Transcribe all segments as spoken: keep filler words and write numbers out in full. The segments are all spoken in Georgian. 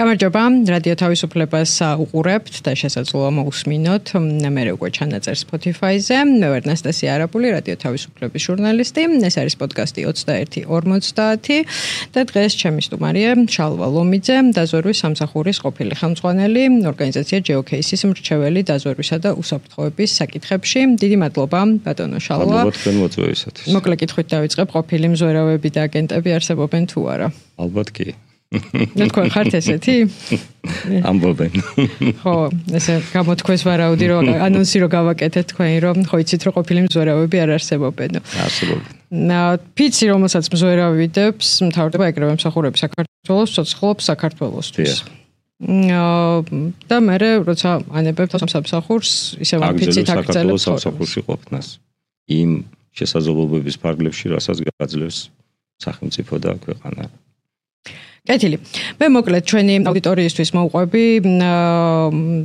გამარჯობა, რადიო თავისუფლებას უყურებთ და შესაძლოა მოусმინოთ. მე უკვე ჩანაწერ Spotify-ზე. მე ვარ ნასტასია არაპული, რადიო თავისუფლების ჟურნალისტი. ეს არის პოდკასტი ოცდაერთი ორმოცდაათი და დღეს ჩემი სტუმარია შალვა ლომიძე, დაზვერვის სამსახურის ყოფილი ხელმძღვანელი, ორგანიზაცია ჯეოკეისის მრჩეველი დაზვერვისა და უსაფრთხოების საკითხებში. დიდი მადლობა, ბატონო შალვა. მადლობა თქვენ მოწვევისათვის. მოკლე კითხვით დავიწყებ, ყოფილი მზვერავები და აგენტები არსებობენ თუ არა? ალბათ კი. და თქვენ ხართ ესეთი? ამბობენ. ხო, ესე გამოთქვეს ვარაუდი, რომ ანონსი რო გავაკეთეთ თქვენი, რომ ხო იცით, რომ ყოფილი მზვერავები არ არსებობენ. არსებობენ. ფიცი, რომელსაც მზვერავიდებს, მთავრდება ეგრევე მსახურები საქართველოს, ცოცხლობს საქართველოსთვის. და მე როცა ანებებთ სამსახურს, ისევ ფიცით აკრძალებს სამსახურში ყოფნას. იმ შესაძლებლობების ფარგლებში, რასაც გაძლევს სახელმწიფო და ქვეყანა. კეთილი. მე მოკლედ ჩვენი აუდიტორიისთვის მოვყვები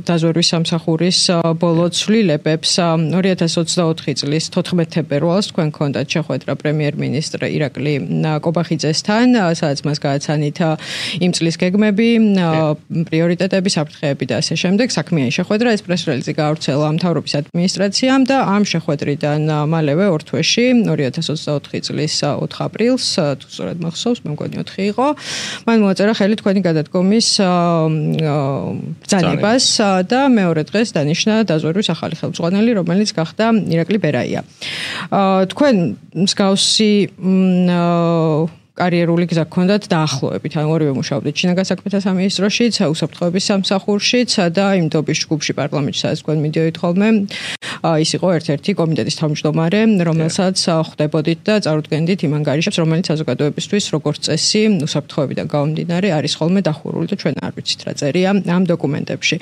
დაზვერვის სამსახურის ბოლო ცვლილებებს. ორი ათას ოცდაოთხი წლის თოთხმეტ თებერვალს თქვენ გქონდათ შეხვედრა პრემიერ-მინისტრ ირაკლი კობახიძესთან, სადაც მას გააცანით იმ წლის გეგმები, პრიორიტეტები, საფრთხეები და ასე შემდეგ. საქმიანი შეხვედრა, ეს პრეს-რელიზი გაავრცელა მთავრობის ადმინისტრაციამ და ამ შეხვედრიდან მალევე ორ თვეში, ორი ათას ოცდაოთხი წლის ოთხ აპრილს, თუ სწორად მახსოვს, მე მგონი ოთხი იყო. მან მოაწერა ხელი თქვენი გადადგომის ბრძანებას და მეორე დღეს დანიშნა დაზვერვის ახალი ხელმძღვანელი, რომელიც გახდა ირაკლი ბერაია. თქვენ მსგავსი კარიერული გზა გქონდათ დაახლოებით, ან ორივე მუშაობდით შინაგან საქმეთა სამინისტროშიც, უსაფრთხოების სამსახურშიც და იმ დობის ჯგუფში პარლამენტში, სადაც თქვენ მიდიოდით ხოლმე. ის იყო ერთ-ერთი კომიტეტის თავმჯდომარე, რომელსაც ხვდებოდით და წარუდგენდით იმ ანგარიშებს, რომელიც საზოგადოებისთვის როგორც წესი უსაფრთხოებიდან გამომდინარე არის ხოლმე დახურული და ჩვენ არ ვიცით რა წერია ამ დოკუმენტებში.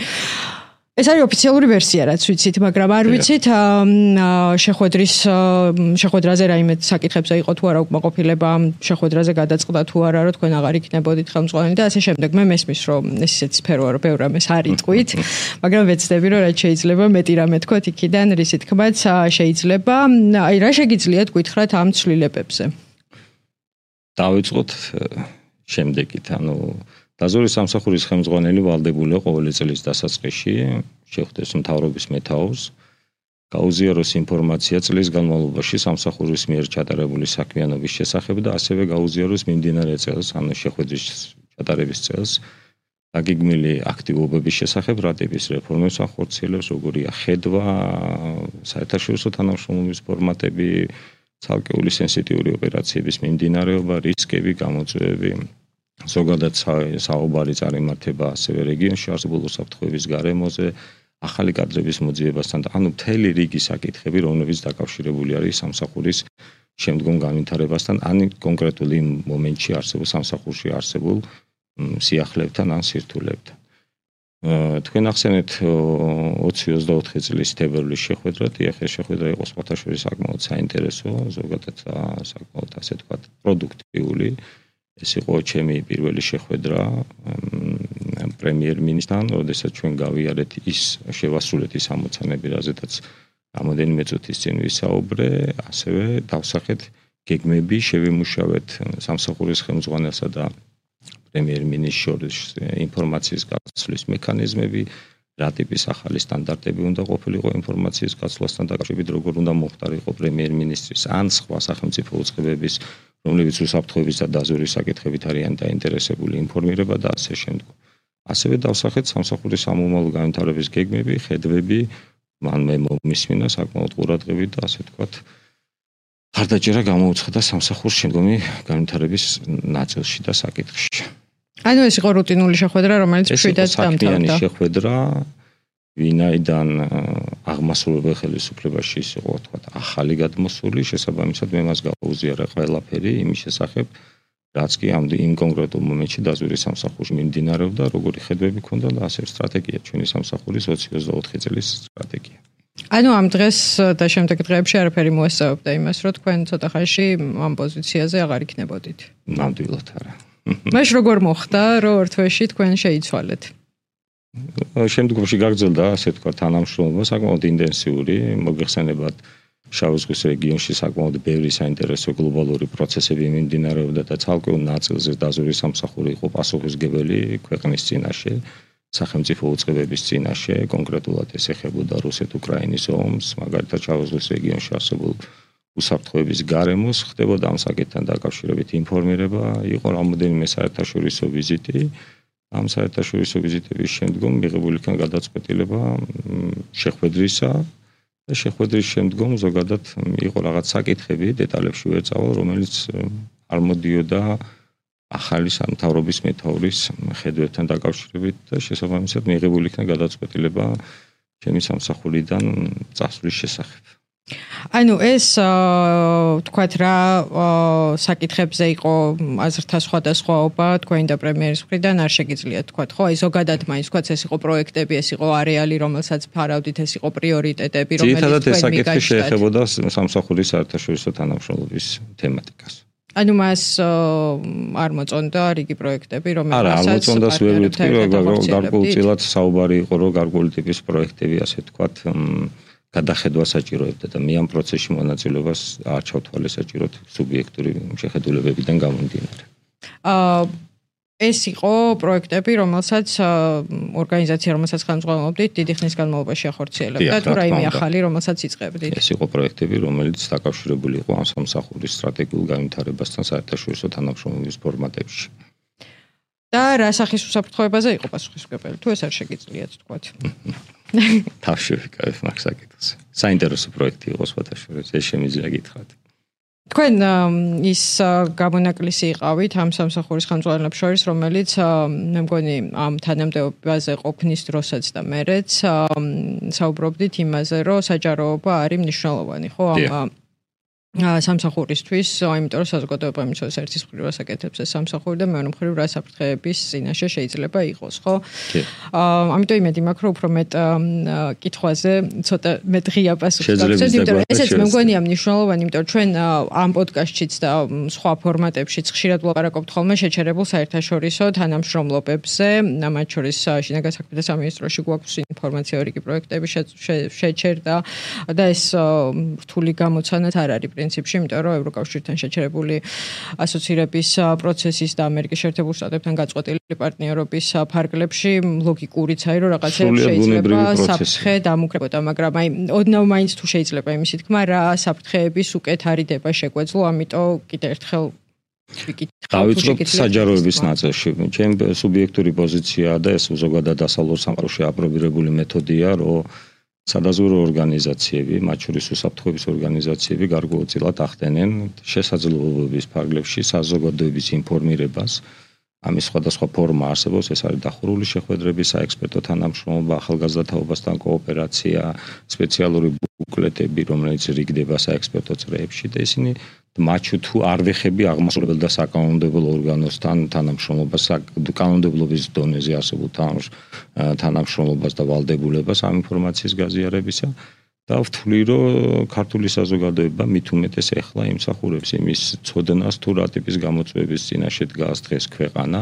ეს არის ოფიციალური ვერსია, რაც ვიცით, მაგრამ არ ვიცით შეხვედრის შეხვედრაზე რაიმე საკითხებზე იყო თუ არა უკმაყოფილება, შეხვედრაზე გადაწყდა თუ არა, რომ თქვენ აღარ იქნებოდით ხელმძღვანელი და ასე შემდეგ. მე მესმის, რომ ეს ისეთი სფეროა, რომ ბევრ რამეს არ იტყვით, მაგრამ ვეცდები, რომ რაც შეიძლება მეტი რამე თქვათ იქიდან, რისი თქმაც შეიძლება. აი, რა შეგიძლიათ გითხრათ ამ ცვლილებებზე? დავიწყოთ შემდეგით, ანუ დაზვერვის სამსახურის ხელმძღვანელი ვალდებულია ყოველი წლის დასაწყისში შეხვდეს მთავრობის მეთაურს, გაუზიაროს ინფორმაცია წლის განმავლობაში სამსახურის მიერ ჩატარებული საქმიანობის შესახებ და ასევე გაუზიაროს მიმდინარე წელს, ანუ შეხვედრის ჩატარების წელს, დაგეგმილი აქტივობების შესახებ, რა ტიპის რეფორმებს ახორციელებს, როგორია ხედვა, საერთაშორისო თანამშრომლობის ფორმატები, ცალკეული სენსიტიური ოპერაციების მიმდინარეობა, რისკები, გამოწვევები. ზოგადად საუბარი წარიმართება ასევე რეგიონში არსებულ უსაფრთხოების გარემოზე, ახალი კადრების მოძიებასთან და ანუ მთელი რიგი საკითხები, რომლებიც დაკავშირებული არის სამსახურის შემდგომ განვითარებასთან, ან კონკრეტულ იმ მომენტში არსებულ სამსახურში არსებულ სიახლეებთან ან სირთულეებთან. თქვენ ახსენეთ ოცი ოცდაოთხი წლის თებერვლის შეხვედრა, ეს შეხვედრა იყო სხვათა შორის საკმაოდ საინტერესო, ზოგადად საკმაოდ ასე ვთქვათ პროდუქტიული. ეს იყო ჩემი პირველი შეხვედრა პრემიერ-მინისტრთან, როდესაც ჩვენ გავიარეთ ის შევასრულეთ ის ამოცანები, რაზედაც რამოდენიმე წუთის წინ ვისაუბრე, ასევე დავსახეთ გეგმები, შევიმუშავეთ სამსახურის ხელმძღვანელსა და პრემიერ-მინისტრს შორის ინფორმაციის გაცვლის მექანიზმები, რა ტიპის ახალი სტანდარტები უნდა ყოფილიყო ინფორმაციის გაცვლასთან დაკავშირებით, როგორ უნდა მოხდარიყო პრემიერ-მინისტრის ან სხვა სახელმწიფო უწყებების, რომლებიც უსაფრთხოების და დაზვერვის საკითხებით არიან დაინტერესებული ინფორმირება და ასე შემდეგ. ასევე დავსახეთ სამსახურის სამომავლო განვითარების გეგმები, ხედვები, მან მე მომისმინა საკმაოდ ყურადღებით და ასე ვთქვათ, ხარდაჭერა გამოუცხადა სამსახურის შემდგომი განვითარების ნაწილში და საკითხში. ანუ ეს იყო რუტინული შეხვედრა, რომელიც მშვიდად დამთავრდა. ეს იყო საქმიანი შეხვედრა, ვინაიდან აღმასრულებელ ხელისუფლებაში ის იყო, თქვათ, ახალი გადმოსული, შესაბამისად მე მას გაუზიარა ყველაფერი იმის შესახებ, რაც კი ამ იმ კონკრეტულ მომენტში დაზვერვის სამსახურში მიმდინარეობდა, როგორი ხედვები ჰქონდა და ასე სტრატეგია, ჩვენი სამსახურის ოცი ოცდაოთხი წლის სტრატეგია. ანუ ამ დღეს და შემდეგ დღეებში არაფერი მოესწავებდა იმას, რომ თქვენ ცოტა ხანში ამ პოზიციაზე აღარ იქნებოდით. ნამდვილად არა. მაშ როგორ მოხდა, რომ ორ თვეში თქვენ შეიცვალეთ? შემდგომში გაგრძელდა, ასე ვთქვათ, თანამშრომლობა საკმაოდ ინტენსიური, მოგეხსენებათ შავი ზღვის რეგიონში საკმაოდ ბევრი საინტერესო გლობალური პროცესები მიმდინარეობდა და ცალკეულ ნაწილზე დაზვერვის სამსახური იყო პასუხისმგებელი ქვეყნის წინაშე, სახელმწიფო უწყებების წინაშე, კონკრეტულად ეს ეხებოდა რუსეთ-უკრაინის ომს, მაგალითად შავი ზღვის რეგიონში არსებულ უსაფრთხოების გარემოს, ხდებოდა ამ საკითხთან დაკავშირებით ინფორმირება, იყო რამოდენიმე საერთაშორისო ვიზიტი. ამ საერთაშორისო ვიზიტების შემდგომ მიღებული იქნა გადაწყვეტილება შეხვედრისა და შეხვედრის შემდგომ ზოგადად იყო რაღაც საკითხები, დეტალებში ვერ წავალ, რომელიც არ მოდიოდა ახალი სამთავრობის მეთაურის ხედვებთან დაკავშირებით და შესაბამისად მიღებული იქნა გადაწყვეტილება ჩემი სამსახურიდან წასვლის შესახებ. ანუ ეს თქვათ რა საკითხებზე იყო აზრთა სხვადასხვაობა თქვენი და პრემიერის მხრიდან არ შეგიძლიათ თქვათ, ხო? აი ზოგადად მაინც თქვათ ეს იყო პროექტები, ეს იყო არეალი, რომელსაც ფარავდით, ეს იყო პრიორიტეტები, რომელიც თქვენ მიგაჩნდათ. ძირითადად ეს საკითხი შეეხებოდა სამსახურის საერთაშორისო თანამშრომლობის თემატიკას. ანუ მას არ მოწონდა რიგი პროექტები, რომელსაც არა, არ მოწონდას ვერ ვიტყვი, რომ გარკვეულწილად საუბარი იყო, რომ გარკვეული ტიპის პროექტები, ასე თქვათ, გადახედვა საჭიროებდა და მე ამ პროცესში მონაწილეობას არ ჩავთვალე საჭიროდ სუბიექტური შეხედულებებიდან გამომდინარე. აა ეს იყო პროექტები, რომელსაც ორგანიზაცია, რომელსაც ხელმძღვანელობდით, დიდი ხნის განმავლობაში ახორციელებდა თუ რაიმე ახალი, რომელსაც იწყებდით. ეს იყო პროექტები, რომელიც დაკავშირებული იყო ამ სამსახურის სტრატეგიულ განვითარებასთან საერთაშორისო თანამშრომლობის ფორმატებში. და რა სახის უსაფრთხოებაზე იყო პასუხისმგებელი? თუ ეს არ შეგიძლიათ თქვათ. თავში ვიკავებ მაგ საკითხს. საინტერესო პროექტი იყო სხვათა შორის, ეს შემიძლია გითხრათ. თქვენ ის გამონაკლისი იყავით ამ სამსახურის ხელმძღვანელებს შორის, რომელიც მე მგონი ამ თანამდებობაზე ყოფნის დროსაც და მერეც საუბრობდით იმაზე, რომ საჯაროობა არის მნიშვნელოვანი, ხო? ამ სამსახურისთვის, იმიტომ რომ საზოგადოება იმის ერთის მხრივ ასაკეთებს ეს სამსახური და მეორე მხრივ რა საფრთხეების წინაშე შეიძლება იყოს, ხო? აა ამიტომ იმედი მაქვს, რომ უფრო მეტ კითხვაზე ცოტა მეტ ღია პასუხი გაგვცეთ, იმიტომ რომ ესეც მე მგონია მნიშვნელოვანი, იმიტომ რომ ჩვენ ამ პოდკასტშიც და სხვა ფორმატებშიც ხშირად ვლაპარაკობთ ხოლმე შეჩერებულ საერთაშორისო თანამშრომლობებზე, მათ შორის შინაგან საქმეთა სამინისტროში გვაქვს ინფორმაცია რიგი პროექტები შეჩერდა და ეს რთული გამოცანაც არ არის პრინციპში, იმიტომ რომ ევროკავშირთან შეჩერებული ასოცირების პროცესის და ამერიკის შეერთებულ შტატებთან გაწყვეტილი პარტნიორობის ფარგლებში ლოგიკურიც არის, რომ რაღაცებს შეიძლება საფრთხე დამუკრებოდა, მაგრამ აი ოდნავ მაინც თუ შეიძლება იმისი თქმა, რა საფრთხეების უკეთ არიდება შეგვეძლო, ამიტომ კიდევ ერთხელ დავიწყოთ საჯაროების ნაწილში. ჩემი სუბიექტური პოზიციაა და ეს ზოგადად დასავლურ სამყაროში აპრობირებული მეთოდია, რომ სადაზვერვო ორგანიზაციები, მათ შორის უსაფრთხოების ორგანიზაციები გარკვეულწილად ახდენენ შესაძლებლობების ფარგლებში საზოგადოების ინფორმირებას. ამის სხვადასხვა ფორმა არსებობს, ეს არის დახურული შეხვედრები, საექსპერტო თანამშრომლობა, ახალგაზრდა თაობასთან კოოპერაცია, სპეციალური ბუკლეტები, რომელიც რიგდება საექსპერტო წრეებში და ისინი მათ თუ არ ვეხები აღმასრულებელ და საკანონმდებლო ორგანოსთან თანამშრომლობას, კანონმდებლობის დონეზე არსებულ თანამშრომლობას და ვალდებულებას ამ ინფორმაციის გაზიარებისა და ვთვლი, რომ ქართული საზოგადოება მით უმეტეს ეხლა იმსახურებს იმის ცოდნას თუ რა ტიპის გამოწვევების წინაშე დგას დღეს ქვეყანა,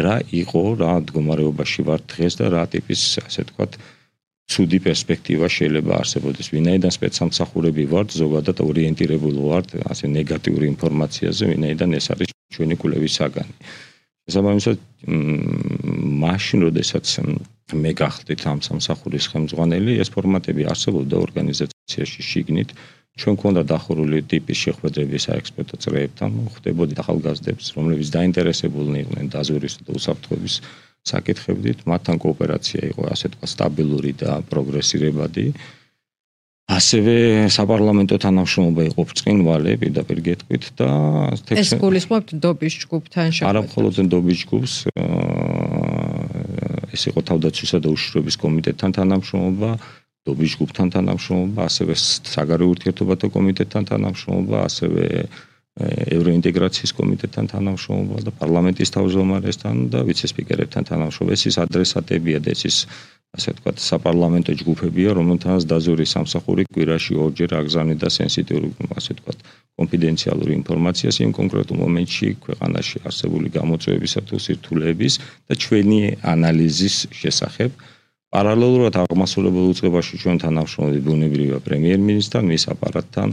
რა იყო, რა მდგომარეობაში ვართ დღეს და რა ტიპის, ასე ვთქვათ, ცუდი პერსპექტივა შეიძლება არსებობდეს. ვინაიდან სპეცსამსახურები ვართ, ზოგადად ორიენტირებული ვართ ასე ნეგატიური ინფორმაციაზე, ვინაიდან ეს არის ჩვენი კვლევის საგანი. შესაბამისად, მაშინ, როდესაც მე გახდით ამ სამსახურის ხელმძღვანელი, ეს ფორმატები არსებობდა ორგანიზაციაში შიგნით. ჩვენ გვქონდა დახურული ტიპის შეხვედრები საექსპერტო წრეებთან, ხდებოდა ახალგაზრდებს, რომლებიც დაინტერესებულნი იყვნენ დაზვერვის და უსაფრთხოების საკითხებით, მათთან კოოპერაცია იყო ასე თქვა სტაბილური და პროგრესირებადი. ასევე საპარლამენტო თანამშრომლობა იყო ბრწყინვალე, პირდაპირ გეტყვით და ეს გულისხმობთ დობის ჯგუფთან შეხვედრას. არა მხოლოდ დობის ჯგუფს, ეს იყო თავდაცვისა და უშიშროების კომიტეტთან თანამშრომლობა, დობის ჯგუფთან თანამშრომლობა, ასევე საგარეო ურთიერთობათა კომიტეტთან თანამშრომლობა, ასევე ევროინტეგრაციის კომიტეტთან თანამშრომლობა და პარლამენტის თავმჯდომარესთან და ვიცე-სპიკერებთან თანამშრომლობა. ეს ის ადრესატებია და ეს ის ასე ვთქვათ, საპარლამენტო ჯგუფებია, რომელთანაც დაზვერვის სამსახური კვირაში ორჯერ აგზავნიდა სენსიტიური, ასე ვთქვათ, კონფიდენციალური ინფორმაციას იმ კონკრეტულ მომენტში ქვეყანაში არსებული გამოწვევებისა თუ სირთულეების და ჩვენი ანალიზის შესახებ, პარალელურად აღმასრულებელ უწყებაში ჩვენ თანამშრომლობთ ბუნებრივია პრემიერ-მინისტრთან, მის აპარატთან,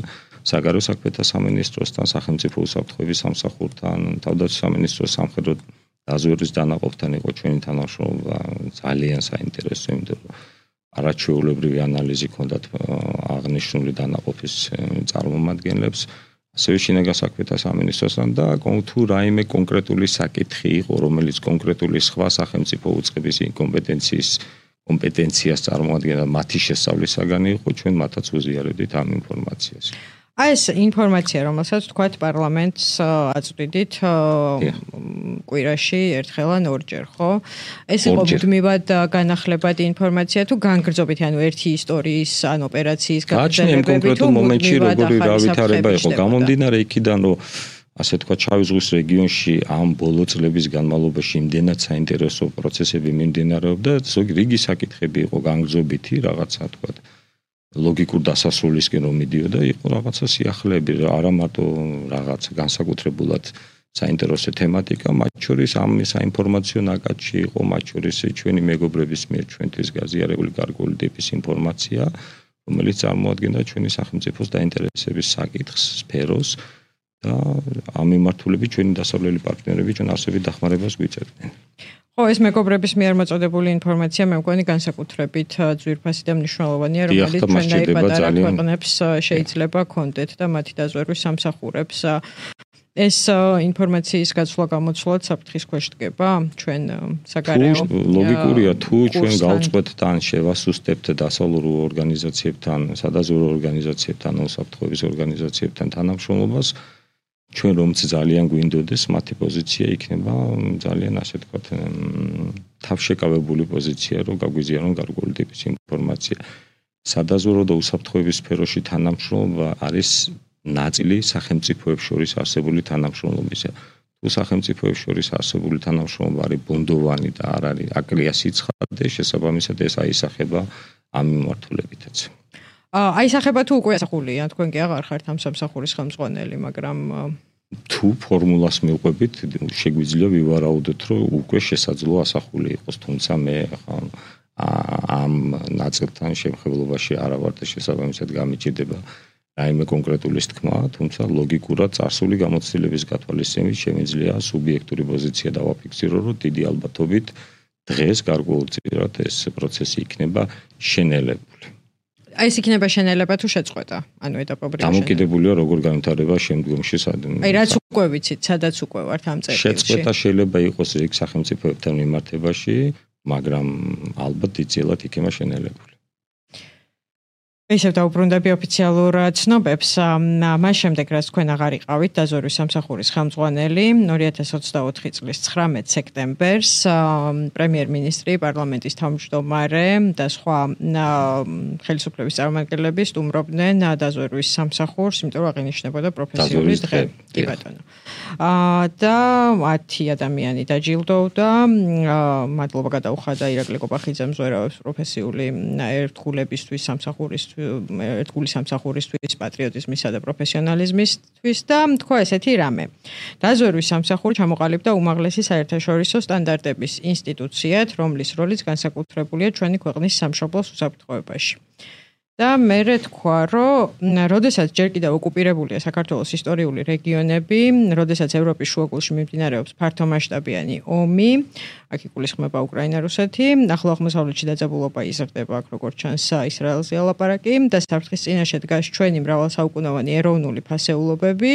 საგარეო საქმეთა სამინისტროსთან, სახელმწიფო უსაფრთხოების სამსახურთან, თავდაცვის სამინისტროს სამხედრო დაზვერვის დანაყოფთან იყო ჩვენი თანამშრომლობა ძალიან საინტერესო, იმიტომ რომ არაჩვეულებრივი ანალიზი ჰქონდათ აღნიშნული დანაყოფის წარმომადგენლებს, ასევე შინაგან საქმეთა სამინისტროსთან და თუ რაიმე კონკრეტული საკითხი იყო, რომელიც კონკრეტული სხვა სახელმწიფო უწყების კომპეტენციის კომპეტენციას წარმოადგენდა მათი შესწავლისაგანი იყო, ჩვენ მათაც უზიარებდით ამ ინფორმაციას. აი ეს ინფორმაცია, რომელსაც თქვათ პარლამენტს აწვდიდით კვირაში ერთხელ ან ორჯერ, ხო? ეს იყო მუდმივად განახლებადი ინფორმაცია თუ განგრძობითი, ანუ ერთი ისტორიის ან ოპერაციის გაგრძელებები თუ კონკრეტულ მომენტში როგორი რავითარება იყო გამომდინარე იქიდან, რომ ასე თქვა შავი ზღვის რეგიონში ამ ბოლო წლების განმავლობაში იმდენად საინტერესო პროცესები მიმდინარეობდა, ზოგი რიგი საკითხები იყო განგრძობითი, რაღაცა თქვა ლოგიკურ დასასრულისკენ რომ მიდიოდა, იყო რაღაცა სიახლეები, არა მარტო რაღაცა განსაკუთრებულად საინტერესო თემატიკა, მათ შორის ამ საინფორმაციო ნაკადში იყო, მათ შორის ჩვენი მეგობრების მიერ ჩვენთვის გაზიარებული გარკვეული ტიპის ინფორმაცია, რომელიც წარმოადგენდა ჩვენი სახელმწიფოს დაინტერესების საკითხს, სფეროს და ამ მიმართულებით ჩვენი დასავლელი პარტნიორები ჩვენ არსებით დახმარებას გვიწერდნენ. ხო, ეს მეგობრების მიერ მოწოდებული ინფორმაცია მე მგონი განსაკუთრებით ძვირფასი და მნიშვნელოვანია, რომელიც ჩვენაირ პატარა ქვეყნებს შეიძლება კონდეთ და მათი დაზვერვის სამსახურებს. ეს ინფორმაციის გაცვლა გამოცვლად საფრთხის ქვეშ დგება ჩვენ საგარეო ლოგიკურია თუ ჩვენ გავწყვეტთ თან შევასუსტებთ დასავლურ ორგანიზაციებთან, სადაზვერვო ორგანიზაციებთან, უსაფრთხოების ორგანიზაციებთან თანამშრომლობას, ჩვენ რომც ძალიან გვინდოდეს მათი პოზიცია იქნება ძალიან ასე ვთქვათ თავშეკავებული პოზიცია, რომ გაგვიზიარონ გარკვეული ტიპის ინფორმაცია. სადაზვერვო და უსაფრთხოების სფეროში თანამშრომლობა არის ნაწილი სახელმწიფოებს შორის არსებული თანამშრომლობისა. თუ სახელმწიფოებს შორის არსებული თანამშრომლობა არის ბუნდოვანი და არ არის აკლია სიცხადე, შესაბამისად ეს აისახება ამ მიმართულებითაც. აისახება თუ უკვე ასახულია, თქვენ კი აღარ ხართ ამ სამსახურის ხელმძღვანელი, მაგრამ თუ ფორმულას მივყვებით, შეგვიძლია ვივარაუდოთ, რომ უკვე შესაძლოა ასახული იყოს, თუმცა მე ამ ნაწილთან შემხებლობაში არა ვარ და შესაბამისად გამიჭირდება რაიმე კონკრეტული თქმა, თუმცა ლოგიკურად წარსული გამოცდილების გათვალისწინებით შემიძლია სუბიექტური პოზიცია დავაფიქსირო, რომ დიდი ალბათობით დღეს გარკვეულწილად ეს პროცესი იქნება შენელებული. აი ეს იქნება შენელება თუ შეწყვეტა, ანუ ეტაპობრივი შენელება. დამოკიდებულია როგორ განვითარდება შემდგომში სადმე. აი რაც უკვე ვიცით, სადაც უკვე ვართ ამ წერტილში. შეწყვეტა შეიძლება იყოს რიგ სახელმწიფოებთან მიმართებაში, მაგრამ ალბათ დიდწილად იქნება შენელებული. ისევ დაუბრუნდები ოფიციალურ ცნობებს. მას შემდეგ, რაც თქვენ აღარ იყავით დაზვერვის სამსახურის ხელმძღვანელი, ორი ათას ოცდაოთხი წლის ცხრამეტ სექტემბერს პრემიერ-მინისტრი, პარლამენტის თავმჯდომარე და სხვა ხელისუფლების წარმომადგენლები სტუმრობდნენ დაზვერვის სამსახურს, იმიტომ რომ აღინიშნებოდა პროფესიული დღე. კი ბატონო. და ათი ადამიანი დაჯილდოვდა. მადლობა გადაუხადა ირაკლი კოპახიძემ ზვერავებს პროფესიული ერთგულებისთვის სამსახურის ერთგული სამსახურისთვის, პატრიოტიზმისა და პროფესიონალიზმისთვის და თქვა ესეთი რამე. დაზვერვის სამსახური ჩამოყალიბდა უმაღლესი საერთაშორისო სტანდარტების ინსტიტუციად, რომლის როლიც განსაკუთრებულია ჩვენი ქვეყნის სამშობლოს უსაფრთხოებაში. და მე თქვა, რომ როდესაც ჯერ კიდევ ოკუპირებულია საქართველოს ისტორიული რეგიონები, როდესაც ევროპის შუაგულში მიმდინარეობს ფართომასშტაბიანი ომი, აქ იგულისხმება უკრაინა-რუსეთი, ახლო აღმოსავლეთში დაძაბულობა იზრდება, აქ როგორც ჩანს ისრაელზე ალაპარაკი და საფრთხის წინაშე დგას ჩვენი მრავალსაუკუნოვანი ეროვნული ფასეულობები,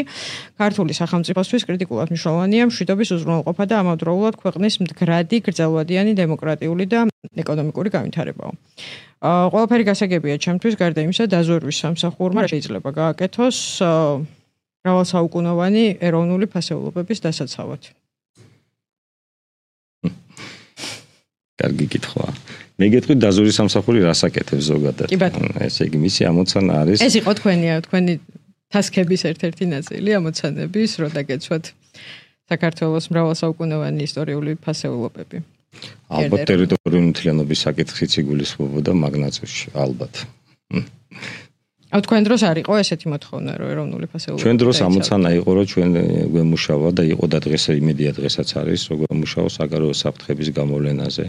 ქართული სახელმწიფოსთვის კრიტიკულად მნიშვნელოვანია მშვიდობის უზრუნველყოფა და ამავდროულად ქვეყნის მდგრადი, გრძელვადიანი დემოკრატიული და ეკონომიკური განვითარებაო. ყველაფერი გასაგებია ჩემთვის, გარდა იმისა, დაზვერვის სამსახურმა შეიძლება გააკეთოს მრავალსაუკუნოვანი ეროვნული ფასეულობების დასაცავად. კარგი კითხვაა. მე გეტყვით დაზვერვის სამსახური რას აკეთებს ზოგადად. ესე იგი მისი ამოცანა არის. ეს იყო თქვენი თქვენი თასკების ერთ-ერთი ნაწილი, ამოცანების, რომ დაგეცვათ საქართველოს მრავალსაუკუნოვანი ისტორიული ფასეულობები. ალბათ ტერიტორიული მთლიანობის საკითხიც იგულისხმებოდა მაგ ნაწილში, ალბათ. აუ თქვენ დროს არ იყო ესეთი მოთხოვნა, რომ ეროვნული ფასეულობები. ჩვენ დროს ამოცანა იყო, რომ ჩვენ გვემუშავა და იყო და დღეს იმედია დღესაც არის, რომ გვემუშავა საგარეო საფრთხების გამოვლენაზე.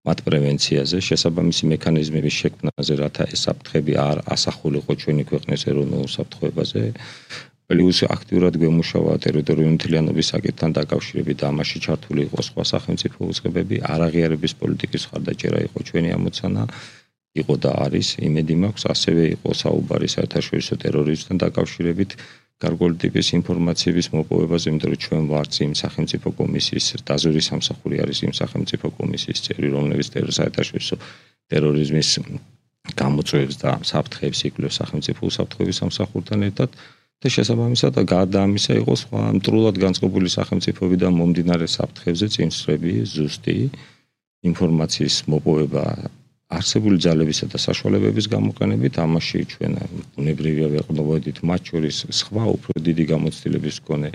მათ პრევენციაზე, შესაბამისი მექანიზმების შექმნაზე, რათა ეს საფრთხები არ ასახულიყო ჩვენი ქვეყნის ეროვნულ უსაფრთხოებაზე. პლუს აქტიურად გვემუშავა ტერიტორიული მთლიანობის საკითხთან დაკავშირებით და ამაში ჩართული იყო სხვა სახელმწიფო უწყებები, არაღიარების პოლიტიკის ხარდაჭერა იყო ჩვენი ამოცანა, იყო და არის, იმედი მაქვს, ასევე იყო საუბარი საერთაშორისო ტერორიზმთან დაკავშირებით, გარკვეული ტიპის ინფორმაციების მოპოვებაზე, იმიტომ რომ ჩვენ ვართ იმ სახელმწიფო კომისიის, დაზვერვის სამსახური არის იმ სახელმწიფო კომისიის წევრი, რომელიც საერთაშორისო ტერორიზმის გამოწვევებს და საფრთხეებს იკვლევს სახელმწიფო უსაფრთხოების სამსახურთან ერთად. და შესაბამისად გარდა ამისა იყო სხვა მტრულად განწყობილი სახელმწიფოებიდან მომდინარე საფრთხებზე წინსწრები, ზუსტი ინფორმაციის მოპოვება არსებული ძალებისა და საშუალებების გამოყენებით, ამაში ჩვენ ბუნებრივია ვეყნობოდით მათ შორის სხვა უფრო დიდი გამოცდილების მქონე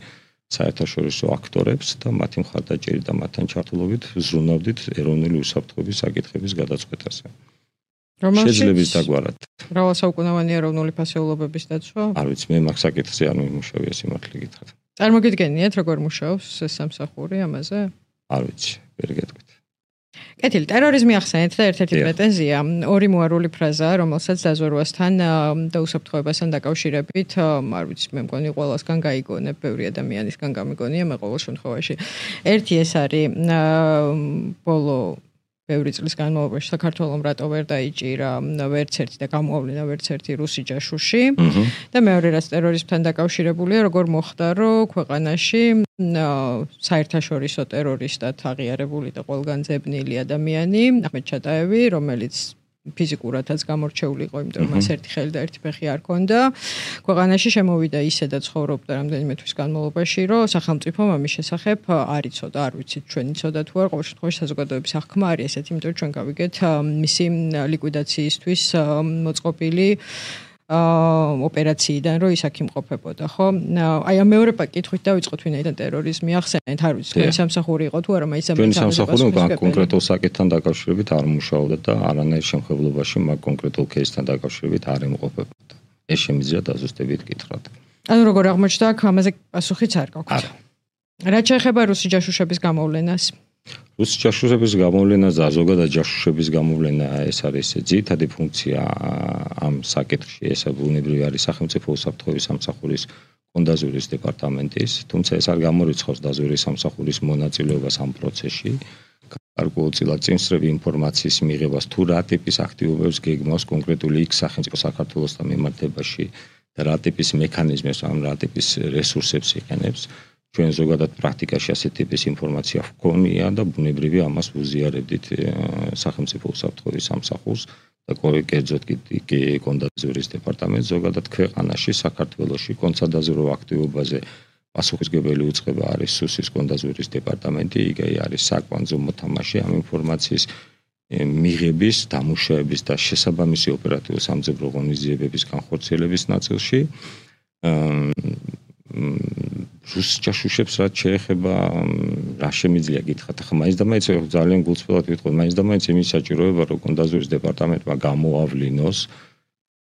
საერთაშორისო აქტორებს და მათი მხარდაჭერით და მათთან ჩართულობით ზრუნავდით ეროვნული უსაფრთხოების საკითხების გადაწყვეტაზე. შეძლებს დაგვარად. მრავალსაუკუნოვანი ეროვნული ფასეულობების დაცვა? არ ვიცი, მე მაგ საკითხზე არ მიმუშავია სიმართლე გითხრათ. წარმოგიდგენიათ, როგორ მუშაობს ეს სამსახური ამაზე? არ ვიცი, ვერ გეტყვით. კეთილი, ტერორიზმი ახსენეთ და ერთ-ერთი პრეტენზია, ორი მოარული ფრაზაა, რომელსაც დაზვერვასთან და უსაფრთხოებასთან დაკავშირებით, არ ვიცი, მე მგონი ყველასგან გაიგონებ, ბევრი ადამიანისგან გამიგონია, მე ყოველ შემთხვევაში. ერთი ეს არის ბოლო ბევრი წლის განმავლობაში საქართველოს რატო ვერ დაიჭირა ვერც ერთი და გამოავლინა ვერც ერთი რუსი ჯაშუში და მეორე რაც ტერორიზმთან დაკავშირებულია, როგორ მოხდა, რომ ქვეყანაში საერთაშორისო ტერორისტად აღიარებული და ყველგან ძებნილი ადამიანი აჰმედ ჩატაევი, რომელიც ფიზიკურადაც გამორჩეული იყო, იმიტომ რომ მას ერთი ხელი და ერთი ფეხი არ ჰქონდა. ქვეყანაში შემოვიდა ისე და ცხოვრობდა რამდენიმე თვის განმავლობაში, რომ სახელმწიფომ ამის შესახებ არ იცოდა, არ ვიცით ჩვენ იცოდა თუ არ, ყოველ შემთხვევაში საზოგადოების აღქმა არის ესეთი, იმიტომ რომ ჩვენ გავიგეთ მისი ლიკვიდაციისთვის მოწყობილი ოპერაციიდან რომ ის აქ იმყოფებოდა, ხო? აი ამ მეორე კითხვით დავიწყოთ, ვინაიდან ტერორიზმი ახსენეთ, არ ვიცი, თქვენი სამსახური იყო თუ არა, მაინც ამ სამსახური კონკრეტულ საკითხთან დაკავშირებით არ მუშაობდა და არანაირ შემხებლობაში მაგ კონკრეტულ кейსთან დაკავშირებით არ იმყოფებოდა. ეს შემიძლია დაზუსტებით გითხრათ. ანუ როგორ აღმოჩნდა, აქ ამაზე პასუხიც არ გაქვთ. რაც შეეხება რუსი ჯაშუშების გამოვლენას? რუსი ჯაშუშების გამოვლენა და ზოგადად ჯაშუშების გამოვლენა ეს არის ძირითადი ფუნქცია ამ საკითხში, ეს ბუნებრივი არის სახელმწიფო უსაფრთხოების სამსახურის კონდაზვერის დეპარტამენტის, თუმცა ეს არ გამორიცხავს დაზვერვის სამსახურის მონაწილეობას ამ პროცესში. გარკვეულწილად წინსწრები ინფორმაციის მიღებას თუ რა ტიპის აქტივობებს გეგმავს კონკრეტული იქ სახელმწიფო საქართველოსთან მიმართებაში და რა ტიპის მექანიზმებს, ან რა ტიპის რესურსებს იყენებს. ჩვენ ზოგადად პრაქტიკაში ასეთი ტიპის ინფორმაცია გვქონია და ბუნებრივია ამას ვუზიარებდით სახელმწიფო უსაფრთხოების სამსახურს და კერძოდ კი კონდაზვერის დეპარტამენტს ზოგადად ქვეყანაში საქართველოში კონცადაზვერო აქტივობაზე პასუხისმგებელი უწყება არის სუსის კონდაზვერის დეპარტამენტი, იგი არის საკვანძო მოთამაშე ამ ინფორმაციის მიღების, დამუშავების და შესაბამისი ოპერატიულ სამძებრო ღონისძიებების განხორციელების ნაწილში. რუს ჯაშუშებს რაც შეეხება რა შემიძლია გითხრათ, ახლა მაინც და მაინც ძალიან გულწრფელად ვიტყვი, მაინც და მაინც იმის საჭიროება, რომ კონდაზვერის დეპარტამენტმა გამოავლინოს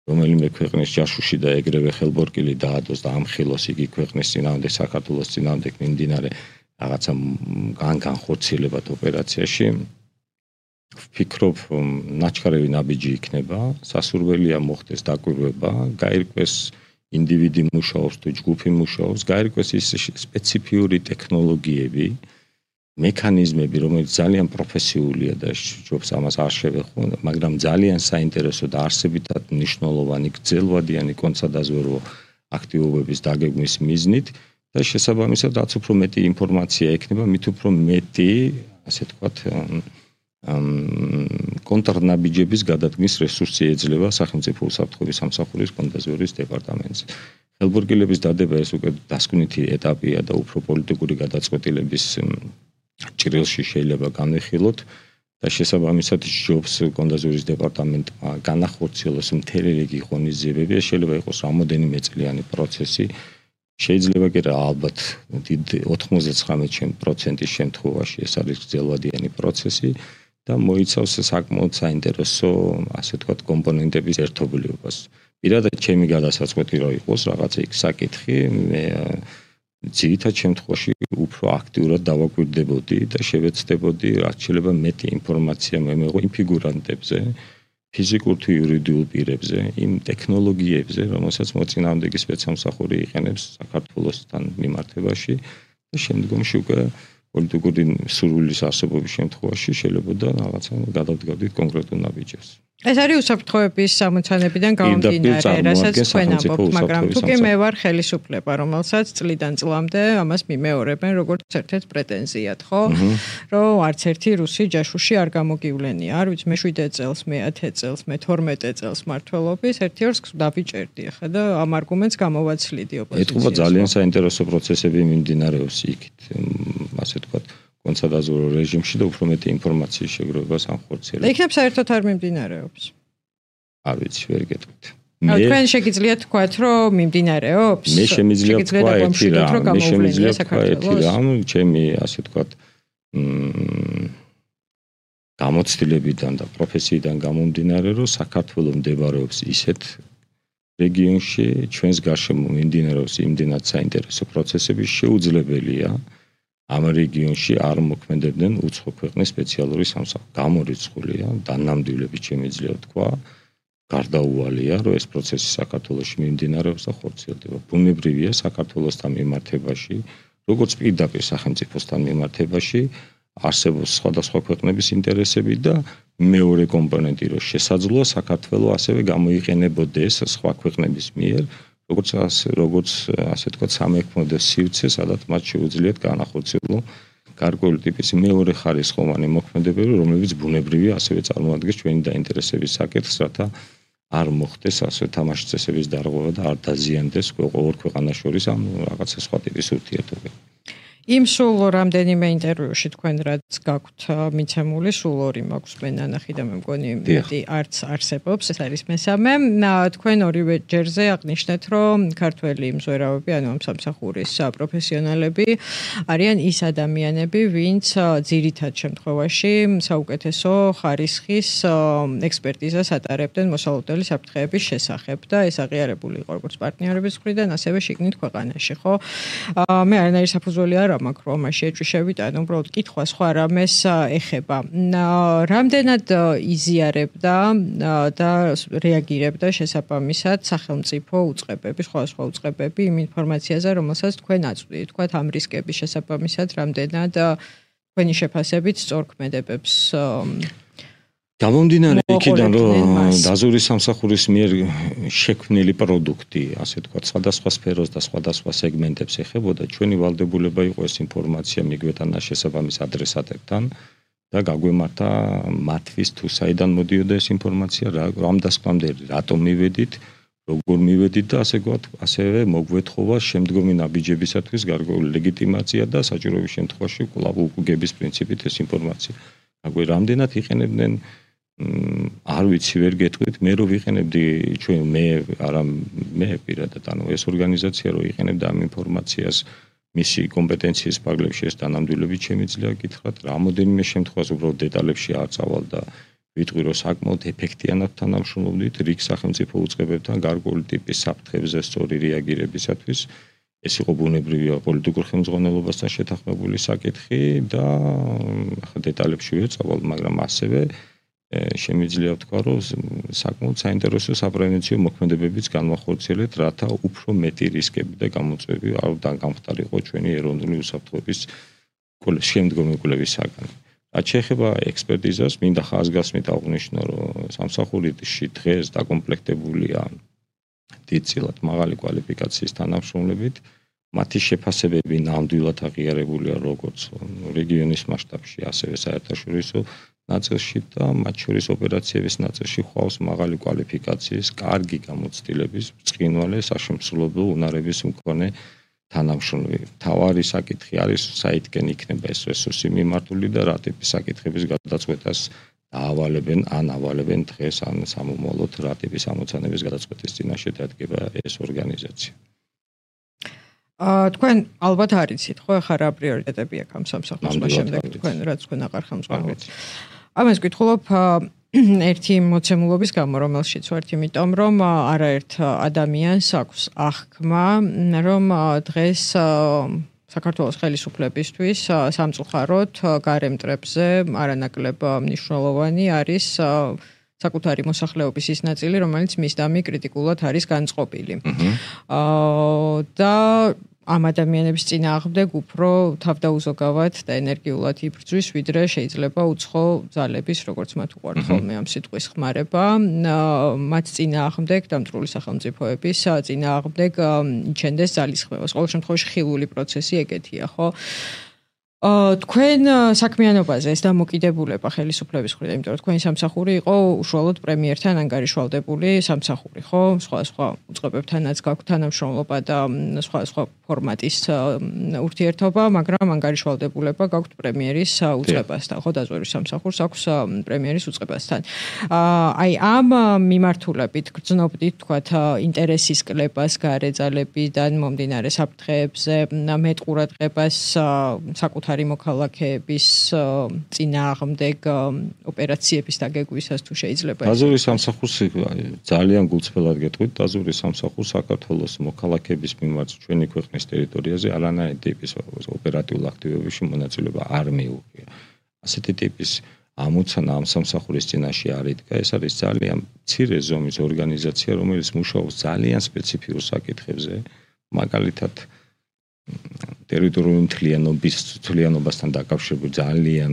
რომელიმე ქვეყნის ჯაშუში და ეგრევე ხელბორკილი დაადოს და ამხილოს იგი ქვეყნის წინააღმდეგ, საქართველოს წინააღმდეგ მიმდინარე რაღაცა განხორციელებად ოპერაციაში. ვფიქრობ, ნაჩქარევი ნაბიჯი იქნება, სასურველია მოხდეს დაკვირვება, გაირკვეს ინდივიდი მუშაობს თუ ჯგუფი მუშაობს, გაირკვეს ის სპეციფიური ტექნოლოგიები, მექანიზმები, რომელიც ძალიან პროფესიულია და ჯობს ამას არ შევეხო, მაგრამ ძალიან საინტერესო და არსებითად მნიშვნელოვანი გრძელვადიანი კონცადაზვერო აქტივობების დაგეგმვის მიზნით და შესაბამისად რაც უფრო მეტი ინფორმაცია ექნება, მით უფრო მეტი, ასე თქვათ, კონტრნაბიჯების გადადგმის რესურსი ეძლევა სახელმწიფო უსაფრთხოების სამსახურის კონდაზვერის დეპარტამენტს. ხელბორგილების დადება ეს უკვე დასკვნითი ეტაპია და უფრო პოლიტიკური გადაწყვეტილების ჭრილში შეიძლება განვიხილოთ და შესაბამისად ჯობს კონდაზვერის დეპარტამენტმა განახორციელოს მთელი რიგი ღონისძიებები, ეს შეიძლება იყოს რამოდენიმე წლიანი პროცესი. შეიძლება კი რა ალბათ ოთხმოცდაცხრამეტ პროცენტის შემთხვევაში ეს არის გრძელვადიანი პროცესი და მოიცავს საკმაოდ საინტერესო, ასე ვთქვათ, კომპონენტების ერთობლიობას. პირადად ჩემი გადასაწყვეტი რო იყოს რაღაცა იქ საკითხი, მე ძირითად შემთხვევაში უფრო აქტიურად დავაკვირდებოდი და შევეცდებოდი რაც შეიძლება მეტი ინფორმაცია მემეღო იმ ფიგურანტებზე, ფიზიკურ თუ იურიდიულ პირებზე, იმ ტექნოლოგიებზე, რომელსაც მოწინააღმდეგე სპეცსამსახური იყენებს საქართველოსთან მიმართებაში და შემდგომში უკვე პოლიტიკური სურვილის არსებობის შემთხვევაში შეიძლება და რაღაცა გადავდგავდით კონკრეტულ ნაბიჯებს. ეს არის უსაფრთხოების სამოცანებიდან გამომდინარე, რასაც თქვენ ამბობთ, მაგრამ თუ კი მე ვარ ხელისუფლება, რომელსაც წლიდან წლამდე ამას მიმეორებენ როგორც ერთ-ერთ პრეტენზიად, ხო? რომ არც ერთი რუსი ჯაშუში არ გამოგივლენია. არ ვიცი, მე შვიდ წელს, მე ათი წელს, მე თორმეტი წელს მმართველობის, ერთი ორს დავიჭერდი ხა და ამ არგუმენტს გამოვაცლიდი ოპოზიციას. ეთქობა ძალიან საინტერესო პროცესები მიმდინარეობს იქით, ასე ვთქვათ. კონცადაზურო რეჟიმში და უფრო მეტი ინფორმაციის შეგროვებას ამხორციელებს. და იქნებ საერთოდ არ მიმდინარეობს. არ ვიცი, ვერ გეტყვით. მე თქვენ შეგიძლიათ თქვათ, რომ მიმდინარეობს? მე შემიძლია თქვა ერთი რამ, მე შემიძლია თქვა ერთი რამ, ჩემი ასე ვთქვათ, მ გამოცდილებიდან და პროფესიიდან გამომდინარე, რომ საქართველოს მდებარეობს ისეთ რეგიონში, ჩვენს გარშემო მიმდინარეობს იმდენად საინტერესო პროცესები, შეუძლებელია ამ რეგიონში არ მოქმედებდნენ უცხო ქვეყნის სპეციალური სამსახური. გამორიცხულია, დანამდვილებით შემიძლია თქვა, გარდაუვალია, რომ ეს პროცესი საქართველოში მიმდინარეობს და ხორციელდება. ბუნებრივია საქართველოსთან მიმართებაში, როგორც პირდაპირ სახელმწიფოსთან მიმართებაში, არსებობს სხვადასხვა ქვეყნების ინტერესები და მეორე კომპონენტი, რომ შესაძლოა საქართველო ასევე გამოიყენებოდეს სხვა ქვეყნების მიერ როგორც როგორც ასე ვთქვათ სამექმედო სივრცე, სადაც მათ შეუძლიათ განახორციელონ გარკვეული ტიპის მეორე ხარისხოვანი მოქმედებები, რომლებიც ბუნებრივია ასევე წარმოადგენს ჩვენი დაინტერესების საკითხს, რათა არ მოხდეს ასე თამაშის წესების დარღვევა და არ დაზიანდეს ყოველ ქვეყანას შორის ამ რაღაცა სხვა ტიპის ურთიერთობები. იმ სულ რამდენიმე ინტერვიუში თქვენ რაც გაქვთ მიცემული, სულ ორი მაქვს მე ნანახი და მე მგონი მეტი არც არსებობს, ეს არის მესამე. თქვენ ორივე ჯერზე აღნიშნეთ, რომ ქართველი მზვერავები, ანუ ამ სამსახურის პროფესიონალები არიან ის ადამიანები, ვინც ძირითად შემთხვევაში საუკეთესო ხარისხის ექსპერტიზას ატარებდნენ მოსალოდნელი საფრთხეების შესახებ და ეს აღიარებული იყო როგორც პარტნიორების მხრიდან, ასევე შიგნით ქვეყანაში, ხო? მე არანაირი საფუძველი არ მაქვს რომ ამაში ეჭვიშებით, ანუ უბრალოდ კითხვა სხვა რამეს ეხება. რამდენად იზიარებდა და რეაგირებდა შესაბამისად სახელმწიფო უწყებები, სხვადასხვა უწყებები იმ ინფორმაციაზე, რომელსაც თქვენ აწვდით, თქვათ ამ რისკების შესაბამისად, რამდენად თქვენი შეფასებით სწორქმედებებს გამომდინარე იქიდან, რომ დაზვერვის სამსახურის მიერ შექმნილი პროდუქტი, ასე ვთქვათ, სხვადასხვა სფეროს და სხვადასხვა სეგმენტებს ეხებოდა, ჩვენი ვალდებულება იყო ეს ინფორმაცია მიგვეტანა შესაბამის ადრესატებთან და გაგვემართა მათთვის თუ საიდან მოდიოდა ეს ინფორმაცია, რამ დასკვამდე, რატომ მივედით, როგორ მივედით და ასე ვთქვათ, ასევე მოგვეთხოვა შემდგომი ნაბიჯებისათვის გარკვეული ლეგიტიმაცია და საჭიროების შემთხვევაში კვლავ უკუგების პრინციპით ეს ინფორმაცია. აგვე რამდენად იყენებდნენ არ ვიცი, ვერ გეტყვით, მე რო ვიყენებდი ჩვენ მე არა მე პირადად, ანუ ეს ორგანიზაცია რო იყენებდა ამ ინფორმაციას მისი კომპეტენციის პარალელში ეს დანამდვილებით შემიძლია გითხრათ, რამოდენიმე შემთხვევაში უბრალოდ დეტალებში არ წავალ და ვიტყვი რომ საკმაოდ ეფექტიანად თანამშრომლობდით რიგ სახელმწიფო უწყებებთან გარკვეული ტიპის საფრთხებზე სწორი რეაგირებისათვის. ეს იყო ბუნებრივია პოლიტიკურ ხელმძღვანელობასთან შეთანხმებული საკითხი და ახლა დეტალებში ვერ წავალ, მაგრამ ასევე შემიძლია ვთქვა, რომ საკმაოდ საინტერესო საპრევენციო მოქმედებებიც განვახორციელეთ, რათა უფრო მეტი რისკები და გამოწვევები არ გამხდარიყო ჩვენი ეროვნული უსაფრთხოების შემდგომი კვლევისაგან. რაც შეეხება ექსპერტიზას, მინდა ხაზგასმით აღვნიშნო, რომ სამსახურში დღეს დაკომპლექტებულია დიდწილად მაღალი კვალიფიკაციის თანამშრომლებით, მათი შეფასებები ნამდვილად აღიარებულია როგორც რეგიონის მასშტაბში, ასევე საერთაშორისო ნაწილში და მათ შორის ოპერაციების ნაწილში ხვალს მაღალი კვალიფიკაციის, კარგი გამოცდილების, ბრწყინვალე საშემსრულებლო უნარების მქონე თანამშრომლები. მთავარი საკითხი არის საითკენ იქნება ეს რესურსი მიმართული და რა ტიპის საკითხების გადაწყვეტას დაავალებენ ან ავალებენ დღეს ან სამომავლოდ რა ტიპის ამოცანების გადაწყვეტის წინაშე დადგება ეს ორგანიზაცია. თქვენ ალბათ არიცით, ხო, ახლა რა პრიორიტეტები აქვს ამ სამსახურს შემდეგ თქვენ რაც თქვენ აღარ ხელმძღვანელობთ. ამას გითხულობ, ერთი მოცემულობის გამო, რომელშიც ვართ, იმიტომ რომ არაერთ ადამიანს აქვს აღქმა, რომ დღეს საქართველოს ხელისუფლებისთვის სამწუხაროდ გარემტრებზე არანაკლებ მნიშვნელოვანი არის საკუთარი მოსახლეობის ის ნაწილი, რომელიც მისდამი კრიტიკულად არის განწყობილი. აა და ამ ადამიანების წინააღმდეგ უფრო თავდაუზოგავად და ენერგიულად იბრძვის, ვიდრე შეიძლება უცხო ძალების, როგორც მათ უყვართ ხოლმე ამ სიტყვის ხმარება, მათ წინააღმდეგ დამტვრული სახელმწიფოების წინააღმდეგ იჩენდეს ძალისხმევას. ყოველ შემთხვევაში ხილული პროცესი ეგეთია, ხო? თქვენ საქმიანობაზე ეს დამოკიდებულება ხელისუფლების მხრიდან, იმიტომ რომ თქვენი სამსახური იყო უშუალოდ პრემიერთან ანგარიშვალდებული სამსახური, ხო? სხვა სხვა უწყებებთანაც გაქვთ თანამშრომლობა და სხვა სხვა ფორმატის ურთიერთობა, მაგრამ ანგარიშვალდებულება გაქვთ პრემიერის უწყებასთან, ხო? დაზვერვის სამსახურს აქვს პრემიერის უწყებასთან. აი ამ მიმართულებით გრძნობდით თქვათ ინტერესის კლებას გარეძალებიდან მომდინარე საფრთხეებზე, მეტყურადღებას საკუთარ მოქალაქეების წინააღმდეგ ოპერაციების დაგეგვისას თუ შეიძლება. დაზვერვის სამსახურს ძალიან გულწრფელად გეტყვით, დაზვერვის სამსახურს საქართველოს მოქალაქეების მიმართ ჩვენი ქვეყნის ტერიტორიაზე არანაირი ტიპის ოპერატიულ აქტივობებში მონაწილეობა არ მიუღია. ასეთი ტიპის ამოცანა ამ სამსახურის წინაშე არ იდგა. ეს არის ძალიან მცირე ზომის ორგანიზაცია, რომელიც მუშაობს ძალიან სპეციფიურ საკითხებზე, მაგალითად ტერიტორიული მთლიანობის თვლიანობასთან დაკავშირებული ძალიან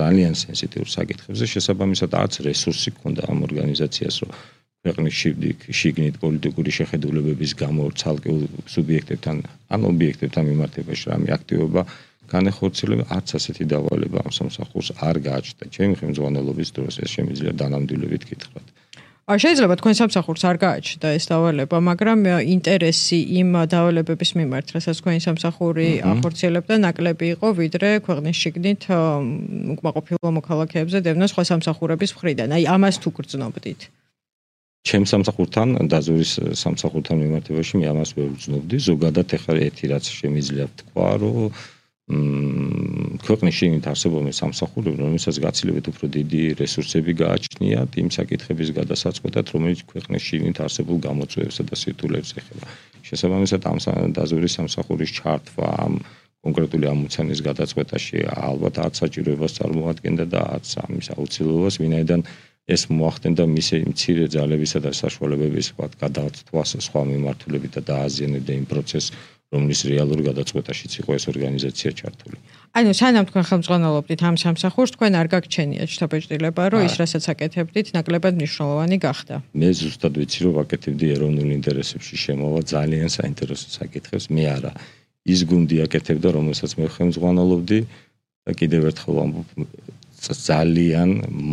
ძალიან სენსიტიურ საკითხებზე შესაბამისად არც რესურსი ჰქონდა ამ ორგანიზაციას, რომ ქვეყნის შიგნით პოლიტიკური შეხედულებების გამო ცალკეულ სუბიექტებთან ან ობიექტებთან მიმართებაში რამე აქტივობა განეხორციელება, არც ასეთი დავალება ამ სამსახურს არ გააჩნდა. ჩემი ხელმძღვანელობის დროს ეს შემიძლია დანამდვილებით გითხრათ. შეიძლება თქვენ სამსახურს არ გააჩნდა ეს დავალება, მაგრამ ინტერესი იმ დავალებების მიმართ, რასაც თქვენი სამსახური ახორციელებდა, ნაკლები იყო, ვიდრე ქვეყნის შიგნით უკმაყოფილო მოქალაქეებზე დევნა სხვა სამსახურების მხრიდან. აი ამას თუ გრძნობდით. ჩემ სამსახურთან, დაზვერვის სამსახურთან მიმართებაში მე ამას ვერ ვგრძნობდი. ზოგადად ეხლა ერთი რაც შემიძლია ვთქვა, რომ ქვეყნის შიგნით არსებობენ სამსახურები, რომელსაც გაცილებით უფრო დიდი რესურსები გააჩნიათ იმ საკითხების გადასაწყვეტად, რომელიც ქვეყნის შიგნით არსებულ გამოწვევებსა და სირთულეებს ეხება. შესაბამისად, ამ დაზვერვის სამსახურის ჩართვა ამ კონკრეტული ამოცანის გადაწყვეტაში ალბათ არც საჭიროებას წარმოადგენდა და არც ამის აუცილებლობას, ვინაიდან ეს მოახდენდა მისი მცირე ძალებისა და საშუალებების გადაწყვეტას სხვა მიმართულებით და დააზიანებდა იმ პროცესს, რომლის რეალურ გადაწყვეტაშიც იყო ეს ორგანიზაცია ჩართული. ანუ სანამ თქვენ ხელმძღვანელობდით ამ სამსახურს, თქვენ არ გაგჩენიათ შთაბეჭდილება, რომ ის რასაც აკეთებდით, ნაკლებად მნიშვნელოვანი გახდა. მე ზუსტად ვიცი, რომ აკეთებდი ეროვნულ ინტერესებში შემოვა ძალიან საინტერესო საკითხებს, მე არა. ის გუნდი აკეთებდა, რომელსაც მე ხელმძღვანელობდი და კიდევ ერთხელ ვამბობ, ძალიან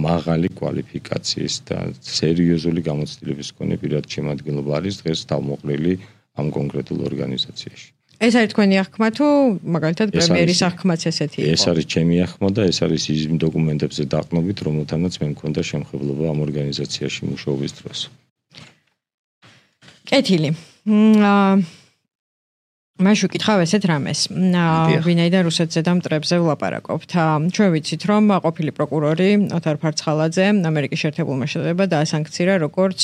მაღალი კვალიფიკაციის და სერიოზული გამოცდილების მქონე პირად შემადგენლობა არის დღეს თავმოყრილი ამ კონკრეტულ ორგანიზაციაში. ეს არის თქვენი აღქმა თუ მაგალითად პრემიერის აღქმაც ესეთი იყო? ეს არის ჩემი აღქმა და ეს არის იმ დოკუმენტებზე დაყრდნობით, რომელთანაც მე მქონდა შემხებლობა ამ ორგანიზაციაში მუშაობის დროს. კეთილი. მაშინ ვკითხავ ესეთ რამეს. ვინაიდან რუსეთზე და მტრებზე ვლაპარაკობთ. ჩვენ ვიცით, რომ ყოფილი პროკურორი ოთარ ფარცხალაძე ამერიკის შეერთებულმა შტატებმა დაასანქცირა როგორც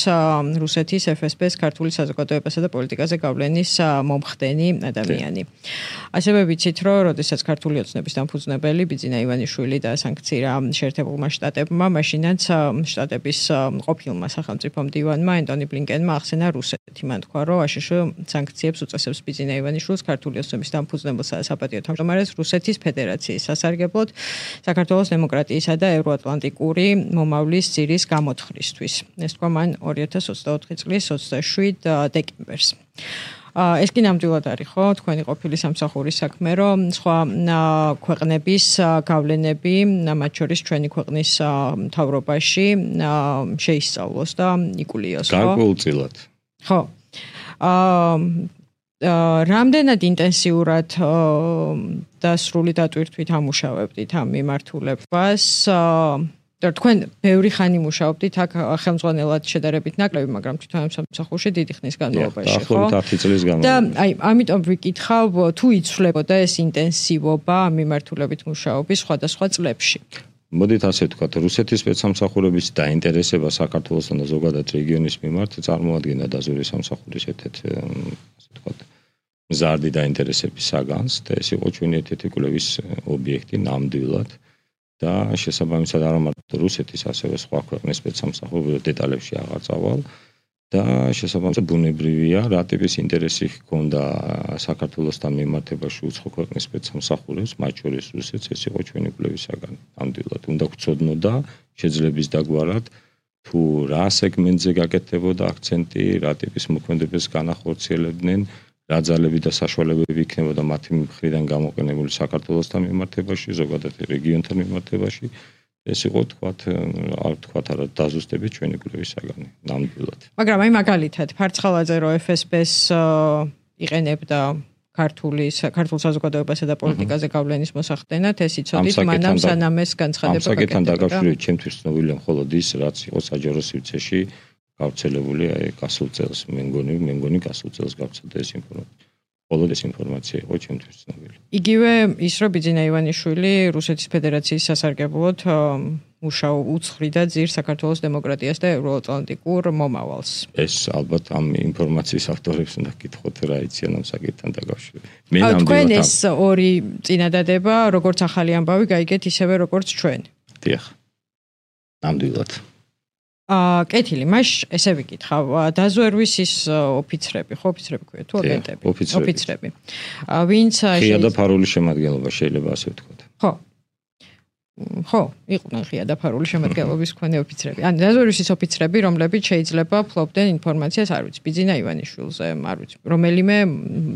რუსეთის ეფ ეს ბეს ქართული საზოგადოებასა და პოლიტიკაზე გავლენის მომხდენი ადამიანი. ასევე ვიცით, რომ როდესაც ქართული ოცნების დამფუძნებელი ბიძინა ივანიშვილი დაასანქცირა შეერთებულმა შტატებმა, მაშინაც შტატების ყოფილმა სახელმწიფო მდივანმა ენტონი ბლინკენმა ახსენა რუსეთი. მან თქვა, რომ აშშ სანქციებს უწესებს ბიძინა ივანიშვილს ქართული ოცნების დამფუძნებელსა და საპატიო თავმჯდომარეს რუსეთის ფედერაციის სასარგებლოდ საქართველოს დემოკრატიისა და ევროატლანტიკური მომავლის ძირის გამოთხრისთვის. ეს თქვა მან ორი ათას ოცდაოთხი წლის ოცდაშვიდ დეკემბერს. ეს კი ნამდვილად არის ხო თქვენი ყოფილი სამსახურის საქმე, რომ სხვა ქვეყნების გავლენები, მათ შორის ჩვენი ქვეყნის მთავრობაში შეისწავლოს და იკულიოს, ხო? გარკვეულწილად. ხო. აა რამდენად ინტენსიურად და სრული დატვირთვით ამუშავებდით ამ მიმართულებას? თქვენ ბევრი ხანი მუშაობდით აქ ხელმძღვანელად შედარებით ნაკლები, მაგრამ თვითონ ამ სამსახურში დიდი ხნის განმავლობაში, ხო? დაახლოებით ათი წლის განმავლობაში. და აი, ამიტომ ვიკითხავ, თუ იცვლებოდა ეს ინტენსივობა ამ მიმართულებით მუშაობის სხვადასხვა წლებში? მოდით ასე ვთქვათ, რუსეთის სპეცსამსახურების დაინტერესება საქართველოსთან და ზოგადად რეგიონის მიმართ წარმოადგენდა დაზვერვის სამსახურის ერთ-ერთ ასე ვთქვათ, მზარდი დაინტერესების საგანს და ეს იყო ჩვენი ერთ-ერთი კვლევის ობიექტი ნამდვილად და შესაბამისად არა მარტო რუსეთის, ასევე სხვა ქვეყნის სპეცსამსახურების დეტალებში აღარ წავალ და შესაბამისად ბუნებრივია, რა ტიპის ინტერესი ჰქონდა საქართველოსთან მიმართებაში უცხო ქვეყნის სპეცსამსახურებს, მათ შორის რუსეთს, ეს იყო ჩვენი კვლევის საგანი. ნამდვილად უნდა გვცოდნოდა შეძლების დაგვარად თუ რა სეგმენტზე გაკეთდებოდა აქცენტი, რა ტიპის მოქმედებას განახორციელებდნენ, რა ძალები და საშუალებები იქნებოდა მათი მხრიდან გამოყენებული საქართველოსთან მიმართებაში, ზოგადად რეგიონთან მიმართებაში. ეს იყო თქვათ, არ თქვათ არა დაზუსტებით ჩვენი კვლევის საგანი, ნამდვილად. მაგრამ აი მაგალითად, ფარცხალაძე რო ეფ ეს ბეს იყენებდა ქართული ქართულ საზოგადოებასა და პოლიტიკაზე გავლენის მოსახდენად, ეს იცოდით, მანამ სანამ ეს განცხადება გაკეთდა. ამ საკითხთან დაკავშირებით ჩემთვის ცნობილია მხოლოდ ის, რაც იყო საჯარო სივრცეში გავრცელებული აი გასულ წელს, მე მგონი, მე მგონი გასულ წელს გავრცელდა ეს ინფორმაცია. მხოლოდ ეს ინფორმაცია იყო ჩემთვის ცნობილი. იგივე ის, რომ ბიძინა ივანიშვილი რუსეთის ფედერაციის სასარგებლოდ მუშაობ უცხრიდა ძირ საქართველოს დემოკრატიას და ევროატლანტიკურ მომავალს. ეს ალბათ ამ ინფორმაციის ავტორებს უნდა გკითხოთ რა იციან ამ საკითხთან დაკავშირებით. მე ნამდვილად თქვენ ეს ორი წინადადება, როგორც ახალი ამბავი გაიგეთ ისევე როგორც ჩვენ. დიახ. ნამდვილად. აა კეთილი, მაშ ესე ვიკითხავ, დაზვერვის ის ოფიცრები, ხო ოფიცრები ქვია თუ აგენტები? ოფიცრები. ვინც ღია და ფარული შემადგენლობა შეიძლება ასე ვთქვათ. ხო. ხო, იყვნენ ღია და ფარული შემადგენლობის მქონე ოფიცრები. ან დაზვერვის ის ოფიცრები, რომლებიც შეიძლება ფლობდნენ ინფორმაციას, არ ვიცი, ბიძინა ივანიშვილზე, არ ვიცი, რომელიმე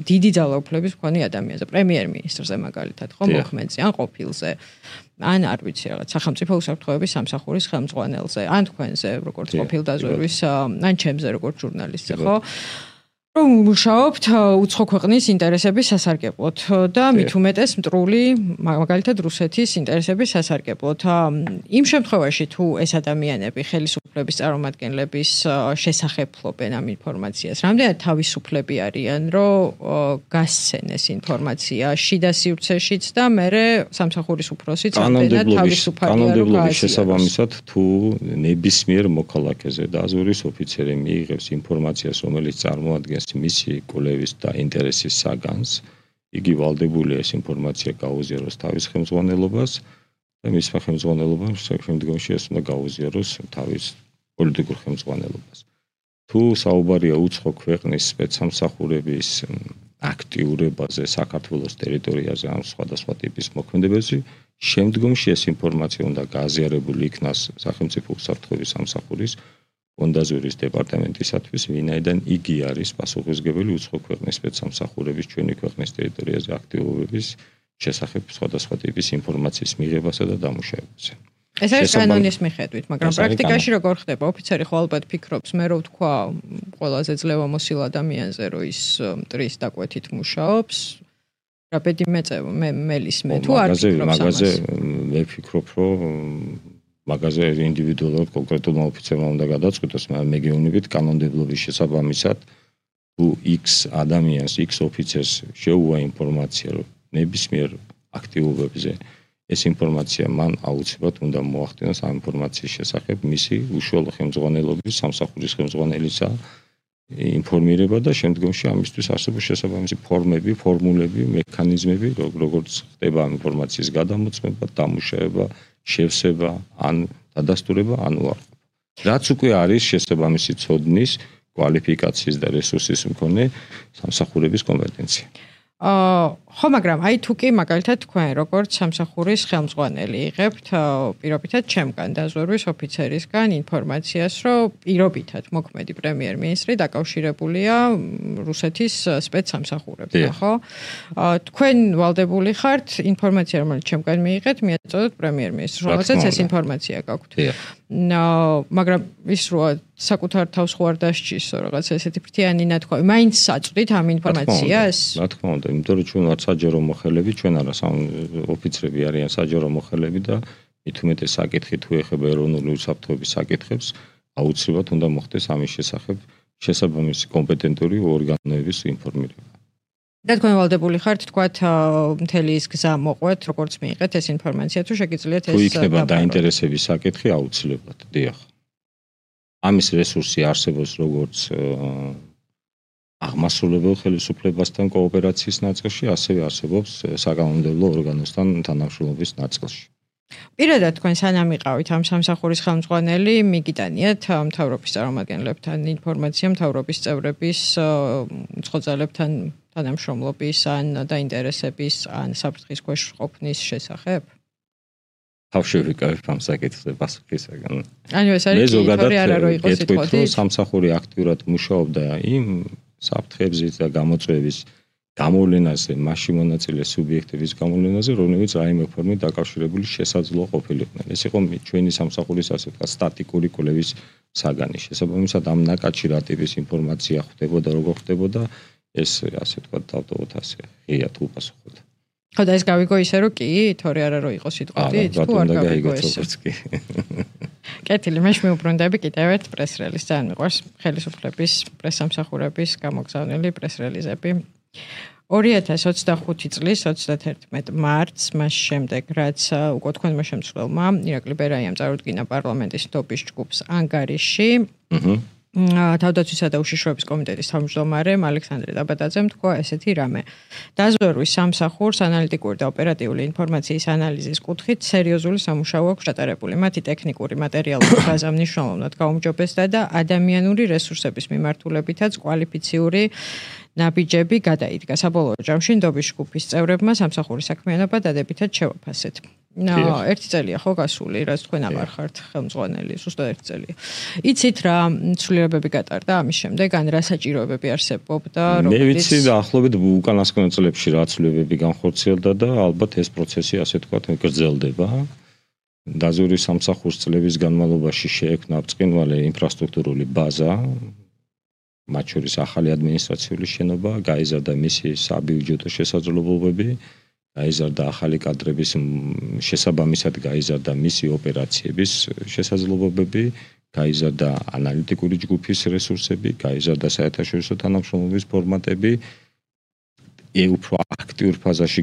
დიდი ძალაუფლების მქონე ადამიანზე, პრემიერ-მინისტრზე მაგალითად, ხო, მოხმენზე, ან ყოფილზე. ან არ ვიცი რაღაც სახელმწიფო უსაფრთხოების სამსახურის ხელმძღვანელზე, ან თქვენზე, როგორც ყოფილ დაზვერვის, ან ჩემზე, როგორც ჟურნალისტზე, ხო? რომ მუშაობთ უცხო ქვეყნის ინტერესების სასარგებლოდ და მით უმეტეს მტრული, მაგალითად რუსეთის ინტერესების სასარგებლოდ. იმ შემთხვევაში თუ ეს ადამიანები ხელისუფლების წარმომადგენლების შესახებ ფლობენ ამ ინფორმაციას, რამდენად თავისუფლები არიან, რომ გასცენ ეს ინფორმაცია შიდა სივრცეშიც და მერე სამსახურის უფროსიც რამდენად თავისუფალია, რომ გააზიაროს. შესაბამისად თუ ნებისმიერ მოქალაქეზე დაზვერვის ოფიცერი მიიღებს ინფორმაციას, რომელიც წარმოადგენს მისი კვლევის და ინტერესის საგანს, იგი ვალდებულია ეს ინფორმაცია გაუზიაროს თავის ხელმძღვანელობას და მის ხელმძღვანელობამ შემდგომში ეს უნდა გაუზიაროს თავის პოლიტიკურ ხელმძღვანელობას. თუ საუბარია უცხო ქვეყნის სპეცსამსახურების აქტიურებაზე საქართველოს ტერიტორიაზე ან სხვადასხვა ტიპის მოქმედებებზე, შემდგომში ეს ინფორმაცია უნდა გააზიარებული იქნას სახელმწიფო უსაფრთხოების სამსახურის ფონდაზვერვის დეპარტამენტისათვის, ვინაიდან იგი არის პასუხისმგებელი უცხო ქვეყნის სპეცსამსახურების ჩვენი ქვეყნის ტერიტორიაზე აქტივობების შესახებ სხვადასხვა ტიპის ინფორმაციის მიღებასა და დამუშავებაზე. ეს არის კანონის მიხედვით, მაგრამ პრაქტიკაში როგორ ხდება? ოფიცერი ხო ალბათ ფიქრობს, მე რო ვთქვა ყველაზე ძლევამოსილ ადამიანზე, რომ ის მტრის დაკვეთით მუშაობს, რა ბედი მეწევა, მე მელისმე თუ არ ფიქრობს ამას? მაგაზე მე ვფიქრობ, რომ მაგაზე ინდივიდუალურად კონკრეტულმა ოფიცერმა უნდა გადაწყვიტოს, მაგრამ მე გეუბნებით კანონმდებლობის შესაბამისად, თუ X ადამიანს, X ოფიცერს შეუვა ინფორმაცია, რომ ნებისმიერ აქტივობებზე ეს ინფორმაცია მან აუცილებლად უნდა მოახდინოს ამ ინფორმაციის შესახებ მისი უშუალო ხელმძღვანელობის, სამსახურის ხელმძღვანელისა ინფორმირება და შემდგომში ამისთვის არსებობს შესაბამისი ფორმები, ფორმულები, მექანიზმები, როგორც ხდება ამ ინფორმაციის გადამოწმება, დამუშავება, შევსება, ან დადასტურება, ან უარყოფა. რაც უკვე არის შესაბამისი ცოდნის, კვალიფიკაციის და რესურსის მქონე სამსახურების კომპეტენცია. აა ხო, მაგრამ აი თუ კი მაგალითად თქვენ როგორც სამსახურის ხელმძღვანელი იღებთ პირობითად ჩემგან დაზვერვის ოფიცერისგან ინფორმაციას, რომ პირობითად მოქმედი პრემიერ-მინისტრი დაკავშირებულია რუსეთის სპეცსამსახურებთან, ხო? აა თქვენ ვალდებული ხართ ინფორმაცია, რომელიც ჩემგან მიიღეთ, მიაწოდოთ პრემიერ-მინისტრს, რომელსაც ეს ინფორმაცია გაქვთ. მაგრამ ის როა საკუთარ თავს ხო არ დასჭისო რაღაც ესეთი ფრთიანი ნათქვამი, მაინც საწვდით ამ ინფორმაციას? რა თქმა უნდა, იმიტომ რომ ჩვენ ვართ საჯარო მოხელები, ჩვენ არა ოფიცრები არიან საჯარო მოხელები და მით უმეტეს საკითხი თუ ეხება ეროვნული უსაფრთხოების საკითხებს, აუცილებლად უნდა მოხდეს ამის შესახებ შესაბამისი კომპეტენტური ორგანოების ინფორმირება. და თქვენ ვალდებული ხართ თქვათ მთელი ის გზა მოყვეთ, როგორც მიიღეთ ეს ინფორმაცია, თუ შეგიძლიათ ეს თუ იქნება დაინტერესების საკითხი აუცილებლად, დიახ. ამის რესურსი არსებობს როგორც აღმასრულებელ ხელისუფლებასთან კოოპერაციის ნაწილში, ასევე არსებობს საკანონმდებლო ორგანოსთან თანამშრომლობის ნაწილში. პირადად თქვენ სანამ იყავით ამ სამსახურის ხელმძღვანელი, მიგიტანიათ მთავრობის წარმომადგენლებთან ინფორმაცია, მთავრობის წევრების უცხოძალებთან თანამშრომლობის ან დაინტერესების ან საფრთხის ქვეშ ყოფნის შესახებ? თავში ვიკავებ ამ საკითხზე პასუხისაგან. ანუ ეს არის თორე არა რო იყოს სიტყვით. სამსახური აქტიურად მუშაობდა იმ საფრთხებზე და გამოწვევების გამოვლენაზე, მასში მონაწილე სუბიექტების გამოვლენაზე, რომლებიც რაიმე ფორმით დაკავშირებული შესაძლო ყოფილიყვნენ. ეს იყო ჩვენი სამსახურის ასე ვთქვათ სტატიკური კვლევის საგანი. შესაბამისად ამ ნაკადში რა ტიპის ინფორმაცია ხდებოდა, როგორ ხდებოდა, ეს ასე ვთქვათ დავტოვოთ ასე ღიად უპასუხოთ. ხო და ეს გავიგო ისე რომ კი, თორე არა რო იყოს სიტყვით, თუ არ გავიგო ეს. კეთილი, მე შემოუბრუნდები კიდევ ერთ პრეს-რელიზს, ძალიან მიყვარს ხელისუფლების პრესამსახურების გამოგზავნილი პრეს-რელიზები. ორი ათას ოცდახუთი წლის ოცდაათერთმეტი მარტს, მას შემდეგ, რაც უკვე თქვენმა შემცვლელმა ირაკლი ბერაიამ წარუდგინა პარლამენტის ნდობის ჯგუფს ანგარიში, თავდაცვისა და უშიშროების კომიტეტის თავმჯდომარემ ალექსანდრე დაბადაძემ თქვა ესეთი რამე. დაზვერვის სამსახურს ანალიტიკური და ოპერატიული ინფორმაციის ანალიზის კუთხით სერიოზული სამუშაო აქვს ჩატარებული. მათი ტექნიკური მატერიალური ბაზა მნიშვნელოვნად გაუმჯობესდა და ადამიანური რესურსების მიმართულებითაც კვალიფიციური ნაბიჯები გადაიდგა. საბოლოო ჯამში ნდობის ჯგუფის წევრებმა სამსახურის საქმიანობა დადებითად შევაფასეთ. ერთი წელია ხო გასული, რაც თქვენ აღარ ხართ ხელმძღვანელი, ზუსტად ერთი წელია. იცით რა ცვლილებები გატარდა ამის შემდეგ, ან რა საჭიროებები არსებობდა, რომელიც მე ვიცი და ახლობით უკანასკნელ წლებში რა ცვლილებები განხორციელდა და ალბათ ეს პროცესი ასე თქვათ გრძელდება. დაზვერვის სამსახურს წლების განმავლობაში შეექმნა ბრწყინვალე ინფრასტრუქტურული ბაზა, მათ შორის ახალი ადმინისტრაციული შენობა, გაიზარდა მისი საბიუჯეტო შესაძლებლობები, გაიზარდა ახალი კადრების შესაბამისად გაიზარდა მისი ოპერაციების შესაძლებლობები, გაიზარდა ანალიტიკური ჯგუფის რესურსები, გაიზარდა საერთაშორისო თანამშრომლობის ფორმატები, უფრო აქტიურ ფაზაში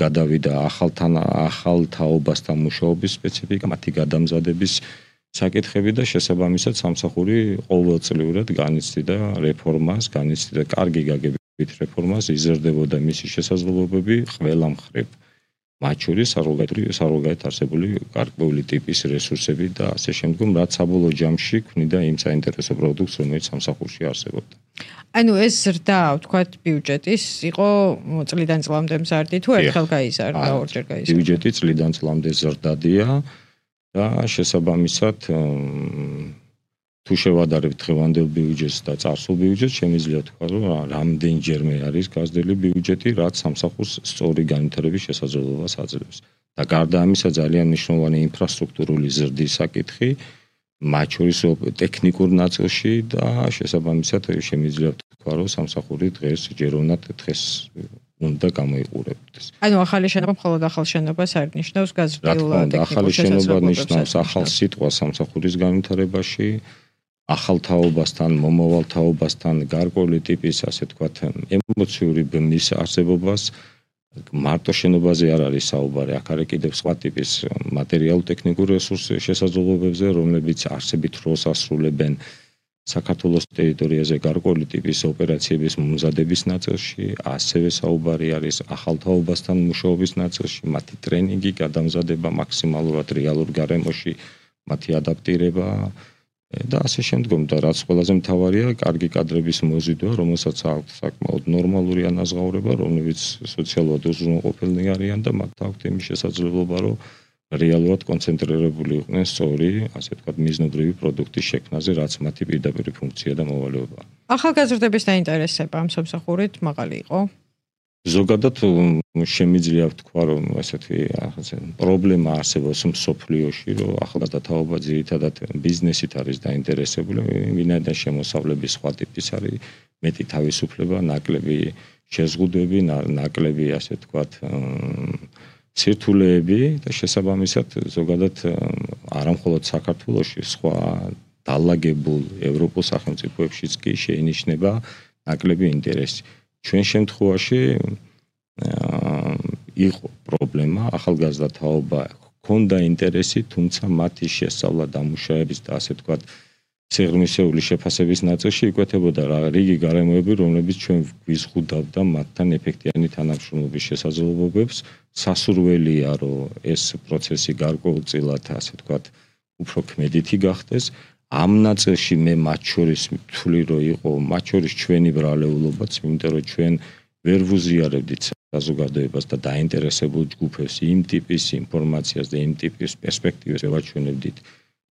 გადავიდა ახალთან ახალ თაობასთან მუშაობის სპეციფიკა, მათი გადამზადების საკითხები და შესაბამისად სამსახური ყოველწლიურად განიცდიდა რეფორმას, განიცდიდა კარგი გაგებით რეფორმას, იზრდებოდა მისი შესაძლებლობები ყველა მხრივ. მათ შორის სარგებლობით არსებული გარკვეული ტიპის რესურსები და ასე შემდგომ, რაც საბოლოო ჯამში ქმნიდა იმ საინტერესო პროდუქტს, რომელიც სამსახურში არსებობდა. ანუ ეს ზრდა, ვთქვათ, ბიუჯეტის იყო წლიდან წლამდე მზარდი თუ ერთხელ გაიზარდა, ორჯერ გაიზარდა? ბიუჯეტი წლიდან წლამდე ზრდადია. და შესაბამისად თუ შევადარებთ დღევანდელ ბიუჯეტს და წარსულ ბიუჯეტს, შემიძლია თქვა, რომ რამდენჯერმე არის გაზრდილი ბიუჯეტი, რაც სამსახურს სწორი განვითარების შესაძლებლობას აძლევს. და გარდა ამისა ძალიან მნიშვნელოვანი ინფრასტრუქტურული ზრდის საკითხი, მათ შორის ტექნიკურ ნაწილში და შესაბამისად შემიძლია თქვა, რომ სამსახური დღეს ჯეროვნად დღეს უნდა გამოიყურებდეს. ანუ ახალი შენობა მხოლოდ ახალ შენობას არ ნიშნავს გაზრდილ ტექნიკურ ახალი შენობა ნიშნავს ახალ სიტყვას სამსახურის განვითარებაში, ახალ თაობასთან, მომავალ თაობასთან, გარკვეული ტიპის, ასე ვთქვათ, ემოციური ბმის არსებობას. მარტო შენობაზე არ არის საუბარი, აქ არის კიდევ სხვა ტიპის მატერიალურ-ტექნიკურ რესურსების შესაძლებლობებზე, რომლებიც არსებით როლს ასრულებენ საქართველოს ტერიტორიაზე გარკვეული ტიპის ოპერაციების მომზადების ნაწილში, ასევე საუბარი არის ახალ თაობასთან მუშაობის ნაწილში, მათი ტრენინგი, გადამზადება მაქსიმალურად რეალურ გარემოში, მათი ადაპტირება და ასე შემდგომ და რაც ყველაზე მთავარია, კარგი კადრების მოზიდვა, რომელსაც აქვს საკმაოდ ნორმალური ანაზღაურება, რომლებიც სოციალურად უზრუნველყოფილნი არიან და მათ აქვთ იმის შესაძლებლობა, რომ რეალურად კონცენტრირებული იყვნენ სწორი, ასე ვთქვათ, მიზნობრივი პროდუქტის შექმნაზე, რაც მათი პირდაპირ ფუნქცია და მოვალეობაა. ახალგაზრდების დაინტერესება ამ სამსახურით მაღალი იყო? ზოგადად შემიძლია ვთქვა, რომ ესეთი პრობლემა არსებობს მსოფლიოში, რომ ახალგაზრდა თაობა ძირითადად ბიზნესით არის დაინტერესებული, ვინაიდან შემოსავლების სხვა ტიპის არის, მეტი თავისუფლება, ნაკლები შეზღუდვები, ნაკლები, ასე ვთქვათ, სირთულეები და შესაბამისად ზოგადად არამხოლოდ საქართველოში, სხვა დაალაგებულ ევროპულ სახელმწიფოებშიც კი შეინიშნება ნაკლები ინტერესი. ჩვენ შემთხვევაში იყო პრობლემა, ახალგაზრდა თაობა ჰქონდა ინტერესი, თუმცა მათი შესწავლა დამუშავების და ასე ვთქვათ, სიღრმისეული შეფასების ნაწილში იკვეთებოდა რა რიგი გარემოები, რომლებიც ჩვენ გვიზღუდავდა მათთან ეფექტიანი თანამშრომლობის შესაძლებლობებს. სასურველია, რომ ეს პროცესი გარკვეულწილად, ასე ვთქვათ, უფრო ქმედითი გახდეს. ამ ნაწილში მე მათ შორის ვთვლი, რომ იყო მათ შორის ჩვენი ბრალეულობაც, იმიტომ რომ ჩვენ ვერ ვუზიარებდით საზოგადოებას და დაინტერესებულ ჯგუფებს იმ ტიპის ინფორმაციას და იმ ტიპის პერსპექტივას ვაჩვენებდით.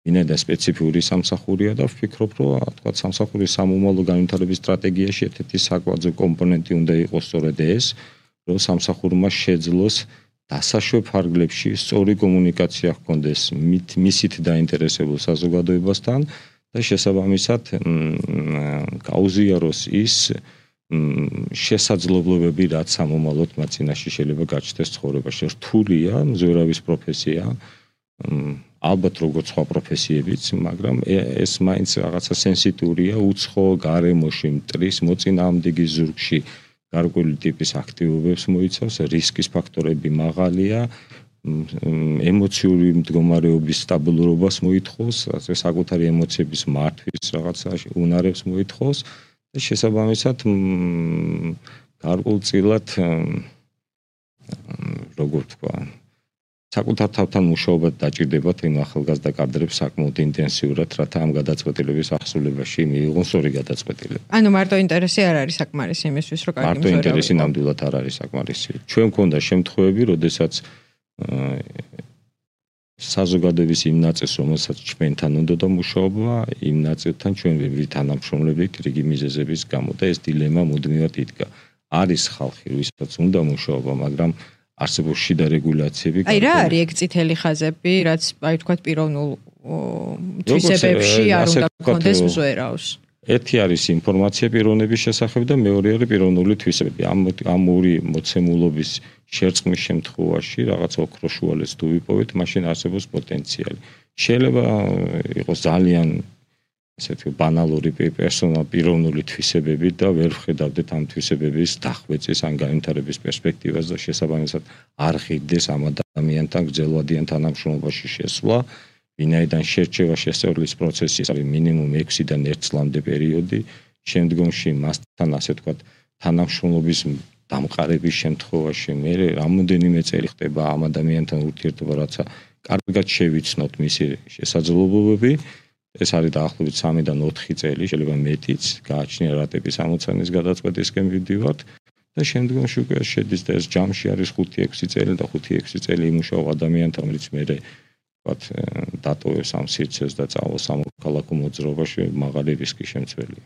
ვინაიდან სპეციფიური სამსახურია და ვფიქრობ, რომ თქვა სამსახურის სამომავლო განვითარების სტრატეგიაში ერთ-ერთი საკვებზე კომპონენტი უნდა იყოს სწორედ ეს, რომ სამსახურმა შეძლოს დასაშვებ ფარგლებში სწორი კომუნიკაცია ჰქონდეს მისით დაინტერესებულ საზოგადოებასთან და შესაბამისად გაუზიაროს ის შესაძლებლობები, რაც სამომავლოდ მათ წინაშე შეიძლება გაჩნდეს ცხოვრებაში. რთულია, მზვერავის პროფესია, ალბათ როგორც სხვა პროფესიებიც, მაგრამ ეს მაინც რაღაცა სენსიტურია, უცხო გარემოში მტრის მოწინააღმდეგის ზურგში გარკვეული ტიპის აქტივობებს მოიცავს, რისკის ფაქტორები მაღალია, ემოციური მდგომარეობის სტაბილურობას მოითხოვს, ასე საკუთარი ემოციების მართვის რაღაცა უნარებს მოითხოვს და შესაბამისად გარკვეულწილად როგორ თქვა საკუთარ თავთან მუშაობა დაჭირდებათ იმ ახალგაზრდა კადრებს საკმაოდ ინტენსიურად, რათა ამ გადაწყვეტილების აღსრულებაში მიიღონ სწორი გადაწყვეტილება. ანუ მარტო ინტერესი არ არის საკმარისი იმისთვის, რომ კარგი მარტო ინტერესი ნამდვილად არ არის საკმარისი. ჩვენ მქონდა შემთხვევები, როდესაც საზოგადოების იმ ნაწილს, რომელსაც ჩვენთან უნდა მუშაობა, იმ ნაწილთან ჩვენ ვერ ვითანამშრომლებით რიგი მიზეზების გამო და ეს დილემა მუდმივად იდგა. არის ხალხი, ვისაც უნდა მუშაობა, მაგრამ არსებობს შიდა რეგულაციები. აი რა არის ეგ წითელი ხაზები, რაც აი თქვათ პიროვნულ თვისებებში არ უნდა გქონდეს მზვერავს. ერთი არის ინფორმაცია პიროვნების შესახებ და მეორე არის პიროვნული თვისებები. ამ ამ ორი მოცემულობის შერწყმის შემთხვევაში რაღაც ოქროშუალეს თუ ვიპოვეთ, მაშინ არსებობს პოტენციალი. შეიძლება იყოს ძალიან ასეთი ბანალური პერსონალ პიროვნული თვისებები და ვერ ვხედავდეთ ამ თვისებების დახვეწის ან განვითარების პერსპექტივას და შესაბამისად არ ღირდეს ამ ადამიანთან გრძელვადიან თანამშრომლობაში შესვლა, ვინაიდან შერჩევა შესწავლის პროცესი არის მინიმუმ ექვსიდან ერთ წლამდე პერიოდი, შემდგომში მასთან ასე ვთქვათ თანამშრომლობის დამყარების შემთხვევაში მე რამოდენიმე წელი ხდება ამ ადამიანთან ურთიერთობა, რაცა კარგად შევიცნოთ მისი შესაძლებლობები. ეს არის დაახლოებით სამიდან ოთხი წელი, შეიძლება მეტიც, გააჩნია რატების ამოცანის გადაწყვეტისკენ ვიდივართ და შემდგომში უკვე შედის და ეს ჯამში არის ხუთი ექვსი წელი და ხუთი ექვსი წელი იმუშავა ადამიანთან, რომელიც მე ვთქვათ დატოვებს ამ სივრცეს და წავალს სამოქალაქო მოძრაობაში, მაღალი რისკის შემცველია.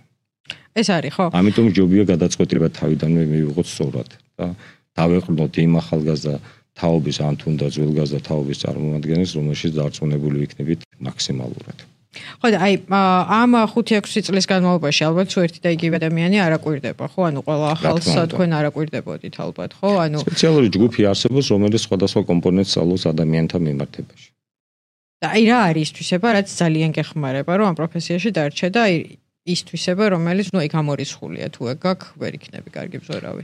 ეს არის, ხო? ამიტომ ჯობია გადაწყვეტილება თავიდანვე მივიღოთ სწორად და დავეყრდნოთ იმ ახალგაზრდა თაობის ან თუნდაც ძველგაზრდა თაობის წარმომადგენლებს, რომელშიც დარწმუნებული ვიქნებით მაქსიმალურად. ხო და აი ამ ხუთი ექვსი წლის განმავლობაში ალბათ თუ ერთი და იგივე ადამიანი არ აკვირდება, ხო? ანუ ყველა ახალს თქვენ არ აკვირდებოდით ალბათ, ხო? ანუ სპეციალური ჯგუფი არსებობს, რომელიც სხვადასხვა კომპონენტს სწავლობს ადამიანთა მიმართებაში. და აი რა არის თვისება, რაც ძალიან გეხმარება, რომ ამ პროფესიაში დარჩე და აი ის თვისება, რომელიც ნუ ეგ ამორიცხულია, თუ ეგ გაქვს, ვერ იქნები კარგი მზვერავი.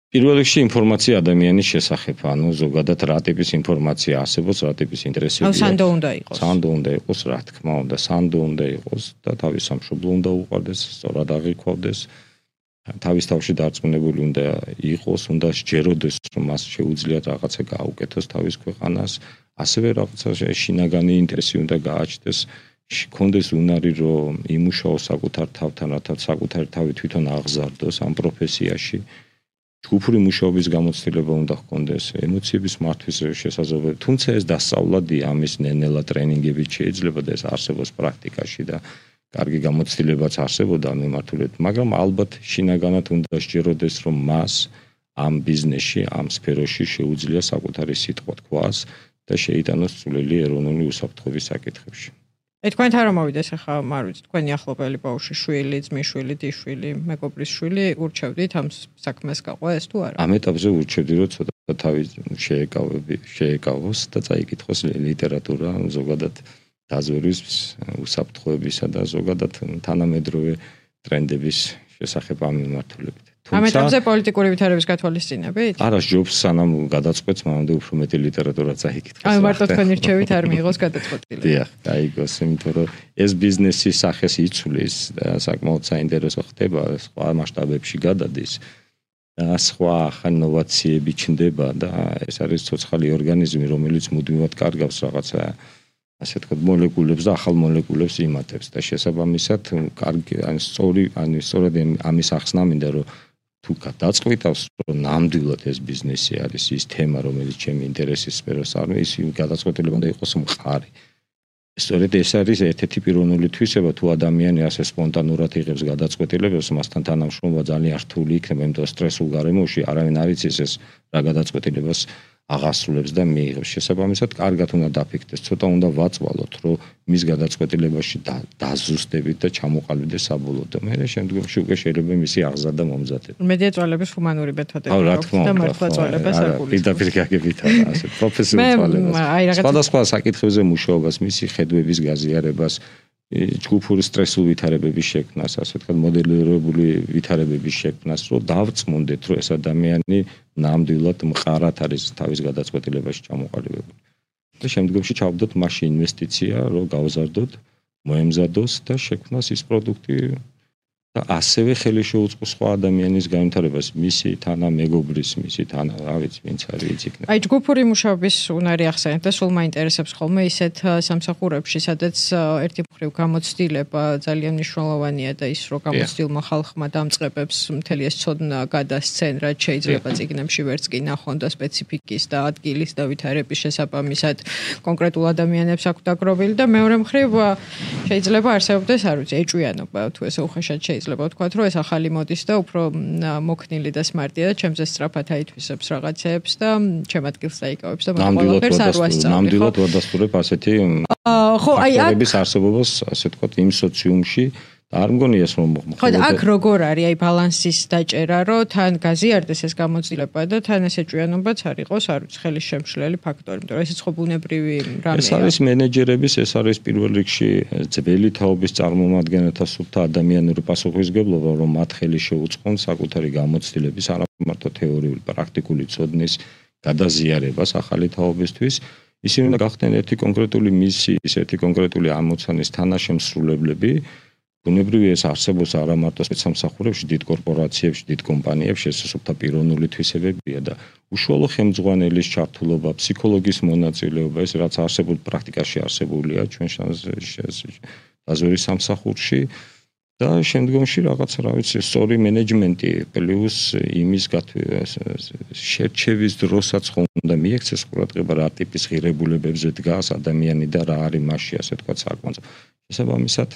პირველ რიგში ინფორმაცია ადამიანის შესახებ, ანუ ზოგადად რა ტიპის ინფორმაცია არსებობს, რა ტიპის ინტერესებია. ანუ სანდო უნდა იყოს. სანდო უნდა იყოს, რა თქმა უნდა, სანდო უნდა იყოს და თავის სამშობლო უნდა უყვარდეს, სწორად აღიქვავდეს. თავის თავში დარწმუნებული უნდა იყოს, უნდა სჯეროდეს, რომ მას შეუძლიათ რაღაცა გააუკეთოს თავის ქვეყანას, ასევე რაღაცა შინაგანი ინტერესი უნდა გააჩნდეს, ჰქონდეს უნარი, რომ იმუშაოს საკუთარ თავთან, რათა საკუთარი თავი თვითონ აღზარდოს ამ პროფესიაში. ჯგუფური მუშაობის გამოცდილება უნდა ჰქონდეს, ემოციების მართვის შესაძლებლობა. თუმცა ეს დასწავლადია, ამის ნელ-ნელა ტრენინგებით შეიძლება და ეს არსებობს პრაქტიკაში და კარგი გამოცდილებაც არსებობდა ამ მიმართულებით, მაგრამ ალბათ შინაგანად უნდა სჯეროდეს, რომ მას ამ ბიზნესში, ამ სფეროში შეუძლია საკუთარი სიტყვა თქვას და შეიტანოს წვლილი ეროვნული უსაფრთხოების საკითხებში. ე თქვენთან რომ მოვიდეს ახლა მარვიც თქვენი ახლობელი ბავშვი, შვილი, ძმისშვილი, დიშვილი, მეგობრის შვილი, ურჩევდით ამ საქმეს გაყვა ეს თუ არა? ამ ეტაპზე ურჩევდი, რომ ცოტა თავი შეეკავები, შეეკავოს და წაიკითხოს ლიტერატურა, ზოგადად დაზვერვის უსაფრთხოებისა და ზოგადად თანამედროვე ტრენდების შესახებ ამ მიმართულებით. ამ ეტაპზე პოლიტიკური ვითარების გათვალისწინებით? არა, ჯობს სანამ გადაწყვეტს, მანამდე უფრო მეტი ლიტერატურა წაიკითხეს. აი, მარტო თქვენი რჩევით არ მიიღოს გადაწყვეტილება. დიახ, გაიგოს, იმიტომ რომ ეს ბიზნესის სახეს იცვლის და საკმაოდ საინტერესო ხდება, სხვა მასშტაბებში გადადის. და სხვა ახალ ინოვაციები ჩნდება და ეს არის ცოცხალი ორგანიზმი, რომელიც მუდმივად კარგავს რაღაცა ასე ვთქვათ, მოლეკულებს და ახალ მოლეკულებს იმატებს და შესაბამისად, კარგი, ან სწორი, ან სწორედ ამის ახსნა მინდა, რომ თუ გადაწყვიტავს, რომ ნამდვილად ეს ბიზნესი არის ის თემა, რომელიც ჩემი ინტერესის სფეროს არის, ის გადაწყვეტილება უნდა იყოს მყარი. სწორედ ეს არის ერთ-ერთი პიროვნული თვისება, თუ ადამიანი ასე სპონტანურად იღებს გადაწყვეტილებებს, მასთან თანამშრომლობა ძალიან რთული იქნება, იმიტომ რომ სტრესულ გარემოში არავინ არ იცის ეს რა გადაწყვეტილებას აღასრულებს და მიიღებს. შესაბამისად, კარგად უნდა დაფიქრდეს, ცოტა უნდა ვაწვალოთ, რომ მის გადაწყვეტილებაში დაზუსტებით და ჩამოყალიბდეს საბოლოოდ. მე შემდგომში უკვე შეიძლება მისი აღზრდა და მომზადება. მედია წვალების ჰუმანური მეთოდები აქვს და მართლა წვალებას არ გულისხმობს. პირდაპირ გაგებით ასე პროფესიულ წვალებას. სხვადასხვა საკითხებზე მუშაობას, მისი ხედვების გაზიარებას, ჯგუფური სტრესულ ვითარებების შექმნას, ასე ვთქვათ, მოდელირებული ვითარებების შექმნას, რომ დავწმუნდეთ, რომ ეს ადამიანი ნამდვილად მყარად არის თავის გადაწყვეტილებაში ჩამოყალიბებული. და შემდგომში ჩავდოთ მასში ინვესტიცია, რომ გავზარდოთ, მოემზადოს და შექმნას ის პროდუქტი და ასევე ხელი შეუწყოს სხვა ადამიანის განვითარებას, მისი თანამეგობრის, მისი თანა, რა ვიცი, ვინც არის ის იქნება. აი, ჯგუფური მუშაობის უნარი ახსენეთ და სულ მაინტერესებს ხოლმე ისეთ სამსახურებში, სადაც ერთი მხრივ გამოცდილება ძალიან მნიშვნელოვანია და ის რომ გამოცდილმა ხალხმა დამწყებებს მთელი ეს ცოდნა გადასცენ, რაც შეიძლება წიგნებში ვერც კი ნახონ და სპეციფიკის და ადგილის და ვითარების შესაბამისად კონკრეტულ ადამიანებს აქვს დაგროვილი და მეორე მხრივ შეიძლება არსებობდეს, არ ვიცი, ეჭვიანობა, თუ ესე უხეშად შეიძლება შეიძლება ვთქვათ, რომ ეს ახალი მოდის და უფრო მოქნილი და სმარტია და ჩემზე სწრაფად აითვისებს რაღაცებს და ჩემ ადგილს დაიკავებს და მე ყველაფერს არ ვასწავლი. ნამდვილად ვადასტურებ ასეთი ხო, აი აქ არსებობას, ასე ვთქვათ, იმ სოციუმში და არ მგონია ეს რომ ხო და აქ როგორ არის აი ბალანსის დაჭერა, რომ თან გაზიარდეს ეს გამოცდილება და თან ეს ეჭვიანობაც არ იყოს, არ ვიცი, ხელის შემშლელი ფაქტორი, იმიტომ რომ ესეც ხო ბუნებრივი რამეა. ეს არის მენეჯერების, ეს არის პირველ რიგში ძველი თაობის წარმომადგენელთა სუფთა ადამიანური პასუხისმგებლობა, რომ მათ ხელი შეუწყონ საკუთარი გამოცდილების არა მარტო თეორიული, პრაქტიკული ცოდნის გადაზიარებას ახალი თაობისთვის. ისინი უნდა გახდნენ ერთი კონკრეტული მისიის, ერთი კონკრეტული ამოცანის თანაშემსრულებლები. ბუნებრივია ეს არსებობს არა მარტო სპეცსამსახურებში, დიდ კორპორაციებში, დიდ კომპანიებში, ეს სუფთა პიროვნული თვისებებია და უშუალო ხელმძღვანელის ჩართულობა, ფსიქოლოგის მონაწილეობა, ეს რაც არსებობს პრაქტიკაში არსებულია ჩვენ დაზვერვის სამსახურში და შემდგომში რაღაც რა ვიცი, სწორი მენეჯმენტი პლუს იმის შერჩევის დროსაც ხომ უნდა მიექცეს ყურადღება რა ტიპის ღირებულებებზე დგას ადამიანი და რა არის მასში, ასე ვთქვათ, საკმაოდ. შესაბამისად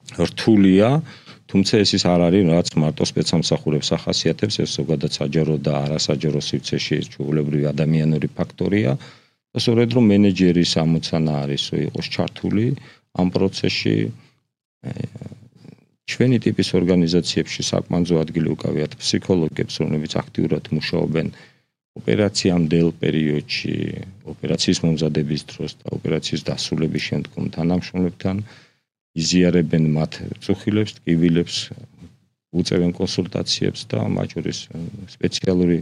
რთულია, თუმცა ეს ის არ არის, რაც მარტო სპეცსამსახურებს ახასიათებს, ეს ზოგადად საჯარო და არასაჯარო სივრცეში ჩვეულებრივი ადამიანური ფაქტორია და სწორედ რომ მენეჯერის ამოცანა არის, რომ იყოს ჩართული ამ პროცესში. ჩვენი ტიპის ორგანიზაციებში საკმანძო ადგილი უკავიათ ფსიქოლოგებს, რომლებიც აქტიურად მუშაობენ ოპერაციამდელ პერიოდში, ოპერაციის მომზადების დროს და ოპერაციის დასრულების შემდგომ თანამშრომლებთან იზიარებენ მათ წუხილებს, ტკივილებს, უწევენ კონსულტაციებს და მათ შორის სპეციალური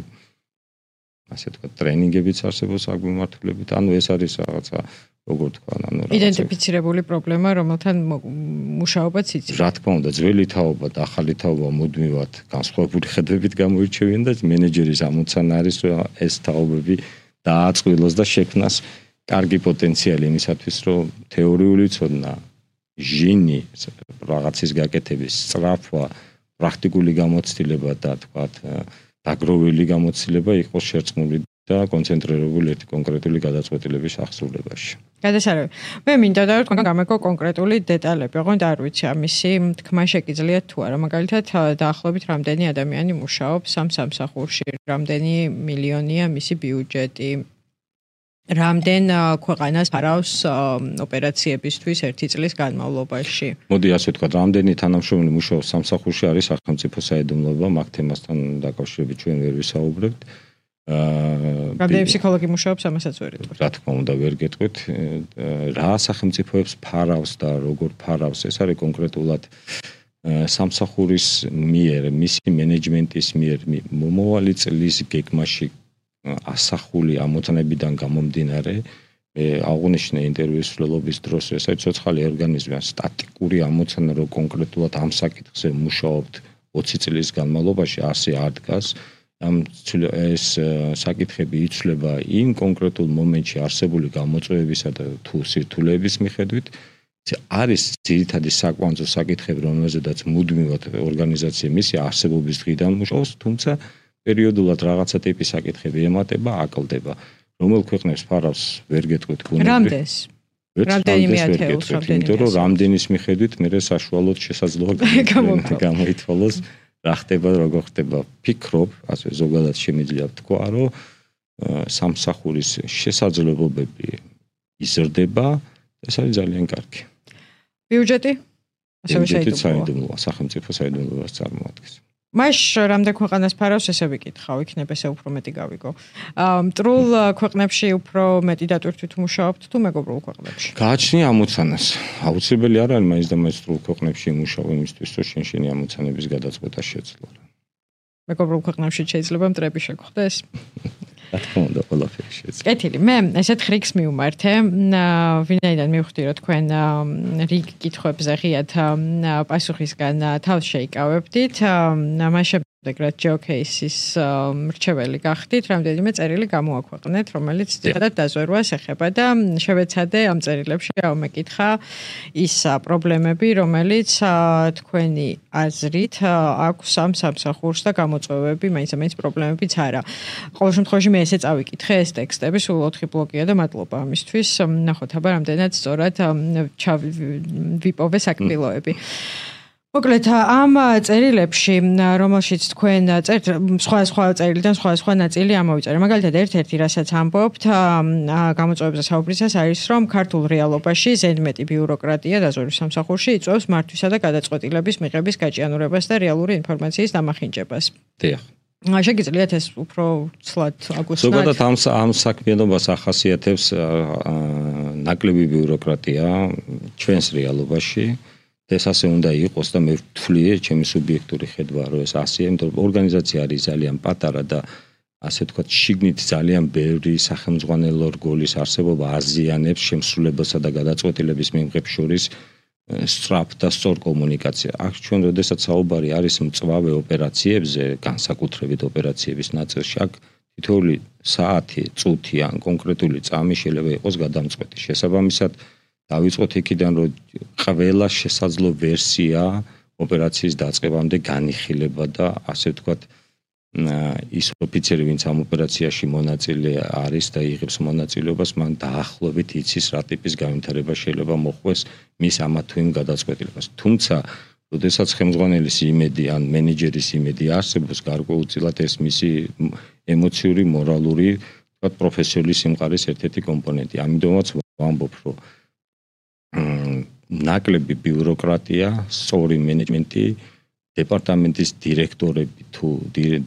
ასე ვთქვათ, ტრენინგებიც არსებობს აქ მიმართულებით. ანუ ეს არის რაღაცა, როგორ თქვა, ანუ რაღაცა იდენტიფიცირებული პრობლემა, რომელთან მუშაობაც იცის. რა თქმა უნდა, ძველი თაობა და ახალი თაობა მუდმივად განსხვავებული ხედვებით გამოირჩევიან და მენეჯერის ამოცანა არის, რომ ეს თაობები დააწყვილოს და შექმნას კარგი პოტენციალი იმისათვის, რომ თეორიული ცოდნა ჟინი, რაღაცის გაკეთების სწრაფვა, პრაქტიკული გამოცდილება და თქვათ, დაგროვილი გამოცდილება იყოს შერწყმული და კონცენტრირებული ერთი კონკრეტული გადაწყვეტილების აღსრულებაში. გადასარევი. მე მინდა და თქვენ გამეკო კონკრეტული დეტალები, ოღონდ არ ვიცი ამისი თქმა შეგიძლიათ თუ არა. მაგალითად, დაახლოებით რამდენი ადამიანი მუშაობს ამ სამსახურში, რამდენი მილიონია მისი ბიუჯეტი. რამდენ ქვეყანას ფარავს ოპერაციებისთვის ერთი წლის განმავლობაში. მოდი ასე ვთქვათ, რამდენი თანამშრომელი მუშაობს სამსახურში არის სახელმწიფო საიდუმლოება, მაგ თემასთან დაკავშირებით ჩვენ ვერ ვისაუბრებთ. რამდენი ფსიქოლოგი მუშაობს, ამასაც ვერ იტყვით. რა თქმა უნდა, ვერ გეტყვით, რა სახელმწიფოებს ფარავს და როგორ ფარავს, ეს არის კონკრეტულად სამსახურის მიერ, მისი მენეჯმენტის მიერ მომავალი წლის გეგმაში ასახული ამოცანებიდან გამომდინარე მე აღნიშნე ინტერვიუს ცვლილობის დროს, ესე ცოცხალი ორგანიზმი სტატიკური ამოცანა რო კონკრეტულად ამ საკითხზე მუშაობთ ოცი წლის განმავლობაში ასე არ დგას. ამ ეს საკითხები იცვლება იმ კონკრეტულ მომენტში არსებული გამოწვევებისა და თუ სირთულეების მიხედვით. არის ძირითადი საკვანძო საკითხები, რომელზედაც მუდმივად ორგანიზაცია მისი არსებობის დღიდან მუშაობს, თუმცა პერიოდულად რაღაცა ტიპის საკითხები ემატება, აკლდება. რომელ ქვეყნებს ფარავს ვერ გეტყვით გუნდები. რამდენს? რამდენიმე ათეულს, იმიტომ რომ რამდენის მიხედვით მე საშუალოდ შესაძლოა გამოითვალოს რა ხდება, როგორ ხდება. ფიქრობ, ასე ზოგადად შემიძლია ვთქვა, რომ სამსახურის შესაძლებლობები იზრდება, ეს არის ძალიან კარგი. ბიუჯეტი? ასევე საიდუმლოა, სახელმწიფო საიდუმლოებას წარმოადგენს. მას რამდენ ქვეყანას ფარავს, ესე ვიკითხავ, იქნებ ესე უფრო მეტი გავიგო. მტრულ ქვეყნებში უფრო მეტი დატვირთვით მუშაობთ თუ მეგობრულ ქვეყნებში? გააჩნია ამოცანას. აუცილებელი არ არის მაინც და მაინც მტრულ ქვეყნებში მუშაობ იმისთვის, რომ შენ-შენი ამოცანების გადაწყვეტა შეძლო. მეგობრულ ქვეყნებში შეიძლება მტრები შეგხვდეს? რა თქმა უნდა, ყველაფერი შეიძლება. კეთილი, მე ესეთ ხრიქს მივმართე. ვინაიდან მივხვდი, რომ თქვენ რიგ კითხვებზე ღიად პასუხისგან თავს შეიკავებდით. მას შემდეგ რაც ჯეოკეისის მრჩეველი გახდით, რამდენიმე წერილი გამოაქვეყნეთ, რომელიც ძირითადად დაზვერვას ეხება და შევეცადე ამ წერილებში ამეკითხა ის პრობლემები, რომელიც თქვენი აზრით აქვს ამ სამსახურს და გამოწვევები, მაინც-მაინც პრობლემებიც არა. ყოველ შემთხვევაში მე ესე წავიკითხე ეს ტექსტები, სულ ოთხი ბლოკია და მადლობა ამისთვის. ნახოთ, აბა რამდენად სწორად ვიპოვე საკბილოები. მოკლედ ამ წერილებში, რომელშიც თქვენ წერთ სხვა სხვა წერილიდან სხვა სხვა ნაწილი ამოვიწერე. მაგალითად, ერთ-ერთი რასაც ამბობთ, გამოწვევებზე საუბრისას არის, რომ ქართულ რეალობაში ზედმეტი ბიუროკრატია დაზვერვის სამსახურში იწვევს მართვისა და გადაწყვეტილების მიღების გაჭიანურებას და რეალური ინფორმაციის დამახინჯებას. დიახ. შეგიძლიათ ეს უფრო ცლად აგუსტნათ? ზოგადად ამ ამ საქმიანობას ახასიათებს ნაკლები ბიუროკრატია ჩვენს რეალობაში. ეს ასე უნდა იყოს და მე ვთვლი, ჩემი სუბიექტური ხედვა, რომ ეს ასეა, იმიტომ რომ ორგანიზაცია არის ძალიან პატარა და ასე ვთქვათ, შიგნით ძალიან ბევრი სახელმძღვანელო რგოლის არსებობა აზიანებს შემსრულებელსა და გადაწყვეტილების მიღების შორის სწრაფ და სწორ კომუნიკაციას. აქ ჩვენ როდესაც საუბარი არის მწვავე ოპერაციებზე, განსაკუთრებით ოპერაციების ნაწილში, აქ თითოეული საათი, წუთი ან კონკრეტული წამი შეიძლება იყოს გადამწყვეტი. შესაბამისად დავიწყოთ იქიდან, რომ ყველა შესაძლო ვერსია ოპერაციის დაწყებამდე განიხილება და ასე ვთქვათ, ის ოფიცერი, ვინც ამ ოპერაციაში მონაწილე არის და იღებს მონაწილეობას, მან დაახლოებით იცის რა ტიპის განვითარება შეიძლება მოხდეს მის ამა თუ იმ გადაწყვეტილებას. თუმცა, როდესაც ხელმძღვანელის იმედი ან მენეჯერის იმედი არსებობს, გარკვეულწილად ეს მისი ემოციური, მორალური, ვთქვათ, პროფესიული სიმყარის ერთ-ერთი კომპონენტი. ამიტომაც ვამბობ, რომ ნაკლები ბიუროკრატია, სწორი მენეჯმენტი, დეპარტამენტის დირექტორები თუ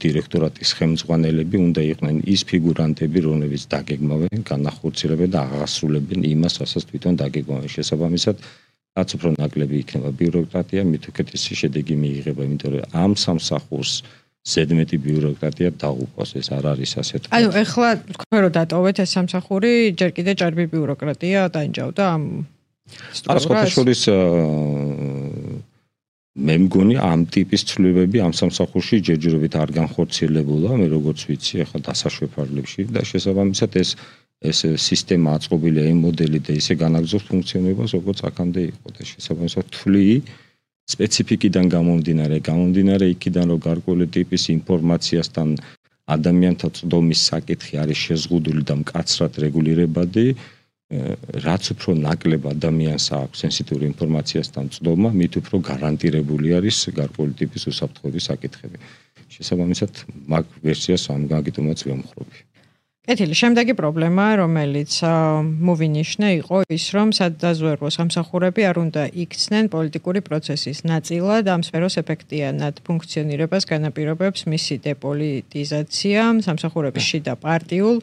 დირექტორატის ხელმძღვანელები უნდა იყვნენ ის ფიგურანტები, რომლებიც დაგეგმავენ, განახორციელებენ და აღასრულებენ იმას, რასაც თვითონ დაგეგმავენ. შესაბამისად, რაც უფრო ნაკლები იქნება ბიუროკრატია, მით უკეთესი შედეგი მიიღება, იმიტომ რომ ამ სამსახურს ზედმეტი ბიუროკრატია დაუყვას, ეს არ არის ასე თქვა. ანუ ეხლა თქვენ რომ დატოვეთ ეს სამსახური, ჯერ კიდე ჭარბი ბიუროკრატია დაინჯავდა ამ ასხოთაშორის მე მგონი ამ ტიპის ცვლილებები ამ სამსახურში ჯერჯერობით არ განხორციელებულა, მე როგორც ვიცი, ახლა დასაშვებარლებში და შესაბამისად ეს ეს სისტემა აწყობილია იმ მოდელი და ისე განაგრძობს ფუნქციონირებას, როგორც აქამდე იყო და შესაბამისად თვლი სპეციფიკიდან გამომდინარე, გამომდინარე იქიდან, რომ გარკვეული ტიპის ინფორმაციასთან ადამიანთა წვდომის საკითხი არის შეზღუდული და მკაცრად რეგულირებადი, რაც უფრო ნაკლებ ადამიანს აქვს სენსიტიური ინფორმაციასთან წვდომა, მით უფრო გარანტირებული არის გარკვეული ტიპის უსაფრთხოების საკითხები. შესაბამისად, მაგ ვერსიას ამ გაგიტომაც ვემხრობი. კეთილი, შემდეგი პრობლემა, რომელიც მოვინიშნე, იყო ის, რომ სადაზვერვო სამსახურები არ უნდა იქცნენ პოლიტიკური პროცესის ნაწილად, ამ სფეროს ეფექტიანად ფუნქციონირებას განაპირობებს მისი დეპოლიტიზაცია, სამსახურების შიდა პარტიულ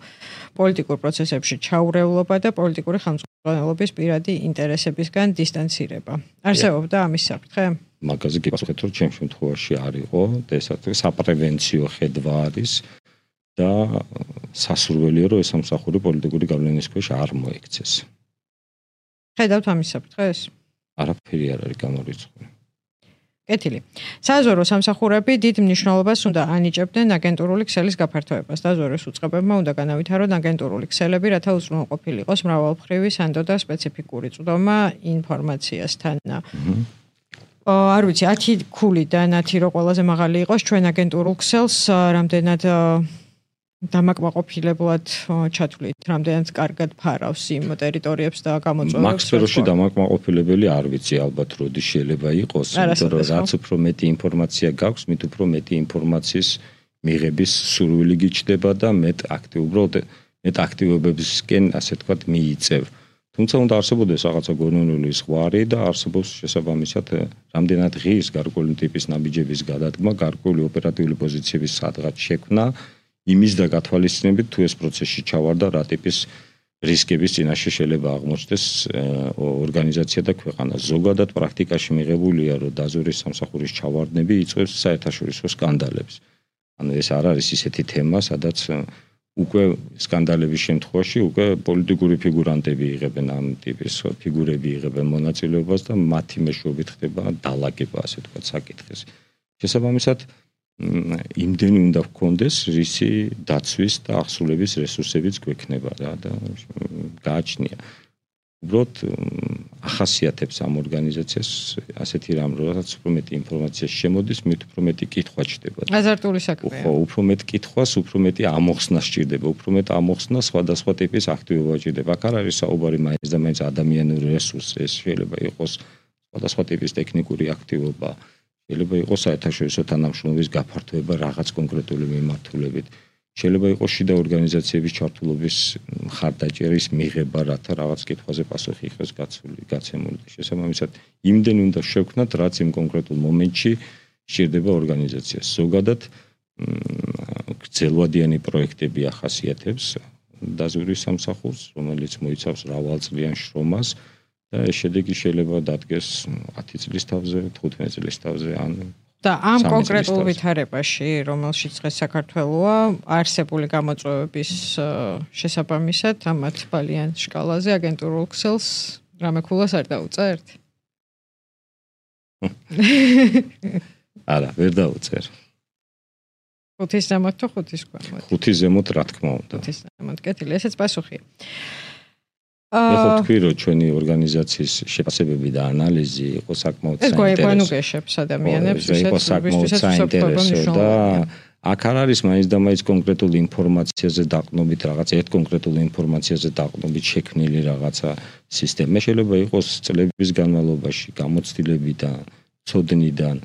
პოლიტიკურ პროცესებში ჩაურევლობა და პოლიტიკური ხელმძღვანელობის პირადი ინტერესებისგან დისტანცირება. არსებობდა ამის საფრთხე? მაგაზე გიპასუხეთ, რომ ჩემ შემთხვევაში არ იყო და ეს საპრევენციო ხედვა არის და სასურველია, რომ ეს სამსახური პოლიტიკური გავლენის ქვეშ არ მოექცეს. ხედავთ ამის საფრთხეს? არაფერი არ არის გამორიცხული. კეთილი. საზღვაო სამსახურები დიდ მნიშვნელობას უნდა ანიჭებდნენ აგენტურული ქსელის გაფართოებას. საზღვაოს უწყებებმა უნდა განავითარონ აგენტურული ქსელები, რათა უზრუნველყოფილი იყოს მრავალმხრივი სანდო და სპეციფიკური წვდომა ინფორმაციასთან. არ ვიცი, ათი ქულიდან ათი რო ყველაზე მაღალი იყოს ჩვენ აგენტურულ ქსელს რამდენად დამაკმაყოფილებლად ჩათვლით, რამდენად კარგად ფარავს იმ ტერიტორიებს და გამოწვევებს. მაგ სფეროში დამაკმაყოფილებელი არ ვიცი, ალბათ როდის შეიძლება იყოს, იმიტომ რომ რაც უფრო მეტი ინფორმაცია გაქვს, მით უფრო მეტი ინფორმაციის მიღების სურვილი გიჩნდება და მეტ აქტიურად მეტ აქტივობებისკენ, ასე თქვათ, მიიწევ. თუმცა უნდა არსებობდეს რაღაცა გონივრული ზღვარი და არსებობს შესაბამისად რამდენად ღირს გარკვეული ტიპის ნაბიჯების გადადგმა, გარკვეული ოპერატიული პოზიციების სადღაც შექმნა, იმის და გათვალისწინებით თუ ეს პროცესში ჩავარდა რა ტიპის რისკების წინაშე შეიძლება აღმოჩნდეს ორგანიზაცია და ქვეყანა. ზოგადად პრაქტიკაში მიღებულია, რომ დაზვერვის სამსახურის ჩავარდნები იწვევს საერთაშორისო სკანდალებს. ანუ ეს არ არის ისეთი თემა, სადაც უკვე სკანდალების შემთხვევაში უკვე პოლიტიკური ფიგურანტები იღებენ ამ ტიპის ფიგურები იღებენ მონაწილეობას და მათი მეშვეობით ხდება დალაგება, ასე თქვა, საკითხის. შესაბამისად იმდენი უნდა გქონდეს რისი დაცვის და აღსრულების რესურსებიც გვექნება რა და გააჩნია. უბრალოდ ახასიათებს ამ ორგანიზაციას ასეთი რამ, როდესაც უფრო მეტი ინფორმაცია შემოდის, მით უფრო მეტი კითხვა ჩდება. აზარტული საქმეა. ხო, უფრო მეტ კითხვას, უფრო მეტი ამოხსნა სჭირდება, უფრო მეტ ამოხსნა სხვადასხვა ტიპის აქტივობა სჭირდება. აქ არ არის საუბარი მაინც და მაინც ადამიანური რესურსი, ეს შეიძლება იყოს სხვადასხვა ტიპის ტექნიკური აქტივობა. შეიძლება იყოს საერთაშორისო თანამშრომლობის გაფართოება რაღაც კონკრეტული მიმართულებით. შეიძლება იყოს შიდა ორგანიზაციების ჩართულობის მხარდაჭერის მიღება, რათა რაღაც კითხვაზე პასუხი იყოს გაცული, გაცემული. შესაბამისად, იმდენი უნდა შევქმნათ, რაც იმ კონკრეტულ მომენტში სჭირდება ორგანიზაციას. ზოგადად გრძელვადიანი პროექტები ახასიათებს დაზვერვის სამსახურს, რომელიც მოიცავს მრავალწლიან შრომას. და ეს შედეგი შეიძლება დადგეს ათი წლის თავზე, თხუთმეტი წლის თავზე, ან და ამ კონკრეტულ ვითარებაში, რომელშიც დღეს საქართველოა, არსებული გამოწვევების შესაბამისად, ამათ ბალიან შკალაზე აგენტურულ ქსელს რამე ქულას არ დაუწერთ? არა, ვერ დაუწერ. ხუთის ზემოთ თუ ხუთის ქვემოთ? ხუთის ზემოთ, რა თქმა უნდა. ხუთის ზემოთ, კეთილი, ესეც პასუხია. ეხლა თქვი რომ ჩვენი ორგანიზაციის შეფასებები და ანალიზი იყო საკმაოდ საინტერესო. ეს გვაიგონუგეშებს ადამიანებს, ვისაც საკმაოდ საინტერესო და აქ არ არის მაინც და მაინც კონკრეტული ინფორმაციაზე დაყნობით რაღაც ერთ კონკრეტულ ინფორმაციაზე დაყნობით შექმნილი რაღაცა სისტემა. შეიძლება იყოს წლების განმავლობაში გამოცდილებიდან, ცოდნიდან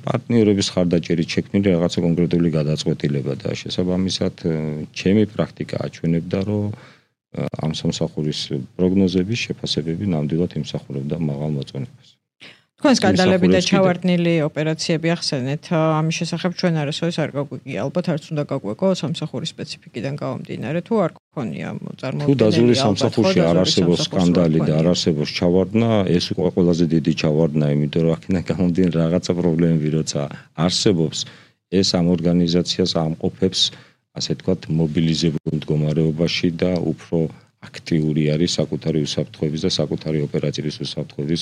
პარტნიორების ხარდაჭერით შექმნილი რაღაცა კონკრეტული გადაწყვეტილება და შესაბამისად ჩემი პრაქტიკა აჩვენებდა რომ ამ სამსახურის პროგნოზების შეფასებები ნამდვილად იმსახურებდა მაღალ მოწონებას. თქვენ სკანდალები და ჩავარდნილი ოპერაციები ახსენეთ, ამის შესახებ ჩვენ არასოდეს არ გაგვიგია, ალბათ არც უნდა გაგვეკო სამსახურის სპეციფიკიდან გამომდინარე, თუ არ გქონია წარმოუდგენელი. თუ დაზვერვის სამსახურში არ არსებობს სკანდალი და არ არსებობს ჩავარდნა, ეს უკვე ყველაზე დიდი ჩავარდნა, იმიტომ რომ აქედან გამომდინარე რაღაცა პრობლემები როცა არსებობს, ეს ამ ორგანიზაციას ამყოფებს ასე თქვათ მობილიზებულ მდგომარეობაში და უფრო აქტიური არის საკუთარი უსაფრთხოების და საკუთარი ოპერაციის უსაფრთხოების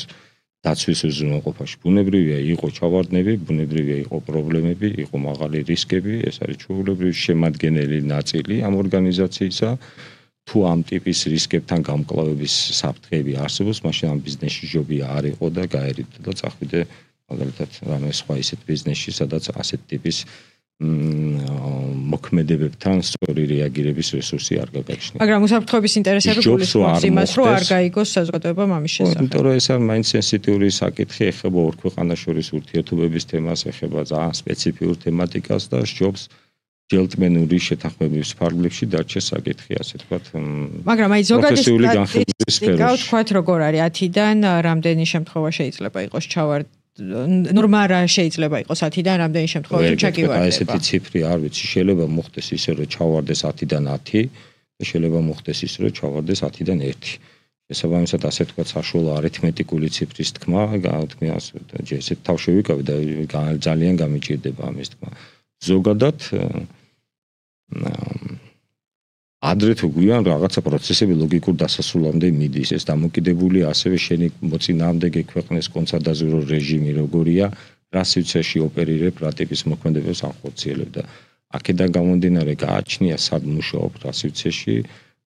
დაცვის უზრუნველყოფაში. ბუნებრივია იყო ჩავარდნები, ბუნებრივია იყო პრობლემები, იყო მაღალი რისკები, ეს არის ჩვეულებრივი შემადგენელი ნაწილი ამ ორგანიზაციისა. თუ ამ ტიპის რისკებთან გამკლავების საფრთხეები არსებობს, მაშინ ამ ბიზნესში ჯობია არ იყო და გაერიდო და წახვიდე მაგალითად რამე სხვა ისეთ ბიზნესში, სადაც ასეთ ტიპის მოქმედებებთან სწორი რეაგირების რესურსი არ გაგაჩნია. მაგრამ უსაფრთხოების ინტერესები გულისხმობს იმას, რომ არ გაიგოს საზოგადოება ამის შესახებ. იმიტომ რომ ეს არის მაინც სენსიტიური საკითხი, ეხება ორ ქვეყანას შორის ურთიერთობების თემას, ეხება ძალიან სპეციფიურ თემატიკას და სჯობს ჯელტმენური შეთანხმების ფარგლებში დარჩეს საკითხი, ასე ვთქვათ. მაგრამ აი ზოგადი სტატისტიკა ვთქვათ როგორ არის ათიდან რამდენი შემთხვევა შეიძლება იყოს ჩავარდ ნორმა რა შეიძლება იყოს ათიდან რამდენი შემთხვევაში ჩაგივარდება. აი ესეთი ციფრი არ ვიცი, შეიძლება მოხდეს ისე რომ ჩავარდეს ათიდან ათი და შეიძლება მოხდეს ისე რომ ჩავარდეს ათიდან ერთი. შესაბამისად ასე თქვა საშუალო არითმეტიკული ციფრის თქმა, განთქმი ასე და ესეთ თავში ვიკავი და ძალიან გამიჭირდება ამის თქმა. ზოგადად ადრე თუ გვიან რაღაცა პროცესები ლოგიკურ დასასრულამდე მიდის. ეს დამოკიდებულია ასევე შენი მოწინააღმდეგე ქვეყნის კონცადაზურო რეჟიმი როგორია, რა სივრცეში ოპერირებ, რა ტიპის მოქმედებებს ახორციელებ და აქედან გამომდინარე გააჩნია სად მუშაობ რა სივრცეში,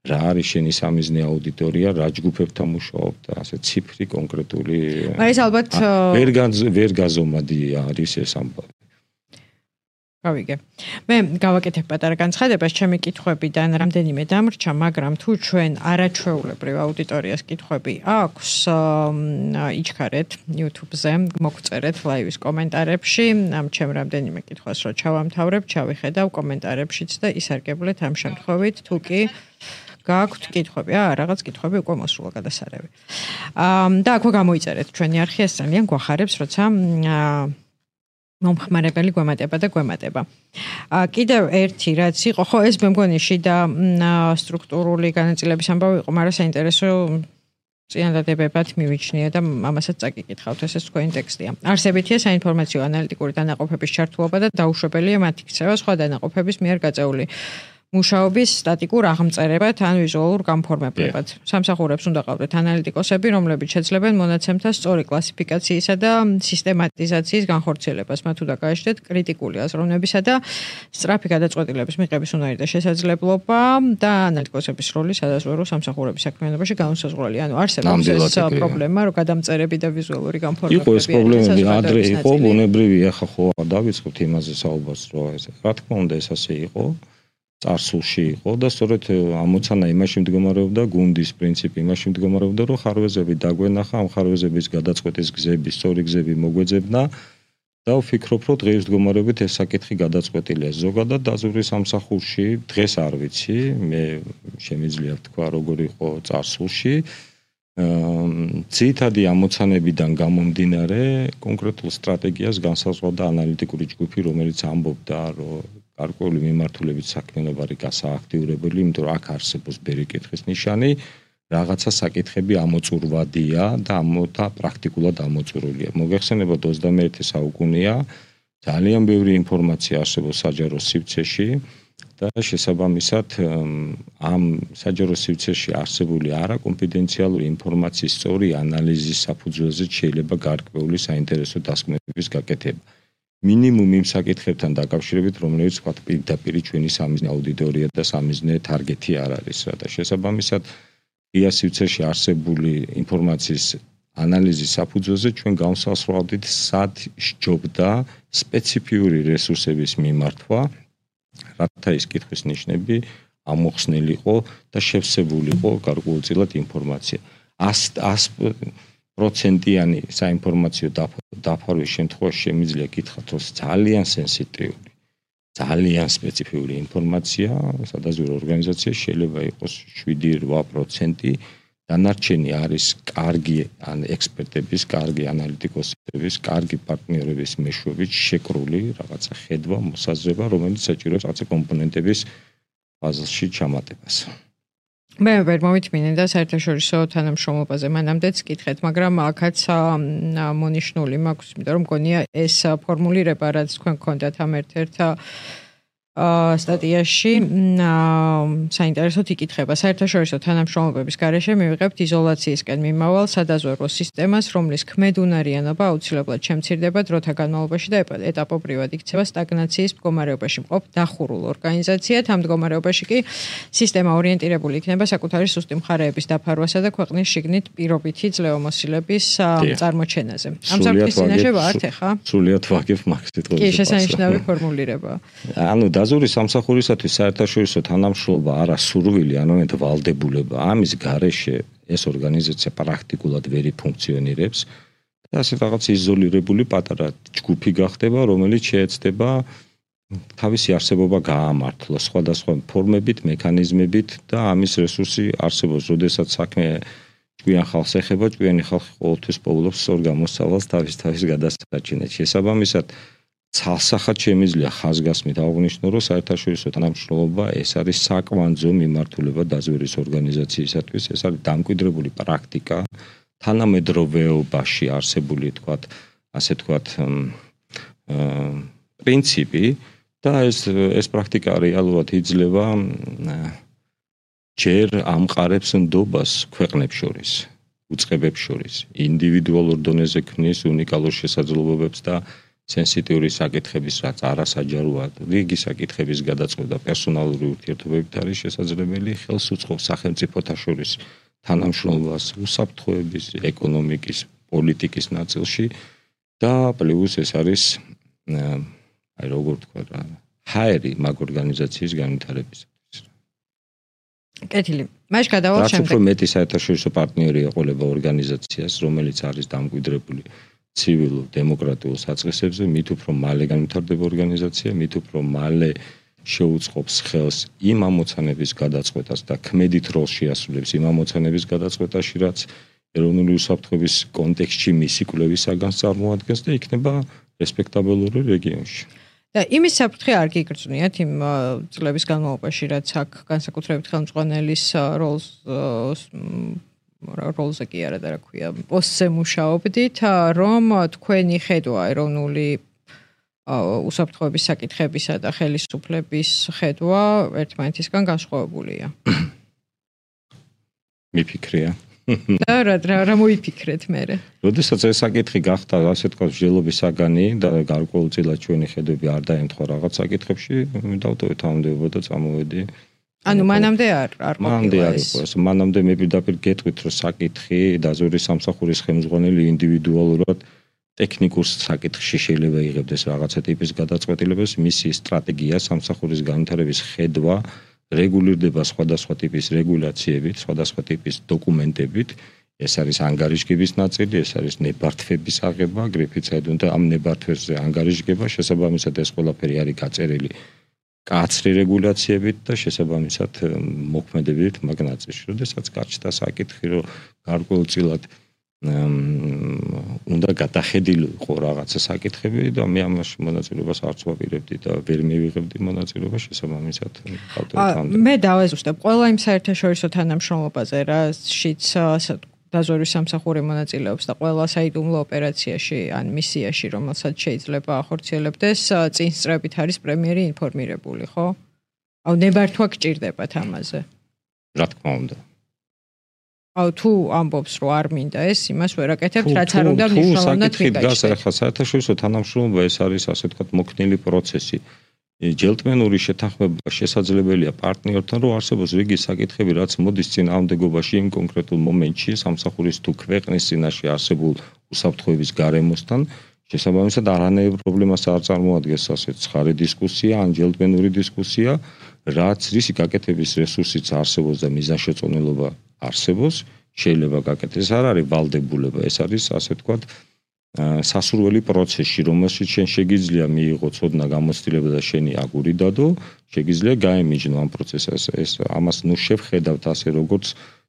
რა არის შენი სამიზნე აუდიტორია, რა ჯგუფებთან მუშაობ და ასე ციფრი კონკრეტული ეს ალბათ ვერ ვერ გაზომადი არის ეს ამბავი. გავიგე. მე გავაკეთებ პატარა განცხადებას, ჩემი კითხვებიდან რამდენიმე დამრჩა, მაგრამ თუ ჩვენ არაჩვეულებრივ აუდიტორიას კითხვები აქვს, იჩქარეთ YouTube-ზე, მოგწერეთ ლაივის კომენტარებში, ამ ჩემ რამდენიმე კითხვას რო ჩავამთავრებ, ჩავიხედავ კომენტარებშიც და ისარგებლეთ ამ შემთხვევით, თუ კი გაქვთ კითხვები, აა რაღაც კითხვები უკვე მოსულა გადასარევი. აა და აქვე გამოიწერეთ ჩვენი არხი, ეს ძალიან გვახარებს, როცა მომხმარებელი გვემატება და გვემატება. კიდევ ერთი რაც იყო, ხო ეს მე მგონი შიდა სტრუქტურული განაწილების ამბავი იყო, მაგრამ საინტერესო წინადადებებად მივიჩნია და ამასაც წაკიკითხავთ, ეს თქვენი ტექსტია. არსებითია საინფორმაციო ანალიტიკური დანაყოფების ჩართულობა და დაუშვებელია მათი ქცევა სხვა დანაყოფების მიერ გაწეული მუშაობის სტატიკურ აღმწერებად ან ვიზუალურ გამფორმებლებად. სამსახურებს უნდა ყავდეთ ანალიტიკოსები, რომლებიც შეძლებენ მონაცემთა სწორი კლასიფიკაციისა და სისტემატიზაციის განხორციელებას. მათ უნდა გააჩნდეთ კრიტიკული აზროვნებისა და სწრაფი გადაწყვეტილების მიღების უნარი და შესაძლებლობა და ანალიტიკოსების როლი სადაზვერვო სამსახურების საქმიანობაში განუსაზღვრელი. ანუ არსებობს ეს პრობლემა, რომ გადამწერები და ვიზუალური განფორმებები. იყო ეს პრობლემები ადრე იყო, ბუნებრივია, ხა ხო დავიწყებთ იმაზე საუბარს, რომ ეს რა თქმა უნდა ეს ასე იყო. წარსულში იყო და სწორედ ამოცანა იმაში მდგომარეობდა, გუნდის პრინციპი იმაში მდგომარეობდა, რომ ხარვეზები დაგვენახა, ამ ხარვეზების გადაწყვეტის გზები, სწორი გზები მოგვეძებნა და ვფიქრობ, რომ დღეს მდგომარეობით ეს საკითხი გადაწყვეტილია. ზოგადად დაზვერვის სამსახურში დღეს არ ვიცი, მე შემიძლია ვთქვა, როგორ იყო წარსულში. ძირითადი ამოცანებიდან გამომდინარე, კონკრეტულ სტრატეგიას განსაზღვრავდა ანალიტიკური ჯგუფი, რომელიც ამბობდა, რომ გარკვეული მიმართულებით საქმიანობა არის გასააქტიურებელი, იმიტომ რომ აქ არსებობს ბერი კითხვის ნიშანი, რაღაცა საკითხები ამოწურვადია და ამოთა პრაქტიკულად ამოწურულია. მოგეხსენებათ ოცდამეერთე საუკუნეა, ძალიან ბევრი ინფორმაცია არსებობს საჯარო სივრცეში და შესაბამისად ამ საჯარო სივრცეში არსებული არაკონფიდენციალური ინფორმაციის სწორი ანალიზის საფუძველზე შეიძლება გარკვეული საინტერესო დასკვნების გაკეთება. მინიმუმ იმ საკითხებთან დაკავშირებით, რომლებიც ვთქვათ პირდაპირ ჩვენი სამიზნე აუდიტორია და სამიზნე თარგეტი არ არის რა და შესაბამისად ღია სივრცეში არსებული ინფორმაციის ანალიზის საფუძველზე ჩვენ გავსასწავლდით სად სჯობდა სპეციფიური რესურსების მიმართვა, რათა ის კითხვის ნიშნები ამოხსნილიყო და შევსებულიყო გარკვეულწილად ინფორმაცია. პროცენტიანი საინფორმაციო დაფარვის შემთხვევაში შემიძლია გითხრათ, რომ ძალიან სენსიტიური, ძალიან სპეციფიური ინფორმაცია სადაზვერვო ორგანიზაციაში შეიძლება იყოს შვიდი რვა პროცენტი, დანარჩენი არის კარგი ან ექსპერტების, კარგი ანალიტიკოსების, კარგი პარტნიორების მეშვეობით შეკრული რაღაცა ხედვა, მოსაზრება, რომელიც საჭიროებს რაღაცა კომპონენტების ფაზაში ჩამატებას. მე ვერ მომითმინე და საერთაშორისო თანამშრომლობაზე მანამდეც კითხეთ, მაგრამ აქაც მონიშნული მაქვს, იმიტომ რომ მგონია ეს ფორმულირება, რაც თქვენ გქონდათ ამ ერთ-ერთ სტატიაში საინტერესოდ იკითხება. საერთაშორისო თანამშრომლობების გარეშე მივიღებთ იზოლაციისკენ მიმავალ სადაზვერვო სისტემას, რომლის ქმედუნარიანობა აუცილებლად შემცირდება დროთა განმავლობაში და ეტაპობრივად იქცევა სტაგნაციის მდგომარეობაში მყოფ დახურულ ორგანიზაციად. ამ მდგომარეობაში კი სისტემა ორიენტირებული იქნება საკუთარი სუსტი მხარეების დაფარვასა და ქვეყნის შიგნით პირობითი ძლევამოსილების წარმოჩენაზე. ამ საფრთხის წინაშე ვართ ახლა? სრულიად ვაგებ მაგ სიტყვაზე. კი, შესანიშნავი ფორმულირება. ანუ დაზვერვის სამსახურისათვის საერთაშორისო თანამშრომლობა არა სურვილი, არამედ ვალდებულება. ამის გარეშე ეს ორგანიზაცია პრაქტიკულად ვერ ფუნქციონირებს და ასე რაღაც იზოლირებული პატარა ჯგუფი გახდება, რომელიც შეეცდება თავისი არსებობა გაამართლოს სხვადასხვა ფორმებით, მექანიზმებით და ამის რესურსი არსებობს, როდესაც საქმე ჭკვიან ხალხს ეხება, ჭკვიანი ხალხი ყოველთვის პოულობს სწორ გამოსავალს თავის თავის გადასარჩენად. შესაბამისად ცალსახად შემიძლია ხაზგასმით აღვნიშნო, რომ საერთაშორისო თანამშრომლობა ეს არის საკვანძო მიმართულება დაზვერვის ორგანიზაციისათვის, ეს არის დამკვიდრებული პრაქტიკა, თანამედროვეობაში არსებული, თქვათ, ასე თქვათ, პრინციპი და ეს ეს პრაქტიკა რეალურად იძლევა ჯერ ამყარებს ნდობას ქვეყნებს შორის, უწყებებს შორის, ინდივიდუალურ დონეზე ქმნის უნიკალურ შესაძლებლობებს და სენსიტიური საკითხების, რაც არასაჯაროა, რიგი საკითხების გადაწყვეტა პერსონალური ურთიერთობებით არის შესაძლებელი, ხელს უწყობს სახელმწიფოთა შორის თანამშრომლობას უსაფრთხოების, ეკონომიკის, პოლიტიკის ნაწილში და პლუს ეს არის აი როგორ თქვა რა, ჰაერი მაგ ორგანიზაციის განვითარებისათვის. კეთილი. მაშ გადავალ შემდეგ. რაც უფრო მეტი საერთაშორისო პარტნიორი ეყოლება ორგანიზაციას, რომელიც არის დამკვიდრებული ცივილურ დემოკრატიულ საწყისებზე, მით უფრო მალე განვითარდება ორგანიზაცია, მით უფრო მალე შეუწყობს ხელს იმ ამოცანების გადაწყვეტას და ქმედით როლს შეასრულებს იმ ამოცანების გადაწყვეტაში, რაც ეროვნული უსაფრთხოების კონტექსტში მისი კვლევის საგანს წარმოადგენს და იქნება რესპექტაბელური რეგიონში. და იმის საფრთხე არ გიგრძნიათ იმ წლების განმავლობაში, რაც აქ განსაკუთრებით ხელმძღვანელის როლს როლზე კი არა და რა ქვია, პოსტზე მუშაობდით, რომ თქვენი ხედვა ეროვნული უსაფრთხოების საკითხებისა და ხელისუფლების ხედვა ერთმანეთისგან განსხვავებულია. მიფიქრია. და რა რა მოიფიქრეთ მერე? როდესაც ეს საკითხი გახდა, ასე თქვა, მსჯელობის საგანი და გარკვეულწილად ჩვენი ხედვები არ დაემთხვა რაღაც საკითხებში, დავტოვეთ ამდეობა და წამოვედი. ანუ მანამდე არ არ ყოფილა ეს. მანამდე მე პირდაპირ გეტყვით, რომ საკითხი დაზვერვის სამსახურის ხელმძღვანელი ინდივიდუალურად ტექნიკურ საკითხში შეიძლება იღებდეს რაღაცა ტიპის გადაწყვეტილებას, მისი სტრატეგია სამსახურის განვითარების ხედვა რეგულირდება სხვადასხვა ტიპის რეგულაციებით, სხვადასხვა ტიპის დოკუმენტებით. ეს არის ანგარიშგების ნაწილი, ეს არის ნებართვების აღება, აგრეთვე საერთოდ ამ ნებართვებზე ანგარიშგება, შესაბამისად ეს ყველაფერი არის გაწერილი კაცრი რეგულაციებით და შესაბამისად მოქმედებით მაგ ნაწილში. როდესაც გაჩნდა საკითხი, რომ გარკვეულწილად უნდა გადახედილიყო რაღაცა საკითხები და მე ამაში მონაწილეობას არც ვაპირებდი და ვერ მივიღებდი მონაწილეობას შესაბამისად. მე დავეზუსტებ ყველა იმ საერთაშორისო თანამშრომლობაზე, რაშიც დაზვერვის სამსახური მონაწილეობს და ყველა საიდუმლო ოპერაციაში ან მისიაში, რომელსაც შეიძლება ახორციელებდეს, წინ სწრებით არის პრემიერი ინფორმირებული, ხო? აუ ნებართვა გჭირდებათ ამაზე. რა თქმა უნდა. აუ თუ ამბობს რომ არ მინდა ეს, იმას ვერ აკეთებთ, რაც არ უნდა მნიშვნელოვნად მიგაჩნდეს. ხა საერთაშორისო თანამშრომლობა ეს არის ასე ვთქვათ მოქნილი პროცესი. ჯელტმენური შეთანხმება შესაძლებელია პარტნიორთან, რომ არსებობს რიგი საკითხები, რაც მოდის წინააღმდეგობაში იმ კონკრეტულ მომენტში სამსახურის თუ ქვეყნის წინაშე არსებულ უსაფრთხოების გარემოსთან, შესაბამისად არანაირ პრობლემას არ წარმოადგენს ასე ცხარე დისკუსია ან ჯელტმენური დისკუსია, რაც რისი გაკეთების რესურსიც არსებობს და მიზანშეწონილობა არსებობს, შეიძლება გაკეთდეს. ეს არ არის ვალდებულება, ეს არის ასე ვთქვათ სასურველი პროცესი, რომელშიც შენ შეგიძლია მიიღო ცოდნა გამოცდილება და შენი აგური დადო, შეგიძლია გაემიჯნო ამ პროცესს. ეს ამას ნუ შევხედავთ ასე როგორც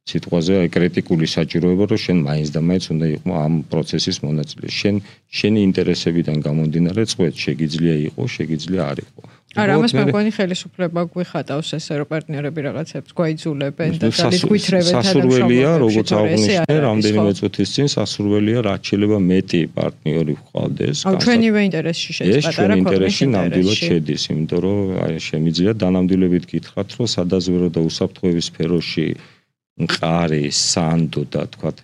სიტყვაზე კრიტიკული საჭიროება, რომ შენ მაინც და მაინც უნდა იყო ამ პროცესის მონაწილე. შენ შენი ინტერესებიდან გამომდინარე წვეთ შეგიძლია იყო, შეგიძლია არ იყო. არა, ამას მე მგონი ხელისუფლება გვიხატავს ესე რომ პარტნიორები რაღაცებს გვაიძულებენ და ძალით გვითრევენ თანამშრომლობებში. სასურველია, როგორც აღვნიშნე, რამდენიმე წუთის წინ სასურველია, რაც შეიძლება მეტი პარტნიორი ვყავდეს. აუ ჩვენივე ინტერესში შედის პატარა ქვეყნის ნამდვილად შედის, იმიტომ რომ აი შემიძლია დანამდვილებით გითხრათ, რომ სადაზვერო და უსაფრთხოების სფეროში მყარი, სანდო და თქვათ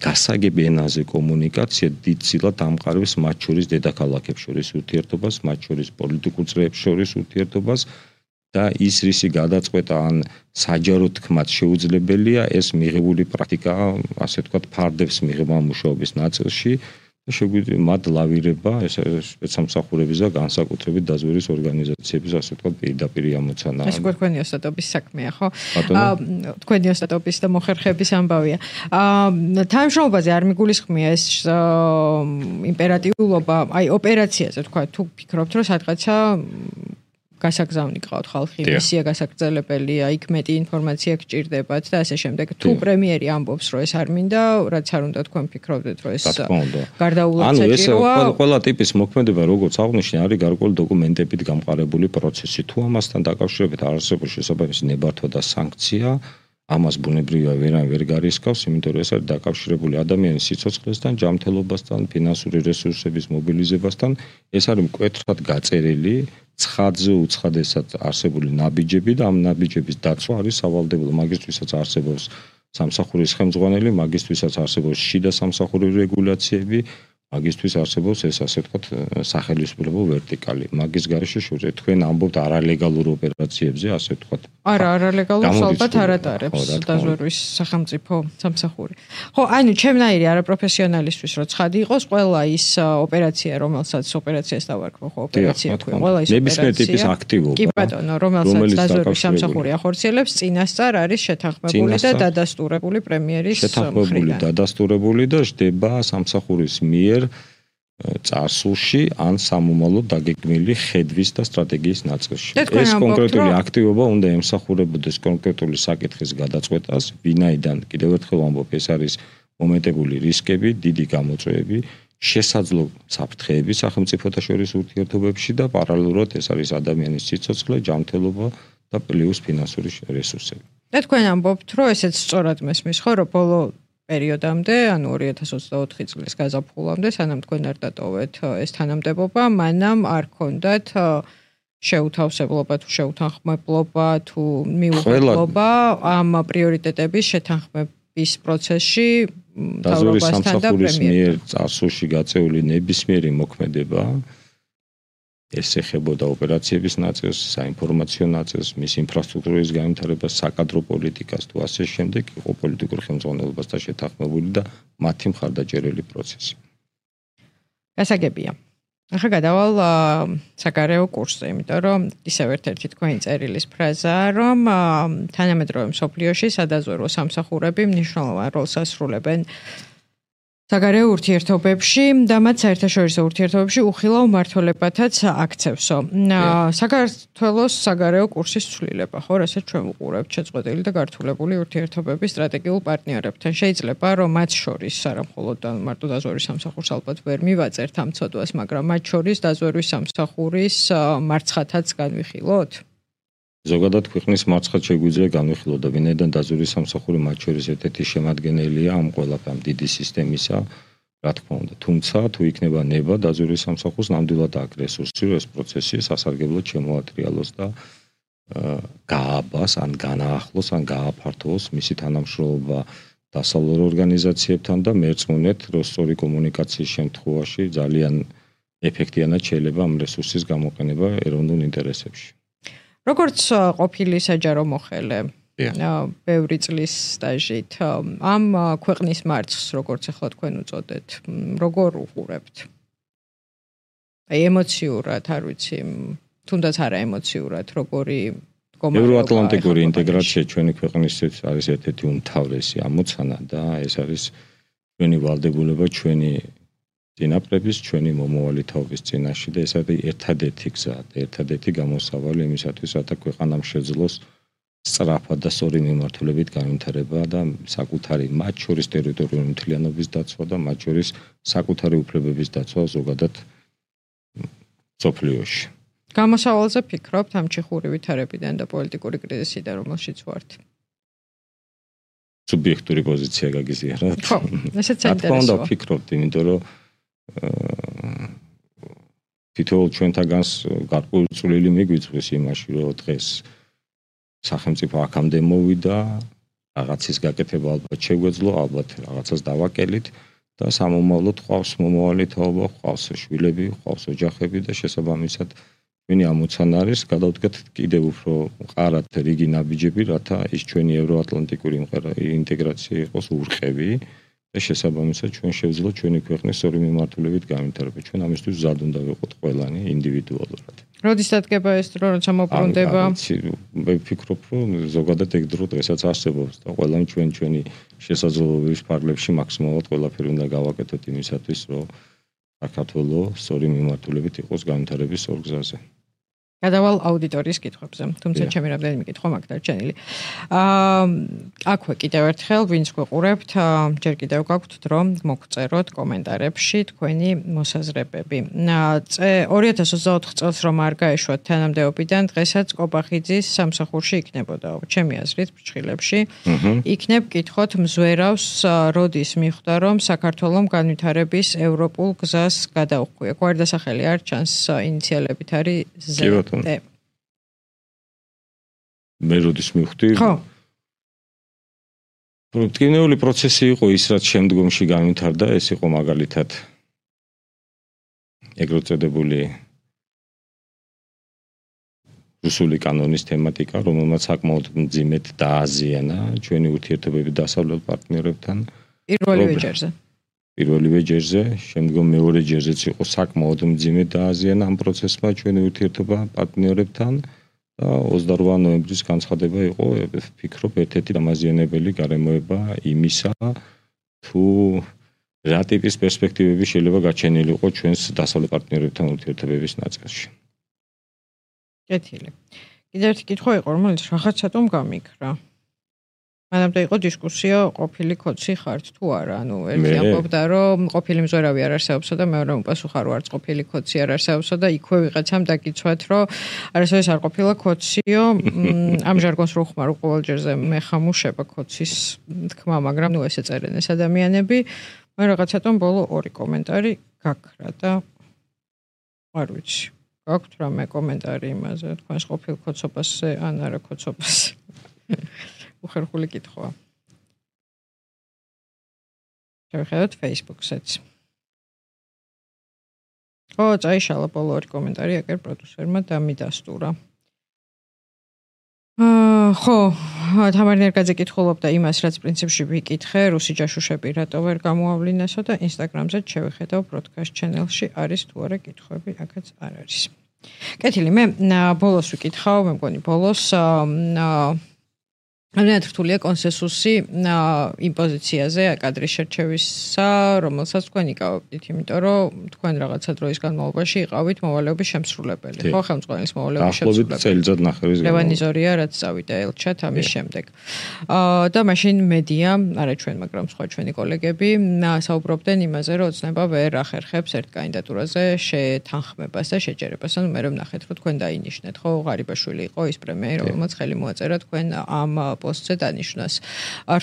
გასაგები ენაზე კომუნიკაცია დიდწილად ამყარებს მათ შორის დედაქალაქებს შორის ურთიერთობას, მათ შორის პოლიტიკურ წრეებს შორის ურთიერთობას და ის რისი გადაწყვეტა ან საჯარო თქმაც შეუძლებელია, ეს მიღებული პრაქტიკა, ასე ვთქვათ, ფარდებს მიღება მუშაობის ნაწილში და შეგვიძლია მათ ლავირება ეს სპეცსამსახურების და განსაკუთრებით დაზვერვის ორგანიზაციების, ასე ვთქვათ, პირდაპირ ამოცანა. ეს თქვენი ოსტატობის საქმეა, ხო? თქვენი ოსტატობის და მოხერხების ამბავია. თანამშრომლობაზე არ მიგულისხმია ეს იმპერატიულობა, აი ოპერაციაზე თქვა, თუ ფიქრობთ, რომ სადღაცა გასაგზავნი ყავთ ხალხი, მისია გასაგრძელებელია, იქ მეტი ინფორმაცია გჭირდებათ და ასე შემდეგ. თუ პრემიერი ამბობს, რომ ეს არ მინდა, რაც არ უნდა თქვენ ფიქრობდეთ, რომ ეს გარდაუვალ საჭიროა. ანუ ეს ყველა ტიპის მოქმედება, როგორც აღნიშნე, არის გარკვეული დოკუმენტებით გამყარებული პროცესი. თუ ამასთან დაკავშირებით არ არსებობს შესაბამისი ნებართვა და სანქცია, ამას ბუნებრივია ვერან ვერ გარისკავს, იმიტომ რომ ეს არის დაკავშირებული ადამიანის სიცოცხლესთან, ჯანმრთელობასთან, ფინანსური რესურსების მობილიზებასთან. ეს არის მკვეთრად გაწერილი, ცხადზე უცხადესად არსებული ნაბიჯები და ამ ნაბიჯების დაცვა არის სავალდებულო. მაგისთვისაც არსებობს სამსახურის ხელმძღვანელი, მაგისთვისაც არსებობს შიდა სამსახური რეგულაციები, მაგისთვის არსებობს ეს ასე ვთქვათ სახელმწიფო ვერტიკალი. მაგის გარეშე შევძლებთ თქვენ ამბობთ არალეგალურ ოპერაციებზე, ასე ვთქვათ. არა, არალეგალურს ალბათ არ ატარებს დაზვერვის სახელმწიფო სამსახური. ხო, ანუ ჩემნაირი არაპროფესიონალისთვის რო ცხადი იყოს, ყველა ის ოპერაცია, რომელსაც ოპერაციას დავარქვი, ხო, ოპერაცია თქვი, ყველა ის ნებისმიერ ტიპის აქტივობა. კი ბატონო, რომელსაც დაზვერვის სამსახური ახორციელებს, წინასწარ არის შეთანხმებული და დადასტურებული პრემიერის მხრიდან. შეთანხმებული, დადასტურებული და ჯდება სამსახურის მიერ წარსულში ან სამომავლოდ დაგეგმილი ხედვის და სტრატეგიის ნაწილში. ეს კონკრეტული აქტივობა უნდა ემსახურებოდეს კონკრეტული საკითხის გადაწყვეტას, ვინაიდან კიდევ ერთხელ ვამბობ, ეს არის მომენტებული რისკები, დიდი გამოწვევები, შესაძლო საფრთხეები სახელმწიფოთა შორის ურთიერთობებში და პარალელურად ეს არის ადამიანის სიცოცხლე, ჯანმრთელობა და პლუს ფინანსური რესურსები. და თქვენ ამბობთ, რომ ესეც სწორად მესმის, ხო, რომ ბოლო პერიოდამდე, ანუ ორი ათას ოცდაოთხი წლის გაზაფხულამდე, სანამ თქვენ არ დატოვეთ ეს თანამდებობა, მანამ არ ქონდათ შეუთავსებლობა თუ შეუთანხმებლობა თუ მიუღებლობა ამ პრიორიტეტების შეთანხმების პროცესში მთავრობასთან და პრემიერთან. წარსულში გაწეული ნებისმიერი მოქმედება ეს ეხებოდა ოპერაციების ნაწილს, საინფორმაციო ნაწილს, მის ინფრასტრუქტურის განვითარებას, საკადრო პოლიტიკას თუ ასე შემდეგ, იყო პოლიტიკურ ხელმძღვანელობასთან შეთანხმებული და მათი მხარდაჭერილი პროცესი. გასაგებია. ახლა გადავალ საგარეო კურსზე, იმიტომ რომ ისევ ერთ-ერთი თქვენი წერილის ფრაზაა, რომ თანამედროვე მსოფლიოში სადაზვერვო სამსახურები მნიშვნელოვან როლს ასრულებენ საგარეო ურთიერთობებში და მათ საერთაშორისო ურთიერთობებში უხილავ მმართველობათაც აქცევსო. საქართველოს საგარეო კურსის ცვლილება, ხო, რასაც ჩვენ ვუყურებთ შეწყვეტილი და გართულებული ურთიერთობების სტრატეგიულ პარტნიორებთან. შეიძლება რომ მათ შორის არა მხოლოდ მარტო დაზვერვის სამსახურს ალბათ ვერ მივაწერთ ამ ცოდვას, მაგრამ მათ შორის დაზვერვის სამსახურის მარცხათაც განვიხილოთ. ზოგადად ქვეყნის მარცხად შეგვიძლია განვიხილოთ და ვინაიდან დაზვერვის სამსახური მათ შორის ერთ-ერთი შემადგენელია ამ ყველაფერამ დიდი სისტემისა, რა თქმა უნდა. თუმცა თუ იქნება ნება დაზვერვის სამსახურს ნამდვილად აქვს რესურსი, რომ ეს პროცესი სასარგებლოდ შემოატრიალოს და გააბას, ან განაახლოს, ან გააფართოვოს მისი თანამშრომლობა დასავლურ ორგანიზაციებთან და მერწმუნეთ, რომ სწორი კომუნიკაციის შემთხვევაში ძალიან ეფექტიანად შეიძლება ამ რესურსის გამოყენება ეროვნულ ინტერესებში. როგორც ყოფილი საჯარო მოხელე, ბევრი წლის სტაჟით, ამ ქვეყნის მარცხს, როგორც ახლა თქვენ უწოდეთ, როგორ უყურებთ? აი ემოციურად, არ ვიცი, თუნდაც არა ემოციურად, როგორი მდგომარეობა. ევროატლანტიკური ინტეგრაცია ჩვენი ქვეყნისთვის არის ერთ-ერთი უმთავრესი ამოცანა და ეს არის ჩვენი ვალდებულება, ჩვენი წინაპრების, ჩვენი მომავალი თაობის წინაშე და ეს არის ერთადერთი გზა, ერთადერთი გამოსავალი იმისათვის, რათა ქვეყანამ შეძლოს სწრაფად და სწორი მიმართულებით განვითარება და საკუთარი მათ შორის ტერიტორიული მთლიანობის დაცვა და მათ შორის საკუთარი უფლებების დაცვა ზოგადად მსოფლიოში. გამოსავალზე ფიქრობთ ამ ჩიხური ვითარებიდან და პოლიტიკური კრიზისიდან, რომელშიც ვართ? სუბიექტური პოზიცია გაგიზიაროთ. ხო, ესეც საინტერესოა. თქმა უნდა ვფიქრობთ, იმიტომ რომ თითოეულ ჩვენთაგანს გარკვეული წვლილი მიგვიწვის იმაში, რომ დღეს სახელმწიფო აქამდე მოვიდა, რაღაცის გაკეთება ალბათ შეგვეძლო, ალბათ რაღაცას დავაკელით და სამომავლოდ ყავს მომავალი თაობა, ყავს შვილები, ყავს ოჯახები და შესაბამისად ჩვენი ამოცანა არის გადავდგეთ კიდევ უფრო მყარად რიგი ნაბიჯები, რათა ის ჩვენი ევროატლანტიკური ინტეგრაცია იყოს ურყევი და შესაბამისად ჩვენ შევძლოთ ჩვენი ქვეყნის სწორი მიმართულებით განვითარება. ჩვენ ამისთვის მზად უნდა ვიყოთ ყველანი ინდივიდუალურად. როდის დადგება ეს დრო, როცა მოbrunდება? მე ვფიქრობ, რომ ზოგადად ეგ დრო დღესაც არსებობს და ყველანი ჩვენ ჩვენი შესაძლებლობების ფარგლებში მაქსიმალურად ყველაფერი უნდა გავაკეთოთ იმისათვის, რომ საქართველოს სწორი მიმართულებით იყოს განვითარების სწორ გზაზე. გადავალ აუდიტორიის კითხვებზე. თუმცა ჩემი რამდენიმე კითხვა მაგ დარჩენილი. აა აქვე კიდევ ერთხელ ვინც გვეყურებთ, ჯერ კიდევ გაქვთ დრო მოგწეროთ კომენტარებში თქვენი მოსაზრებები. ორი ათას ოცდაოთხ წელს რომ არ გაეშვათ თანამდებობიდან, დღესაც კობახიძის სამსახურში იქნებოდა. ჩემი აზრით, ფრჩხილებში იქნებ კითხოთ მზვერავს როდის მიხვდა რომ საქართველოს განვითარების ევროპულ გზას გადაუხვია. გვერდასახელი არ ჩანს ინიციალებით არის ზე. მე როდის მივხვდი? ხო. პროდუქტიული პროცესი იყო ის, რაც შემდგომში განვითარდა, ეს იყო მაგალითად ეგრეთ წოდებული რუსული კანონის თემატიკა, რომელმაც საკმაოდ მძიმედ დააზიანა ჩვენი ურთიერთობები დასავლელ პარტნიორებთან. პირველივე ჯერზე. პირველივე ჯერზე, შემდგომ მეორე ჯერზეც იყო საკმაოდ მძიმედ დააზიანა ამ პროცესმა ჩვენი ურთიერთობა პარტნიორებთან და ოცდაორმა ნოემბრის განცხადება იყო, ვფიქრობ, ერთ-ერთი დამაზიანებელი გარემოება იმისა, თუ რა ტიპის პერსპექტივები შეიძლება გაჩენილიყო ჩვენს დასავლელ პარტნიორებთან ურთიერთობების ნაწილში. კეთილი. კიდევ ერთი კითხვა იყო, რომელიც რაღაც სატომ გამიქრა. მანამდე იყო დისკუსია ყოფილი კოცი ხართ თუ არა, ანუ ერთი ამბობდა რომ ყოფილი მზვერავი არ არსებობსა და მეორე უპასუხა რომ არც ყოფილი კოცი არ არსებობსა და იქვე ვიღაცამ დაგიცვათ რომ არასოდეს არ ყოფილა კოციო, ამ ჟარგონს რო ხმარო ყოველ ჯერზე მე ხამუშება კოცის თქმა, მაგრამ ნუ ესე წერენ ეს ადამიანები, მე რაღაცათომ ბოლო ორი კომენტარი გაქრა და არ ვიცი. გაქვთ რამე კომენტარი იმაზე, თქვენს ყოფილ კოცობასზე ან არა კოცობასზე. უხერხული კითხვა. შევხედოთ Facebook-საც. ო, წაიშალა ბოლო ორი კომენტარი, აგერ პროდიუსერმა დამიდასტურა. აა, ხო, თამარ ნერგაძე კითხულობდა იმას, რაც პრინციპში ვიკითხე, რუსი ჯაშუშები რატო ვერ გამოავლინესო და Instagram-ზე შევხედავ broadcast channel-ში არის თუ არა კითხვები, აქაც არ არის. კეთილი, მე ბოლოს ვიკითხავ, მე მგონი ბოლოს აა ამიტომ რთულია კონსენსუსი იმ პოზიციაზე კადრის შერჩევისა, რომელსაც თქვენ იკავებდით, იმიტომ რომ თქვენ რაღაცა დროის განმავლობაში იყავით მოვალეობის შემსრულებელი, ხო, ხელმძღვანელის მოვალეობის შემსრულებელი. დაახლოებით წელიწად ნახევრის განმავლობაში. ლევანიზორია, რაც წავიდა ელჩად ამის შემდეგ. აა და მაშინ მედია, არა ჩვენ, მაგრამ სხვა ჩვენი კოლეგები საუბრობდნენ იმაზე, რომ ოცნება ვერ ახერხებს ერთ კანდიდატურაზე შეთანხმებას და შეჯერებას. ანუ მე რომ ნახეთ, რომ თქვენ დაინიშნეთ, ხო, ღარიბაშვილი იყო ის პრემიერი, რომელმაც ხელი მოაწერა თქვენ ამ პოსტზე დანიშნას.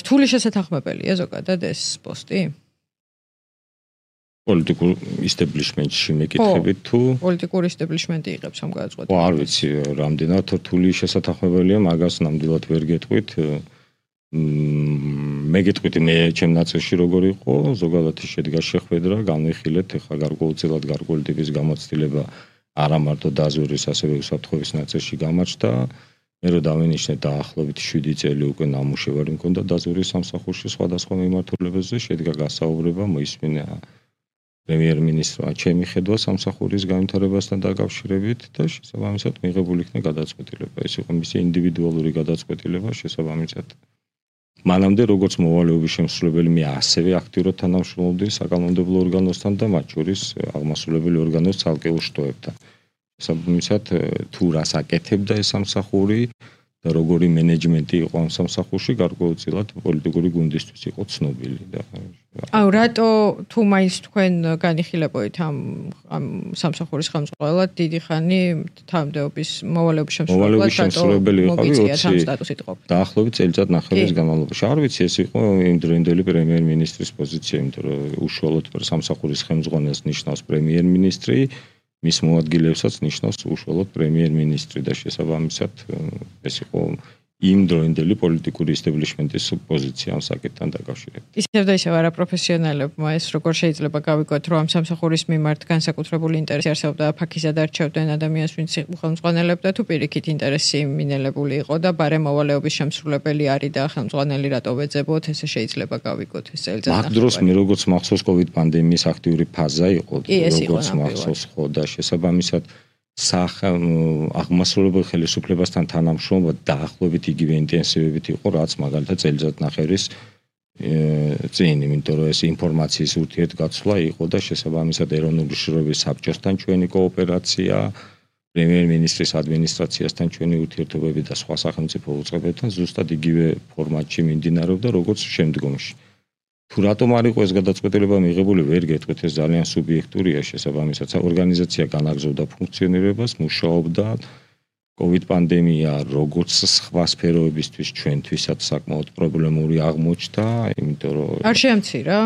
რთული შესათანხმებელია ზოგადად ეს პოსტი? პოლიტიკურ ისტაბლიშმენტში მეკითხებით თუ პოლიტიკური ისტაბლიშმენტი იღებს ამ გადაწყვეტილებას? ხო, არ ვიცი, რამდენად რთული შესათანხმებელია, მაგას ნამდვილად ვერ გეტყვით. მე გეტყვით მე ჩემ ნაწილში როგორ იყო, ზოგადად შედგა შეხვედრა, განვიხილეთ, ეხლა გარკვეულწილად გარკვეული ტიპის გამოცდილება არა მარტო დაზვერვის, ასევე უსაფრთხოების ნაწილში გამარჯდა. მე რო დავინიშნე დაახლოებით შვიდი წელი უკვე ნამუშევარი მქონდა დაზვერვის სამსახურში სხვადასხვა მიმართულებებზე, შედგა გასაუბრება, მოისმინა პრემიერ-მინისტრმა ჩემი ხედვა სამსახურის განვითარებასთან დაკავშირებით და შესაბამისად მიღებული იქნა გადაწყვეტილება. ეს იყო მისი ინდივიდუალური გადაწყვეტილება, შესაბამისად მანამდე როგორც მოვალეობის შემსრულებელი მე ასევე აქტიურად თანამშრომლობდი საკანონმდებლო ორგანოსთან და მათ შორის აღმასრულებელი ორგანოს ცალკეულ შტოებთან. შესაბამისად თუ რას აკეთებდა ეს სამსახური და როგორი მენეჯმენტი იყო ამ სამსახურში, გარკვეულწილად პოლიტიკური გუნდისთვის იყო ცნობილი და აუ რატო თუ მაინც თქვენ განიხილებოით ამ ამ სამსახურის ხელმძღვანელად დიდი ხანი თანამდებობის მოვალეობის შემსრულებელი იყავი დაახლოებით წელიწად ნახევრის განმავლობაში. არ ვიცი, ეს იყო იმდროინდელი პრემიერ-მინისტრის პოზიცია, იმიტომ რომ უშუალოდ სამსახურის ხელმძღვანელს ნიშნავს პრემიერ-მინისტრი, მის მოადგილებსაც ნიშნავს უშუალოდ პრემიერ-მინისტრი და შესაბამისად ეს იყო იმ დროინდელი პოლიტიკური ისტაბლიშმენტის პოზიცია ამ საკითხთან დაკავშირებით. ისევ და ისევ არაპროფესიონალებმა ეს როგორ შეიძლება გავიგოთ, რომ ამ სამსახურის მიმართ განსაკუთრებული ინტერესი არსებობდა ფაქიზად არჩევდნენ ადამიანს, ვინც ხელმძღვანელებდა თუ პირიქით ინტერესი მინელებული იყო და ბარე მოვალეობის შემსრულებელი არის და ხელმძღვანელი რატო ვეძებოთ, ესე შეიძლება გავიგოთ ეს წელიწად. მაგ დროს მე როგორც მახსოვს COVID პანდემიის აქტიური ფაზა იყო, როგორც მახსოვს ხო და შესაბამისად სახ აღმასრულებელ ხელისუფლებასთან თანამშრომლობა დაახლოებით იგივე ინტენსივობით იყო, რაც მაგალითად წელიწად ნახევრის წინ, იმიტომ რომ ეს ინფორმაციის ურთიერთგაცვლა იყო და შესაბამისად ეროვნული შრომის საბჭოსთან ჩვენი კოოპერაცია პრემიერ-მინისტრის ადმინისტრაციასთან ჩვენი ურთიერთობები და სხვა სახელმწიფო უწყებებთან ზუსტად იგივე ფორმატში მიმდინარეობდა, როგორც შემდგომში. თუ რატომ არ იყო ეს გადაწყვეტილება მიღებული, ვერ გეტყვით, ეს ძალიან სუბიექტურია, შესაბამისად, ორგანიზაცია განაგრძობდა ფუნქციონირებას, მუშაობდა. COVID პანდემია როგორც სხვა სფეროებისთვის ჩვენთვისაც საკმაოდ პრობლემური აღმოჩნდა, იმიტომ რომ არ შეამცირა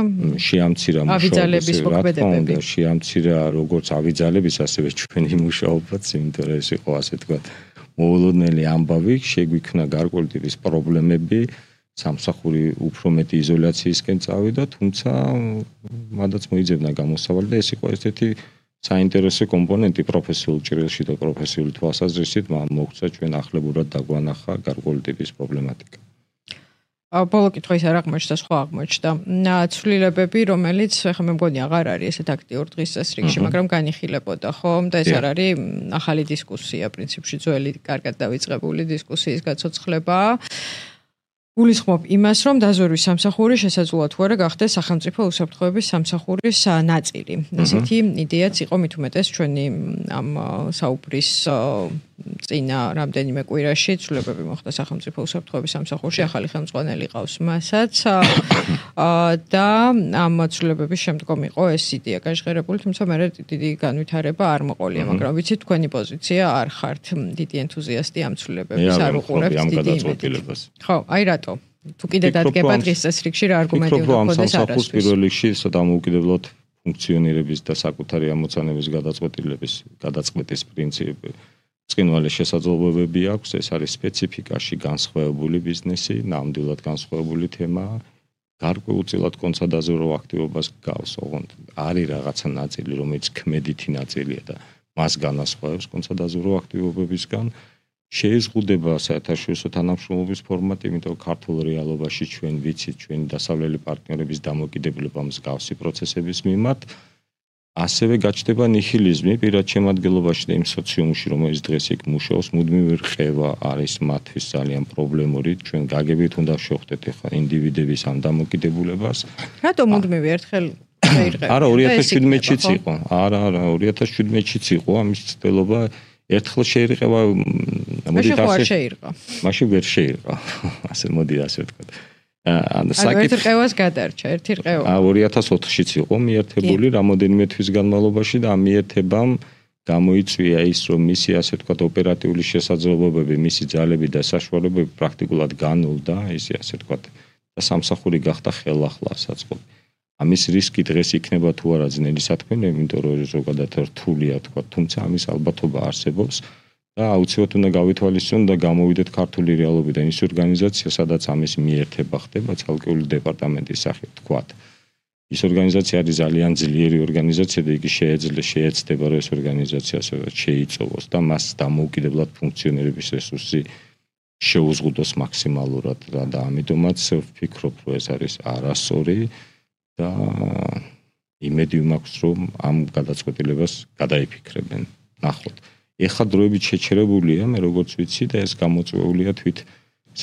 შეამცირა ავიძალების მოქმედებები. შეამცირა როგორც ავიძალების, ასევე ჩვენი მუშაობაც, იმიტომ რომ ეს იყო ასე თქვა მოულოდნელი ამბავი, შეგვიქმნა გარკვეული ტიპის პრობლემები, სამსახური უფრო მეტი იზოლაციისკენ წავიდა, თუმცა მანდაც მოიძებნა გამოსავალი და ეს იყო ერთ-ერთი საინტერესო კომპონენტი პროფესიულ ჭრილში და პროფესიული თვალსაზრისით მოგვცა ჩვენ ახლებურად დაგვანახა გარკვეული ტიპის პრობლემატიკა. ბოლო კითხვა ის არ აღმოჩნდა, სხვა აღმოჩნდა. ცვლილებები, რომელიც ახლა მე მგონი აღარ არის ესეთ აქტიურ დღის წესრიგში, მაგრამ განიხილებოდა, ხო? და ეს არ არის ახალი დისკუსია, პრინციპში ძველი, კარგად დავიწყებული დისკუსიის გაცოცხლებაა. გულისხმობ იმას, რომ დაზვერვის სამსახური შესაძლოა თუ არა გახდეს სახელმწიფო უსაფრთხოების სამსახურის ნაწილი. ესეთი იდეაც იყო მით უმეტეს ჩვენი ამ საუბრის წინა რამდენიმე კვირაში ცვლილებები მოხდა სახელმწიფო უსაფრთხოების სამსახურში, ახალი ხელმძღვანელი ყავს მასაც და ამ ცვლილებების შემდგომ იყო ეს იდეა გაჟღერებული, თუმცა მე დიდი განვითარება არ მოყოლია, მაგრამ ვიცით თქვენი პოზიცია არ ხართ დიდი ენთუზიასტი ამ ცვლილებების, არ უყურებთ დიდი იმედით. ხო, აი რატო? თუ კიდე დადგება დღის წესრიგში რა არგუმენტი უნდა გქონდეს არასდროს. პირველ რიგში დამოუკიდებლად ფუნქციონირების და საკუთარი ამოცანების გადაწყვეტილების გადაწყვეტის პრინციპი ბრწყინვალე შესაძლებლობები აქვს, ეს არის სპეციფიკაში განსხვავებული ბიზნესი, ნამდვილად განსხვავებული თემა. გარკვეულწილად კონცადაზრო აქტივობას გავს, ოღონდ არის რაღაცა ნაწილი, რომელიც ქმედითი ნაწილია და მას განასხვავებს კონცადაზრო აქტივობებისგან. შეიზღუდება საერთაშორისო თანამშრომლობის ფორმატი, იმიტომ ქართულ რეალობაში ჩვენ ვიცით ჩვენი დასავლელი პარტნიორების დამოკიდებულება მსგავსი პროცესების მიმართ. ასევე გაჩნდება ნიჰილიზმი პირად შემადგენლობაში და იმ სოციუმში, რომელიც დღეს იქ მუშაობს, მუდმივი რყევა არის მათთვის ძალიან პრობლემური. ჩვენ გაგებით უნდა შევხვდეთ ახლა ინდივიდების ამ დამოკიდებულებას. რატომ მუდმივი ერთხელ შეირყევა? არა, ორი ათას შვიდმეტშიც იყო. არა, არა, ორი ათას შვიდმეტშიც იყო ამის ცდელობა. ერთხელ შეირყევა, მოდით ასე შეირყა. მაშინ ვერ შეირყა. ასე მოდი ასე ვთქვათ. ანუ ერთი რყევას გადარჩა, ერთი რყევა. ორი ათას ოთხშიც იყო მიერთებული რამოდენიმე თვის განმავლობაში და ამ მიერთებამ გამოიწვია ის, რომ მისი ასე ვთქვათ ოპერატიული შესაძლებლობები, მისი ძალები და საშუალებები პრაქტიკულად განულდა, ისე ასე ვთქვათ და სამსახური გახდა ხელახლა საწყობი. ამის რისკი დღეს იქნება თუ არა ძნელი საქმე, იმიტომ რომ ზოგადად რთულია თქვა, თუმცა ამის ალბათობა არსებობს და აუცილებლად უნდა გავითვალისწინოთ და გამოვიდეთ ქართული რეალობიდან ის ორგანიზაცია, სადაც ამის მიერთება ხდება ცალკეული დეპარტამენტის სახით თქვა. ის ორგანიზაცია არის ძალიან ძლიერი ორგანიზაცია და იგი შეეძლებს შეეცდება რომ ეს ორგანიზაცია ასე შეიწოვოს და მას დამოუკიდებლად ფუნქციონირების რესურსი შეუზღუდოს მაქსიმალურად და ამიტომაც ვფიქრობ რომ ეს არის არასწორი და იმედი მაქვს რომ ამ გადაწყვეტილებას გადაიფიქრებენ. ნახოთ. ეხლა დროებით შეჩერებულია, მე როგორც ვიცი და ეს გამოწვეულია თვით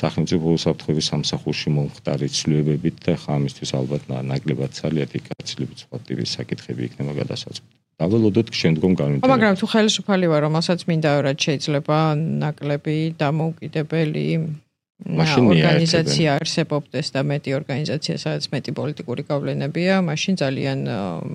სახელმწიფო უსაფრთხოების სამსახურში მომხდარი ცვლილებებით და ხა ამისთვის ალბათ ნაკლებად ძალიან იქაცილებით სხვა ტიპის საკითხები იქნება გადასაწყვეტი. დაველოდოთ შემდგომ განვითარება. მაგრამ თუ ხელისუფალი ვარ, რომელსაც მინდა რომ შეიძლება ნაკლები დამოუკიდებელი ორგანიზაცია არსებობდეს და მეტი ორგანიზაცია, სადაც მეტი პოლიტიკური გავლენებია, მაშინ ძალიან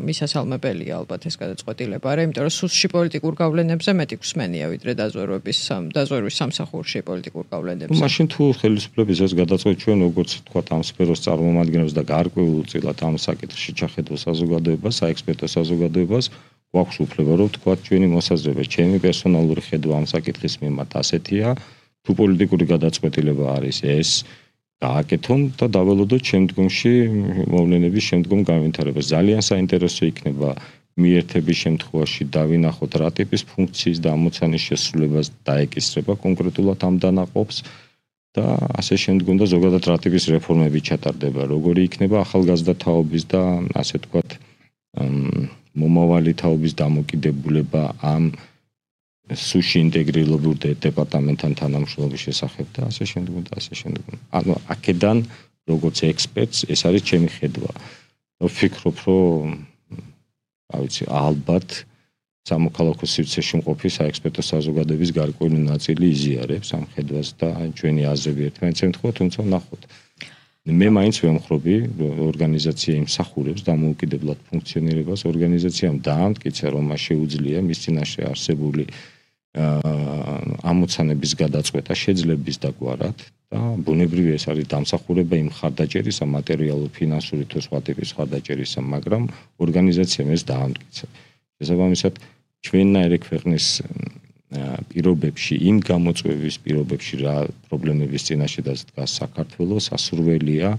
მისასალმებელია ალბათ ეს გადაწყვეტილება, არა, იმიტომ რომ სუსტში პოლიტიკურ გავლენებზე მეტი გვსმენია ვიდრე დაზვერვების დაზვერვის სამსახურში პოლიტიკურ გავლენებზე. მაშინ თუ ხელისუფლების ეს გადაწყვეტი ჩვენ როგორც თქვა ამ სფეროს წარმომადგენლებს და გარკვეულწილად ამ საკითხში ჩახედო საზოგადოებას, საექსპერტო საზოგადოებას, გვაქვს უფლება რომ თქვა ჩვენი მოსაზრება, ჩემი პერსონალური ხედვა ამ საკითხის მიმართ ასეთია. თუ პოლიტიკური გადაწყვეტილება არის ეს, გააკეთონ და დაველოდოთ შემდგომში მოვლენების შემდგომ განვითარებას. ძალიან საინტერესო იქნება მიერთების შემთხვევაში დავინახოთ რა ტიპის ფუნქციის და ამოცანის შესრულებას დაეკისრება კონკრეტულად ამ დანაყოფს და ასე შემდგომ და ზოგადად რა ტიპის რეფორმები ჩატარდება, როგორი იქნება ახალგაზრდა თაობის და ასე ვთქვათ მომავალი თაობის დამოკიდებულება ამ სუში ინტეგრირებულ დეპარტამენტთან თანამშრომლობის შესახებ და ასე შემდგომ და ასე შემდგომ. ანუ აქედან როგორც ექსპერტს ეს არის ჩემი ხედვა. ვფიქრობ, რომ რა ვიცი, ალბათ სამოქალაქო სივრცეში მყოფი საექსპერტო საზოგადოების გარკვეული ნაწილი იზიარებს ამ ხედვას და ჩვენი აზრები ერთმანეთს ემთხვევა, თუმცა ნახოთ. მე მაინც ვემხრობი, ორგანიზაცია იმსახურებს დამოუკიდებლად ფუნქციონირებას, ორგანიზაციამ დაამტკიცა, რომ მას შეუძლია მის წინაშე არსებული ამოცანების გადაწყვეტა შეძლების დაგვარად და ბუნებრივი ეს არის დამსახურება იმ ხარდაჭერისა, მატერიალურ, ფინანსური თუ სხვა ტიპის ხარდაჭერისა, მაგრამ ორგანიზაციამ ეს დაამტკიცა. შესაბამისად, ჩვენნაირი ქვეყნის პირობებში, იმ გამოწვევების პირობებში, რა პრობლემების წინაშე დგას საქართველოს, ასურველია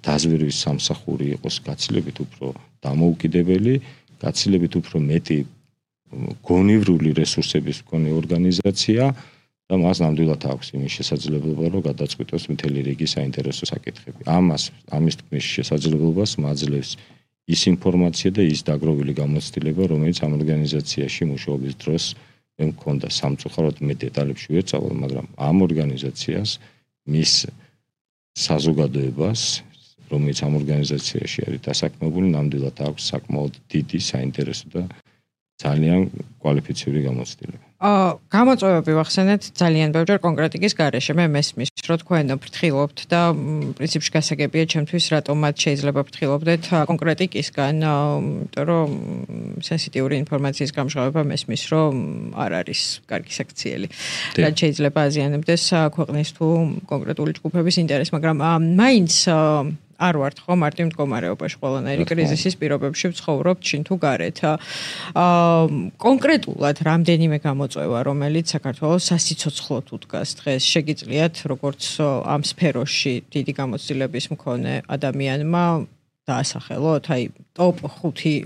დაზვერვის სამსახური იყოს გაცილებით უფრო დამოუკიდებელი, გაცილებით უფრო მეტი გონივრული რესურსების მქონე ორგანიზაცია და მას ნამდვილად აქვს იმის შესაძლებლობა, რომ გადაწყვიტოს მთელი რიგი საინტერესო საკითხები. ამას, ამის თქმის შესაძლებლობას მაძლევს ის ინფორმაცია და ის დაგროვილი გამოცდილება, რომელიც ამ ორგანიზაციაში მუშაობის დროს მე მქონდა. სამწუხაროდ მე დეტალებში ვერ წავალ, მაგრამ ამ ორგანიზაციას მის საზოგადოებას, რომელიც ამ ორგანიზაციაში არის დასაქმებული, ნამდვილად აქვს საკმაოდ დიდი საინტერესო და ძალიან კვალიფიციური გამოცდილება. აა გამოწვევები ვახსენეთ ძალიან ბევრჯერ კონკრეტიკის გარეშე. მე მესმის, რომ თქვენ ფრთხილობთ და პრინციპში გასაგებია ჩემთვის, რატომაც შეიძლება ფრთხილობდეთ კონკრეტიკისგან, იმიტომ რომ სენსიტიური ინფორმაციის გამჟღავება მესმის, რომ არ არის კარგი საქციელი. რაც შეიძლება აზიანებდეს ქვეყნის თუ კონკრეტული ჯგუფების ინტერესს, მაგრამ მაინც არ ვართ ხო მარტივ მდგომარეობაში, ყველანაირი კრიზისის პირობებში ვცხოვრობთ შინ თუ გარეთ. აა კონკრეტულად რამდენიმე გამოწვევა, რომელიც საქართველოს სასიცოცხლოდ უდგას დღეს, შეგიძლიათ როგორც ამ სფეროში დიდი გამოცდილების მქონე ადამიანმა დაასახელოთ, აი ტოპ ხუთი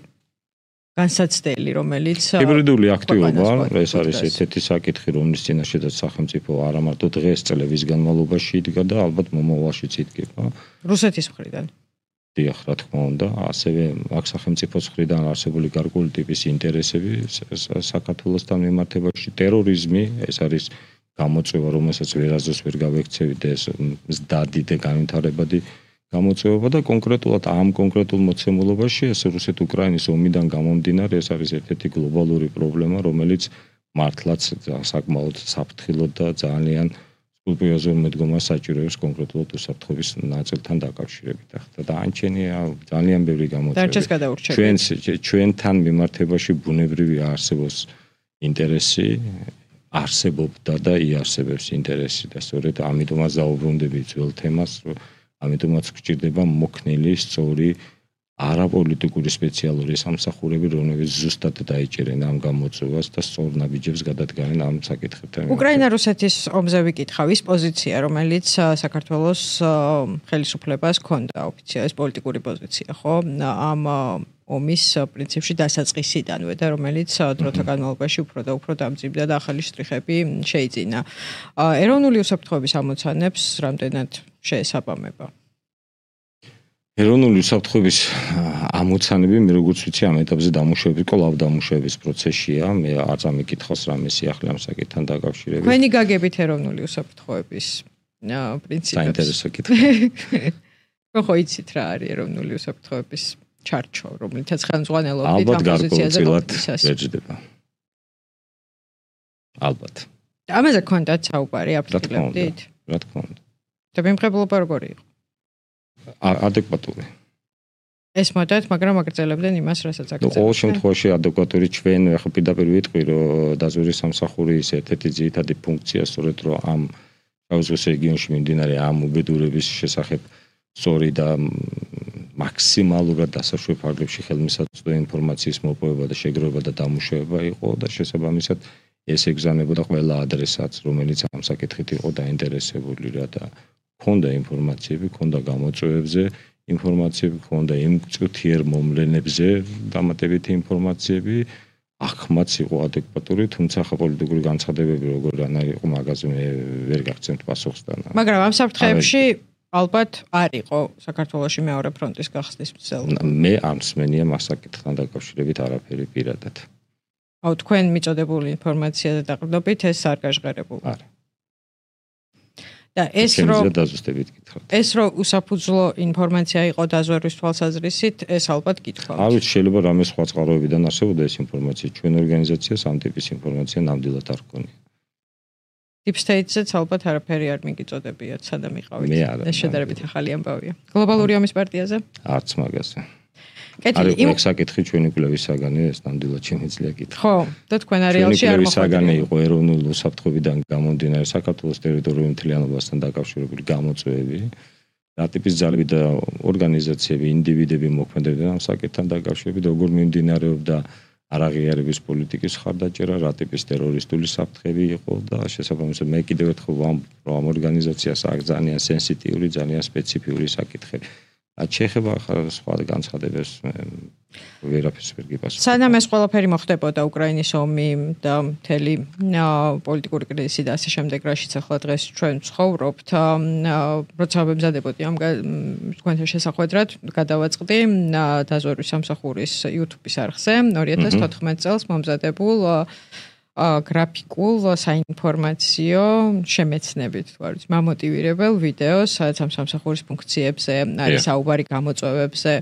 განსაცდელი, რომელიც ჰიბრიდული აქტივობა, ეს არის ერთ-ერთი საკითხი, რომლის წინაშედაც სახელმწიფო არა მარტო დღეს წლების განმავლობაში იდგა და ალბათ მომავალშიც იდგება. რუსეთის მხრიდან. დიახ, რა თქმა უნდა, ასევე აქ სახელმწიფოს მხრიდან არსებული გარკვეული ტიპის ინტერესები საქართველოსთან მიმართებაში, ტერორიზმი, ეს არის გამოწვევა, რომელსაც ვერასდროს ვერ გავექცევით და ეს მზდადი და განვითარებადი გამოწვევა და კონკრეტულად ამ კონკრეტულ მოცემულობაში ეს რუსეთ-უკრაინის ომიდან გამომდინარე ეს არის ერთ-ერთი გლობალური პრობლემა, რომელიც მართლაც საკმაოდ საფრთხილო და ძალიან სკრუპულოზურ მედგომას საჭიროებს კონკრეტულად უსაფრთხოების ნაწილთან დაკავშირებით. ახლა დაანჩენია ძალიან ბევრი გამოწვევა. ჩვენს ჩვენთან მიმართებაში ბუნებრივი არსებობს ინტერესი, არსებობდა და იარსებებს ინტერესი და სწორედ ამიტომაც დაუბრუნდები ძველ თემას, რომ ამიტომაც გჭირდება მოქნილი, სწორი, არაპოლიტიკური სპეციალური სამსახურები, რომლებიც ზუსტად დაიჭერენ ამ გამოწვევას და სწორ ნაბიჯებს გადადგნენ ამ საკითხებთან. უკრაინა-რუსეთის ომზე ვიკითხავ, ის პოზიცია, რომელიც საქართველოს ხელისუფლებას ჰქონდა ოფიციალურად პოლიტიკური პოზიცია, ხო? ამ ომის პრინციპში დასაწყისიდანვე და რომელიც დროთა განმავლობაში უფრო და უფრო დამძიმდა და ახალი შტრიხები შეიძინა. ეროვნული უსაფრთხოების ამოცანებს რამდენად შეესაბამება? ეროვნული უსაფრთხოების ამოცანები მე როგორც ვიცი ამ ეტაპზე დამუშავების, კვლავ დამუშავების პროცესია. მე არ წამიკითხავს რამე სიახლე ამ საკითხთან დაკავშირებით. თქვენი გაგებით ეროვნული უსაფრთხოების პრინციპებს. საინტერესო კითხვა. ხო იცით რა არის ეროვნული უსაფრთხოების ჩარჩო, რომელთაც ხელმძღვანელობით ამ პოზიციაზე ვერჯდება. ალბათ. ამაზე გქონდათ საუბარი, აფრთხილებდით? რა თქმა უნდა. და მიმღებლობა როგორი იყო? ადეკვატური. ეს მოდათ, მაგრამ აგრძელებდნენ იმას, რასაც აგრძელებდნენ. ყოველ შემთხვევაში ადეკვატური ჩვენ ახლა პირდაპირ ვიტყვი, რომ დაზვერვის სამსახურის ერთ-ერთი ძირითადი ფუნქცია სწორედ რომ ამ შავიზღვის რეგიონში მიმდინარე ამ უბედურების შესახებ სწორი და მაქსიმალურად დასაშვებ ფარგლებში ხელმისაწვდომი ინფორმაციის მოპოვება და შეგროვება და დამუშავება იყო და შესაბამისად ეს ეგზავნებოდა ყველა ადრესატს, რომელიც ამ საკითხით იყო დაინტერესებული რა და ქონდა ინფორმაციები, ქონდა გამოწვევებზე ინფორმაციები, ქონდა იმ წუთიერ მომლენებზე დამატებითი ინფორმაციები, ახმაც იყო ადეკვატური, თუმცა ხა პოლიტიკური განცხადებები როგორ იყო მაგაზე მე ვერ გაგცემთ პასუხს და. მაგრამ ამ საფრთხეებში ალბათ არ იყო საქართველოში მეორე ფრონტის გახსნის მცდელობა. მე არ მსმენია მას საკითხთან დაკავშირებით არაფერი პირადად. აუ თქვენ მიწოდებული ინფორმაციაზე დაყრდნობით ეს არ გაჟღერებულა. არა. და ეს რომ დაზუსტებით გითხრათ. ეს რომ უსაფუძვლო ინფორმაცია იყო დაზვერვის თვალსაზრისით, ეს ალბათ გითხრათ. არ ვიცი, შეიძლება რამე სხვა წყაროებიდან არსებობდა ეს ინფორმაცია, ჩვენ ორგანიზაციას ამ ტიპის ინფორმაცია ნამდვილად არ გქონია. Deep State-ზეც ალბათ არაფერი არ მიგიწოდებიათ, სადამ იყავით. მე არა. ეს შედარებით ახალი ამბავია. გლობალური ომის პარტიაზე? არც მაგაზე. კეთილი, იმ საკითხი ჩვენი კვლევის საგანი ეს ნამდვილად შემიძლია კითხვა. ხო, და თქვენ არეალში არ მოხდა. საგანი იყო ეროვნული უსაფრთხოებიდან გამომდინარე საქართველოს ტერიტორიული მთლიანობასთან დაკავშირებული გამოწვევები. რა ტიპის ძალები და ორგანიზაციები, ინდივიდები მოქმედებდნენ ამ საკითხთან დაკავშირებით, როგორ მიმდინარეობდა არაღიარების პოლიტიკის ხარდაჭერა, რა ტიპის ტერორისტული საფრთხეები იყო და შესაბამისად მე კიდევ ერთხელ ვამბობ, რომ ამ ორგანიზაციას აქვს ძალიან სენსიტიური, ძალიან სპეციფიური საკითხები. რაც შეეხება სხვა განცხადებას ვერაფერს ვერ გიპასუხებ. სანამ ეს ყველაფერი მოხდებოდა უკრაინის ომი და მთელი პოლიტიკური კრიზისი და ასე შემდეგ, რაშიც ახლა დღეს ჩვენ ვცხოვრობთ, როცა ვემზადებოდი ამ თქვენთან შესახვედრად, გადავაწყდი დაზვერვის სამსახურის YouTube-ის არხზე ორი ათას თოთხმეტ წელს მომზადებულ გრაფიკულ საინფორმაციო შემეცნებით, თუ არის მამოტივირებელ ვიდეოს, სადაც ამ სამსახურის ფუნქციებზე არის საუბარი გამოწვევებზე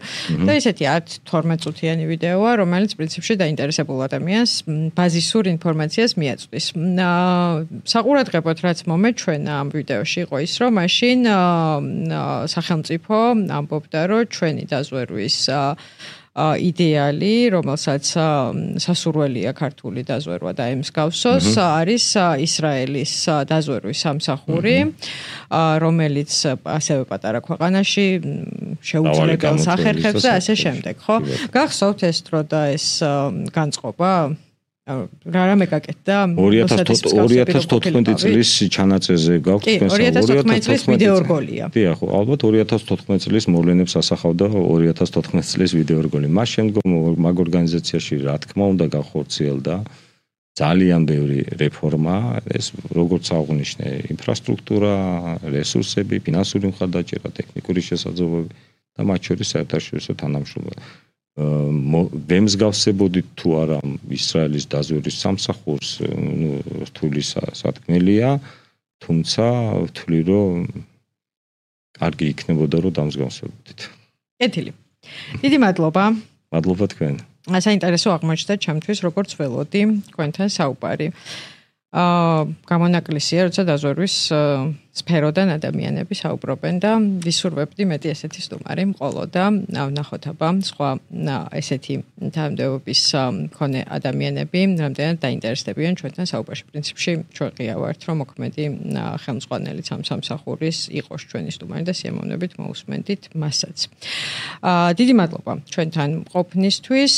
და ესეთი ათ თორმეტ წუთიანი ვიდეოა, რომელიც პრინციპში დაინტერესებულ ადამიანს ბაზისურ ინფორმაციას მიაწვდის. საყურადღებოდ რაც მომეჩვენა ამ ვიდეოში იყო ის, რომ მაშინ სახელმწიფო ამბობდა, რომ ჩვენი დაზვერვის იდეალი, რომელსაც სასურველია ქართული დაზვერვა და ემსგავსოს, არის ისრაელის დაზვერვის სამსახური, რომელიც ასევე პატარა ქვეყანაში შეუძლებელს ახერხებს და ასე შემდეგ, ხო? გახსოვთ ეს დრო და ეს განწყობა? რა რამე გაკეთდა ორი ათას თოთხმეტი წლის ჩანაწერზე გაქვთ თქვენ ორი ათას თოთხმეტი წლის ვიდეო რგოლია. დიახ, ალბათ ორი ათას თოთხმეტი წლის მოვლენებს ასახავდა ორი ათას თოთხმეტი წლის ვიდეო რგოლი. მას შემდგომ მაგ ორგანიზაციაში რა თქმა უნდა გახორციელდა ძალიან ბევრი რეფორმა, ეს როგორც აღნიშნე, ინფრასტრუქტურა, რესურსები, ფინანსური მხარდაჭერა, ტექნიკური შესაძლებლობები და მათ შორის საერთაშორისო თანამშრომლობა. ვემსგავსებოდით თუ არა ისრაელის დაზვერვის სამსახურს, ნუ რთული სათქმელია, თუმცა ვთვლი, რომ კარგი იქნებოდა, რომ დამსგავსებოდით. კეთილი. დიდი მადლობა. მადლობა თქვენ. საინტერესო აღმოჩნდა ჩემთვის, როგორც ველოდი თქვენთან საუბარი. აა გამონაკლისია, როცა დაზვერვის სფეროდან ადამიანები საუბრობენ და ვისურვებდი მეტი ესეთი სტუმარი მყოლოდა, ვნახოთ აბა სხვა ესეთი თანამდებობის მქონე ადამიანები რამდენად დაინტერესდებიან ჩვენთან საუბარში. პრინციპში ჩვენ ღია ვართ, რომ მოქმედი ხელმძღვანელი სამსახურის იყოს ჩვენი სტუმარი და სიამოვნებით მოусმენდით მასაც. აა დიდი მადლობა ჩვენთან ყოფნისთვის.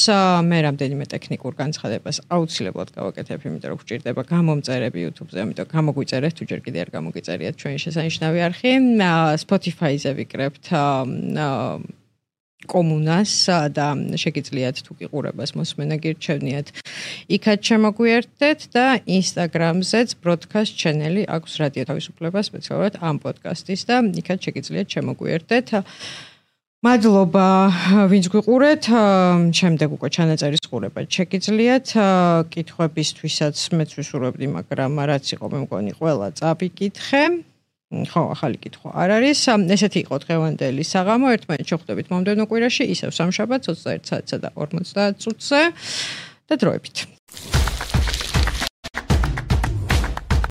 მე რამდენიმე ტექნიკურ განცხადებას აუცილებლად გავაკეთებ, იმიტომ რომ გვჭირდება გამომწერები YouTube-ზე, ამიტომ გამოგვიწერეთ, თუ ჯერ კიდე არ გამოგიწერიათ ჩვენი შესანიშნავი არხი. Spotify-ზე ვიკრებთ კომუნას და შეგიძლიათ თუ გიყურებას მოსმენა გირჩევნიათ. იქაც შემოგვიერთდეთ და Instagram-ზეც broadcast channel-ი აქვს რადიო თავისუფლება სპეციალურად ამ პოდკასტის და იქაც შეგიძლიათ შემოგვიერთდეთ. მადლობა ვინც გვიყურეთ, შემდეგ უკვე ჩანაწერის ყურება შეგიძლიათ. კითხვებისთვისაც მეც ვისურვებდი, მაგრამ რაც იყო მე მგონი ყველა წავიკითხე. ხო, ახალი კითხვა არ არის. ესეთი იყო დღევანდელი საღამო. ერთმანეთს შევხვდებით მომდევნო კვირაში, ისევ სამშაბათს ოცდაერთ საათსა და ორმოცდაათ წუთზე და დროებით.